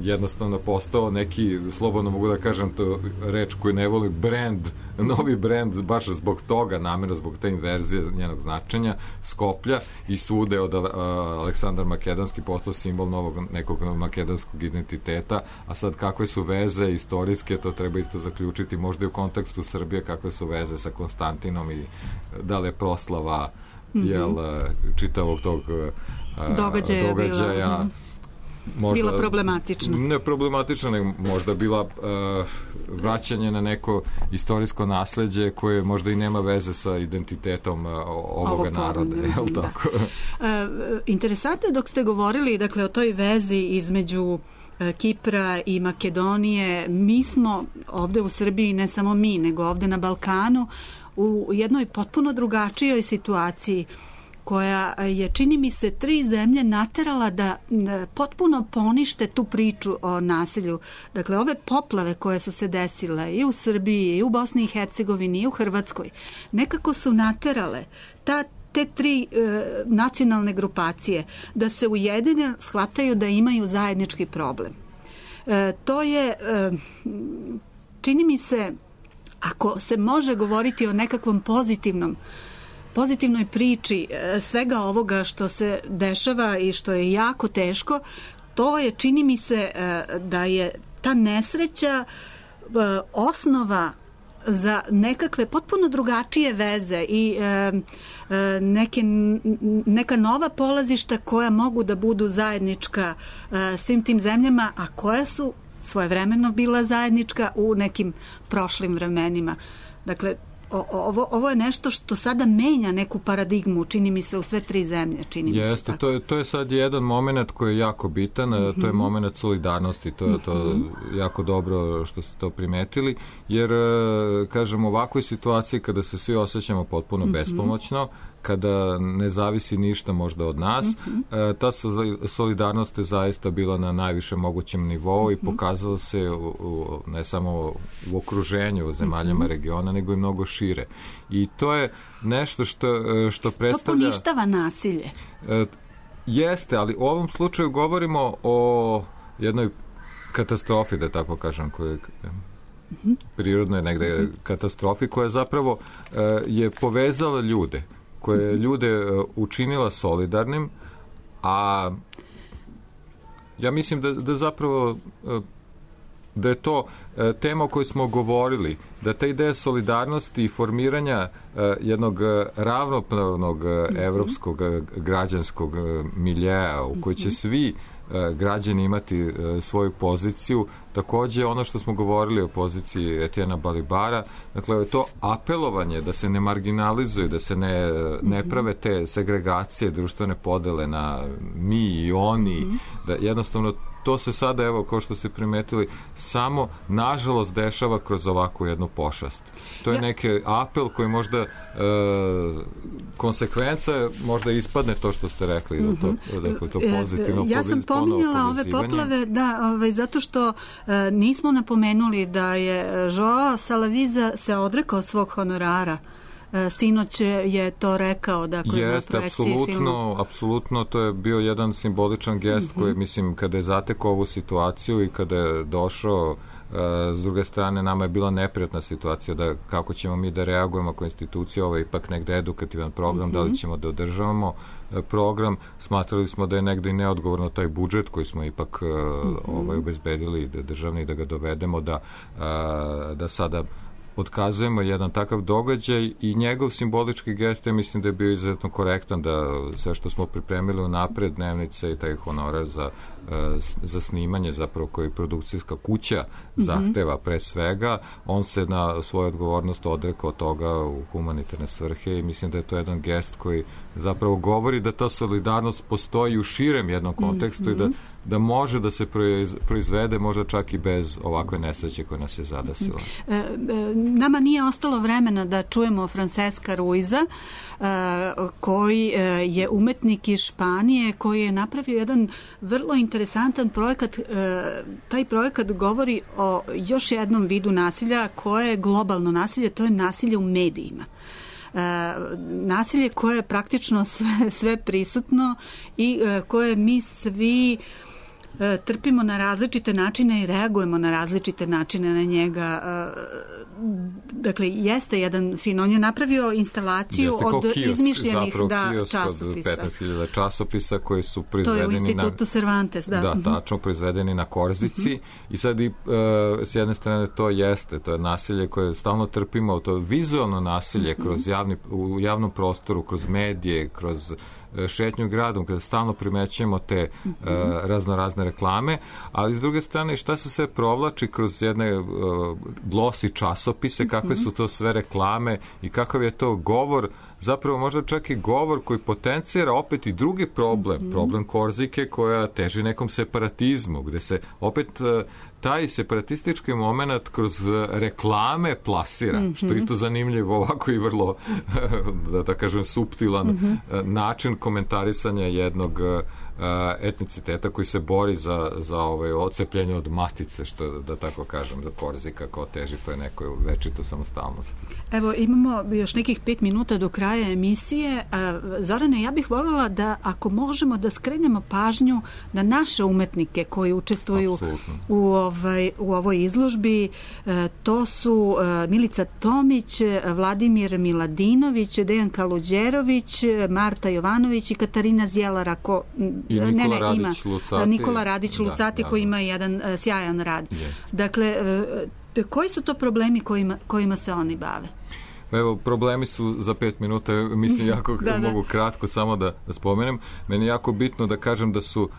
Q: jednostavno postao neki, slobodno mogu da kažem to reč koju ne voli, brand, novi brand, baš zbog toga, namjerno zbog te inverzije njenog značenja, Skoplja, i svude od uh, Aleksandar Makedonski postao simbol novog nekog makedonskog identiteta, a sad kakve su veze istorijske, to treba isto zaključiti, možda i u kontekstu Srbije, kakve su veze sa Konstantinom i da li je proslava mm-hmm. jel, čitavog tog uh,
E: događaja,
Q: događaja
E: bila, možda, bila problematična.
Q: Ne problematična, nego možda bila uh, vraćanje na neko istorijsko nasleđe koje možda i nema veze sa identitetom uh, ovoga Ovo naroda. Je li tako?
E: uh, interesantno dok ste govorili, dakle, o toj vezi između Kipra i Makedonije, mi smo ovde u Srbiji, ne samo mi, nego ovde na Balkanu, u jednoj potpuno drugačijoj situaciji koja je, čini mi se, tri zemlje naterala da potpuno ponište tu priču o nasilju. Dakle, ove poplave koje su se desile i u Srbiji, i u Bosni i Hercegovini, i u Hrvatskoj, nekako su naterale ta te tri e, nacionalne grupacije da se ujedine, shvataju da imaju zajednički problem. E, to je, e, čini mi se, ako se može govoriti o nekakvom pozitivnom pozitivnoj priči e, svega ovoga što se dešava i što je jako teško, to je, čini mi se, e, da je ta nesreća e, osnova za nekakve potpuno drugačije veze i e, e, neke, neka nova polazišta koja mogu da budu zajednička e, svim tim zemljama, a koja su svojevremeno bila zajednička u nekim prošlim vremenima. Dakle, o, ovo, ovo je nešto što sada menja neku paradigmu, čini mi se, u sve tri zemlje. Čini
Q: Jeste,
E: mi se
Q: to je, to je sad jedan moment koji je jako bitan, mm-hmm. to je moment solidarnosti, to je to mm-hmm. jako dobro što ste to primetili, jer, kažem, u ovakvoj situaciji kada se svi osjećamo potpuno mm-hmm. bespomoćno, kada ne zavisi ništa možda od nas, mm-hmm. ta solidarnost je zaista bila na najvišem mogućem nivou mm-hmm. i pokazala se u, u, ne samo u okruženju zemaljama mm-hmm. regiona, nego i mnogo šire. I to je nešto što, što predstavlja...
E: To poništava nasilje.
Q: E, jeste, ali u ovom slučaju govorimo o jednoj katastrofi, da tako kažem, koja mm-hmm. prirodno je negde mm-hmm. katastrofi, koja zapravo e, je povezala ljude, koja je ljude učinila solidarnim, a ja mislim da, da zapravo da je to tema o kojoj smo govorili, da ta ideja solidarnosti i formiranja jednog ravnopravnog evropskog građanskog miljeja u kojoj će svi građani imati svoju poziciju. Takođe, ono što smo govorili o poziciji Etijena Balibara, dakle, to apelovanje da se ne marginalizuju, da se ne, ne prave te segregacije, društvene podele na mi i oni, da jednostavno to se sada, evo, kao što ste primetili, samo, nažalost, dešava kroz ovakvu jednu pošast. To je ja. neki apel koji možda e, konsekvenca možda ispadne to što ste rekli, mm-hmm. da to, da to pozitivno
E: ja sam pominjala ove poplave, da, ovaj, zato što e, nismo napomenuli da je Joao Salaviza se odrekao svog honorara. Sinoć je to rekao, dakle, na projekciji filmu.
Q: Apsolutno, to je bio jedan simboličan gest mm-hmm. koji, mislim, kada je zatekao ovu situaciju i kada je došao, s druge strane, nama je bila neprijatna situacija da kako ćemo mi da reagujemo ako institucija, ovo je ipak negde edukativan program, mm-hmm. da li ćemo da održavamo program, smatrali smo da je negde i neodgovorno taj budžet koji smo ipak mm-hmm. ovaj, obezbedili, da državni, da ga dovedemo, da, da sada otkazujemo jedan takav događaj i njegov simbolički gest, ja mislim da je bio izuzetno korektan, da sve što smo pripremili unapred, dnevnice i taj honorar za, za snimanje, zapravo koji produkcijska kuća zahteva pre svega, on se na svoju odgovornost odrekao toga u humanitarne svrhe i mislim da je to jedan gest koji zapravo govori da ta solidarnost postoji u širem jednom kontekstu mm-hmm. i da da može da se proizvede možda čak i bez ovakve nesreće koja nas je zadesila.
E: E, e, nama nije ostalo vremena da čujemo Francesca Ruiza, e, koji je umetnik iz Španije, koji je napravio jedan vrlo interesantan projekat. E, taj projekat govori o još jednom vidu nasilja koje je globalno nasilje, to je nasilje u medijima. E, nasilje koje je praktično sve, sve prisutno i e, koje mi svi trpimo na različite načine i reagujemo na različite načine na njega. Dakle, jeste jedan fin, on je napravio instalaciju od kiosk, izmišljenih da, časopisa.
Q: Od petnaest hiljada časopisa koji su proizvedeni
E: to je u Institutu
Q: na,
E: Cervantes, da.
Q: Da, tačno, proizvedeni na Korzici. Uh-huh. I sad i uh, s jedne strane to jeste, to je nasilje koje stalno trpimo, to je vizualno nasilje uh-huh. kroz javni, u javnom prostoru, kroz medije, kroz šetnju gradom, kada stalno primećujemo te uh, raznorazne reklame, ali s druge strane šta se sve provlači kroz jedne uh, glosi časopise, kakve su to sve reklame i kakav je to govor, zapravo možda čak i govor koji potencira opet i drugi problem, mm-hmm. problem Korzike koja teži nekom separatizmu, gde se opet uh, taj separatistički moment kroz reklame plasira, mm-hmm. što je isto zanimljivo, ovako i vrlo, da, da kažem, suptilan mm-hmm. način komentarisanja jednog etniciteta koji se bori za, za ovaj odcepljenje od matice, što da tako kažem, da Korzika kao teži to je nekoj večito samostalnost.
E: Evo, imamo još nekih pet minuta do kraja emisije. Zorane, ja bih voljela da, ako možemo, da skrenemo pažnju na naše umetnike koji učestvuju u, ovaj, u ovoj izložbi. To su Milica Tomić, Vladimir Miladinović, Dejan Kaluđerović, Marta Jovanović i Katarina Zjelar, ako
Q: I Nikola
E: ne, ne,
Q: Radić
E: ima,
Q: Lucati.
E: Nikola Radić Lucati, da, da, koji ima jedan uh, sjajan rad. Yes. Dakle, uh, koji su to problemi kojima, kojima se oni bave?
Q: Evo, problemi su za pet minuta, mislim jako da, mogu da. kratko samo da, da spomenem. Meni je jako bitno da kažem da su, uh,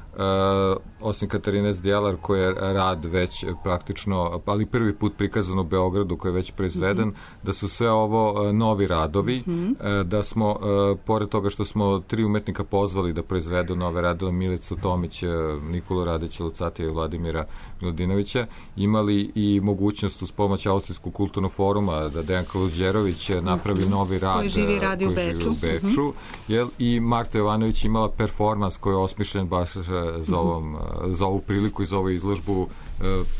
Q: osim Katarine Zdjelar, koja je rad već praktično, ali prvi put prikazan u Beogradu, koji je već proizveden, mm-hmm. da su sve ovo uh, novi radovi, mm-hmm. uh, da smo, uh, pored toga što smo tri umetnika pozvali da proizvedu nove radove, Milicu Tomić, Nikolu Radića Lucatija i Vladimira Miladinovića, imali i mogućnost uz pomoć Austrijskog kulturnog foruma da Dejan Kaluđerović napravi novi rad
E: koji živi radi u Beču,
Q: u Beču uh-huh. jel, i Marta Jovanović imala performans koji je osmišljen baš za, ovom, uh-huh. za ovu priliku i za ovu izložbu, uh,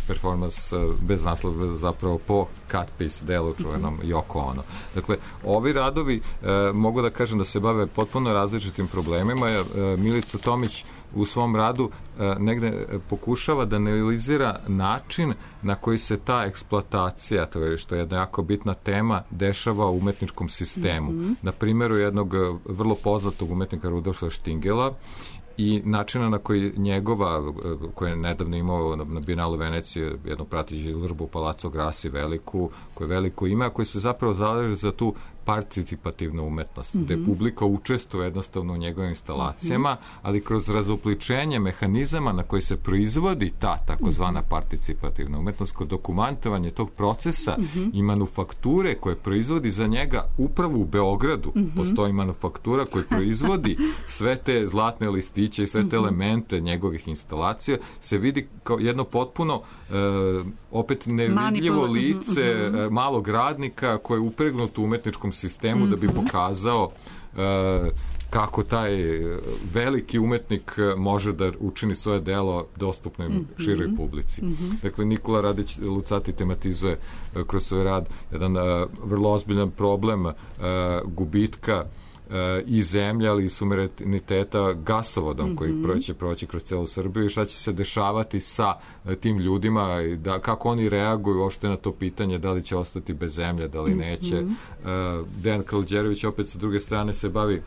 Q: performans uh, bez naslova zapravo po cut piece delu čuvenom uh-huh. Yoko Ono. Dakle, ovi radovi uh, mogu da kažem da se bave potpuno različitim problemima. Uh, Milica Tomić u svom radu uh, negde pokušava da analizira način na koji se ta eksploatacija, to je što je jedna jako bitna tema, dešava u umetničkom sistemu. Mm-hmm. Na primjeru jednog vrlo poznatog umetnika Rudolfa Štingela i načina na koji njegova, koja je nedavno imao na Bijenalu Venecije, jednu prateću izložbu u Palazzo Grassi veliku, koju veliko ima, koji se zapravo zalaže za tu participativnu umetnost, mm-hmm. gde publika učestvuje jednostavno u njegovim instalacijama, mm-hmm. ali kroz razopličenje mehanizama na koji se proizvodi ta takozvana participativna umetnost, kod dokumentovanje tog procesa mm-hmm. i manufakture koje proizvodi za njega upravo u Beogradu. Mm-hmm. Postoji manufaktura koja proizvodi sve te zlatne listiće i sve te mm-hmm. elemente njegovih instalacija, se vidi kao jedno potpuno e, opet nevidljivo lice mm-hmm. malog radnika koje je upregnuto u umetničkom sistemu mm-hmm. da bi pokazao e, kako taj veliki umetnik može da učini svoje delo dostupno mm-hmm. široj publici. Mm-hmm. Dakle, Nikola Radić Lucati tematizuje uh, kroz svoj rad jedan uh, vrlo ozbiljan problem uh, gubitka uh, i zemlje, ali i suvereniteta gasovodom mm-hmm. koji proći, proći kroz celu Srbiju i šta će se dešavati sa uh, tim ljudima, i da, kako oni reaguju uopšte na to pitanje da li će ostati bez zemlje, da li neće. Mm-hmm. Uh, Dejan Kaluđerović opet sa druge strane se bavi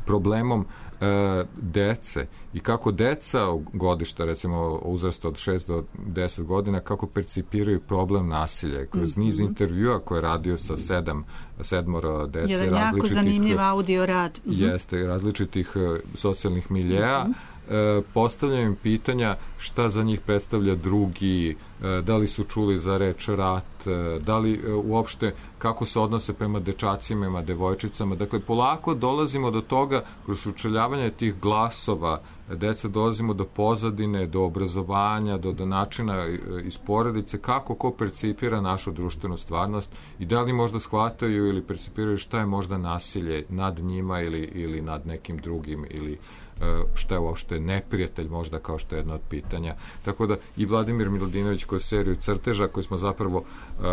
Q: problemom e, dece i kako deca godišta, recimo uzrasta od šest do deset godina, kako percipiraju problem nasilja. Kroz mm-hmm. niz intervjua koje je radio sa sedam, sedmoro dece.
E: Jedan jako zanimljiv audio rad.
Q: Mm-hmm. Jeste, različitih socijalnih miljeja. Mm-hmm. E, postavljaju im pitanja šta za njih predstavlja drugi, e, da li su čuli za reč rat, e, da li e, uopšte kako se odnose prema dečacima, prema devojčicama. Dakle, polako dolazimo do toga, kroz učeljavanje tih glasova deca dolazimo do pozadine, do obrazovanja, do, do načina iz porodice, kako ko percipira našu društvenu stvarnost i da li možda shvataju ili percipiraju šta je možda nasilje nad njima ili, ili nad nekim drugim ili šta je uopšte neprijatelj možda, kao što je jedno od pitanja. Tako da i Vladimir Miladinović kroz seriju crteža koju smo zapravo uh,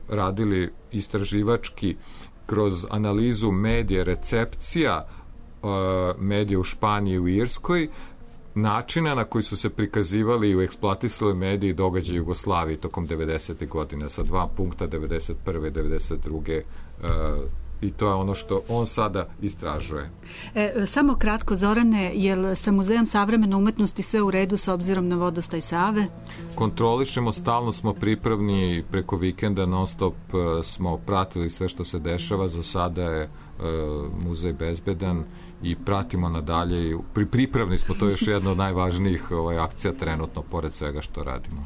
Q: radili istraživački kroz analizu medije, recepcija uh, medije u Španiji i u Irskoj, načina na koji su se prikazivali i eksploatisali mediji događaja Jugoslavije tokom devedesetih godina sa dva punkta devedeset prve i devedeset druge Uh, i to je ono što on sada istražuje.
E: E, samo kratko, Zorane, je li sa Muzejom savremene umetnosti sve u redu s obzirom na vodostaj Save?
Q: Kontrolišemo, stalno smo pripravni, preko vikenda non stop uh, smo pratili sve što se dešava, za sada je uh, muzej bezbedan i pratimo nadalje i pri, pripravni smo, to je još jedna od najvažnijih ovaj, akcija trenutno, pored svega što radimo.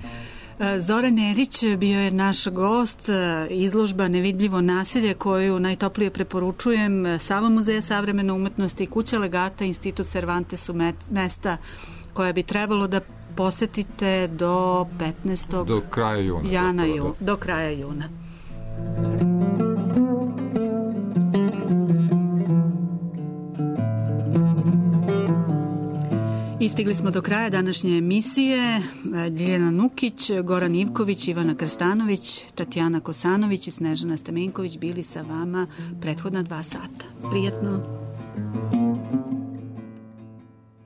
E: Zoran Erić bio je naš gost, izložba Nevidljivo nasilje koju najtoplije preporučujem, Sala Muzeja savremene umetnosti i Kuća legata, Institut Cervantes su mesta koja bi trebalo da posetite do petnaestog
Q: do kraja juna.
E: Jana,
Q: do,
E: ju, do kraja juna. I stigli smo do kraja današnje emisije. Ljiljana Nukić, Goran Ivković, Ivana Krstanović, Tatjana Kosanović i Snežana Stamenković bili sa vama prethodna dva sata. Prijetno!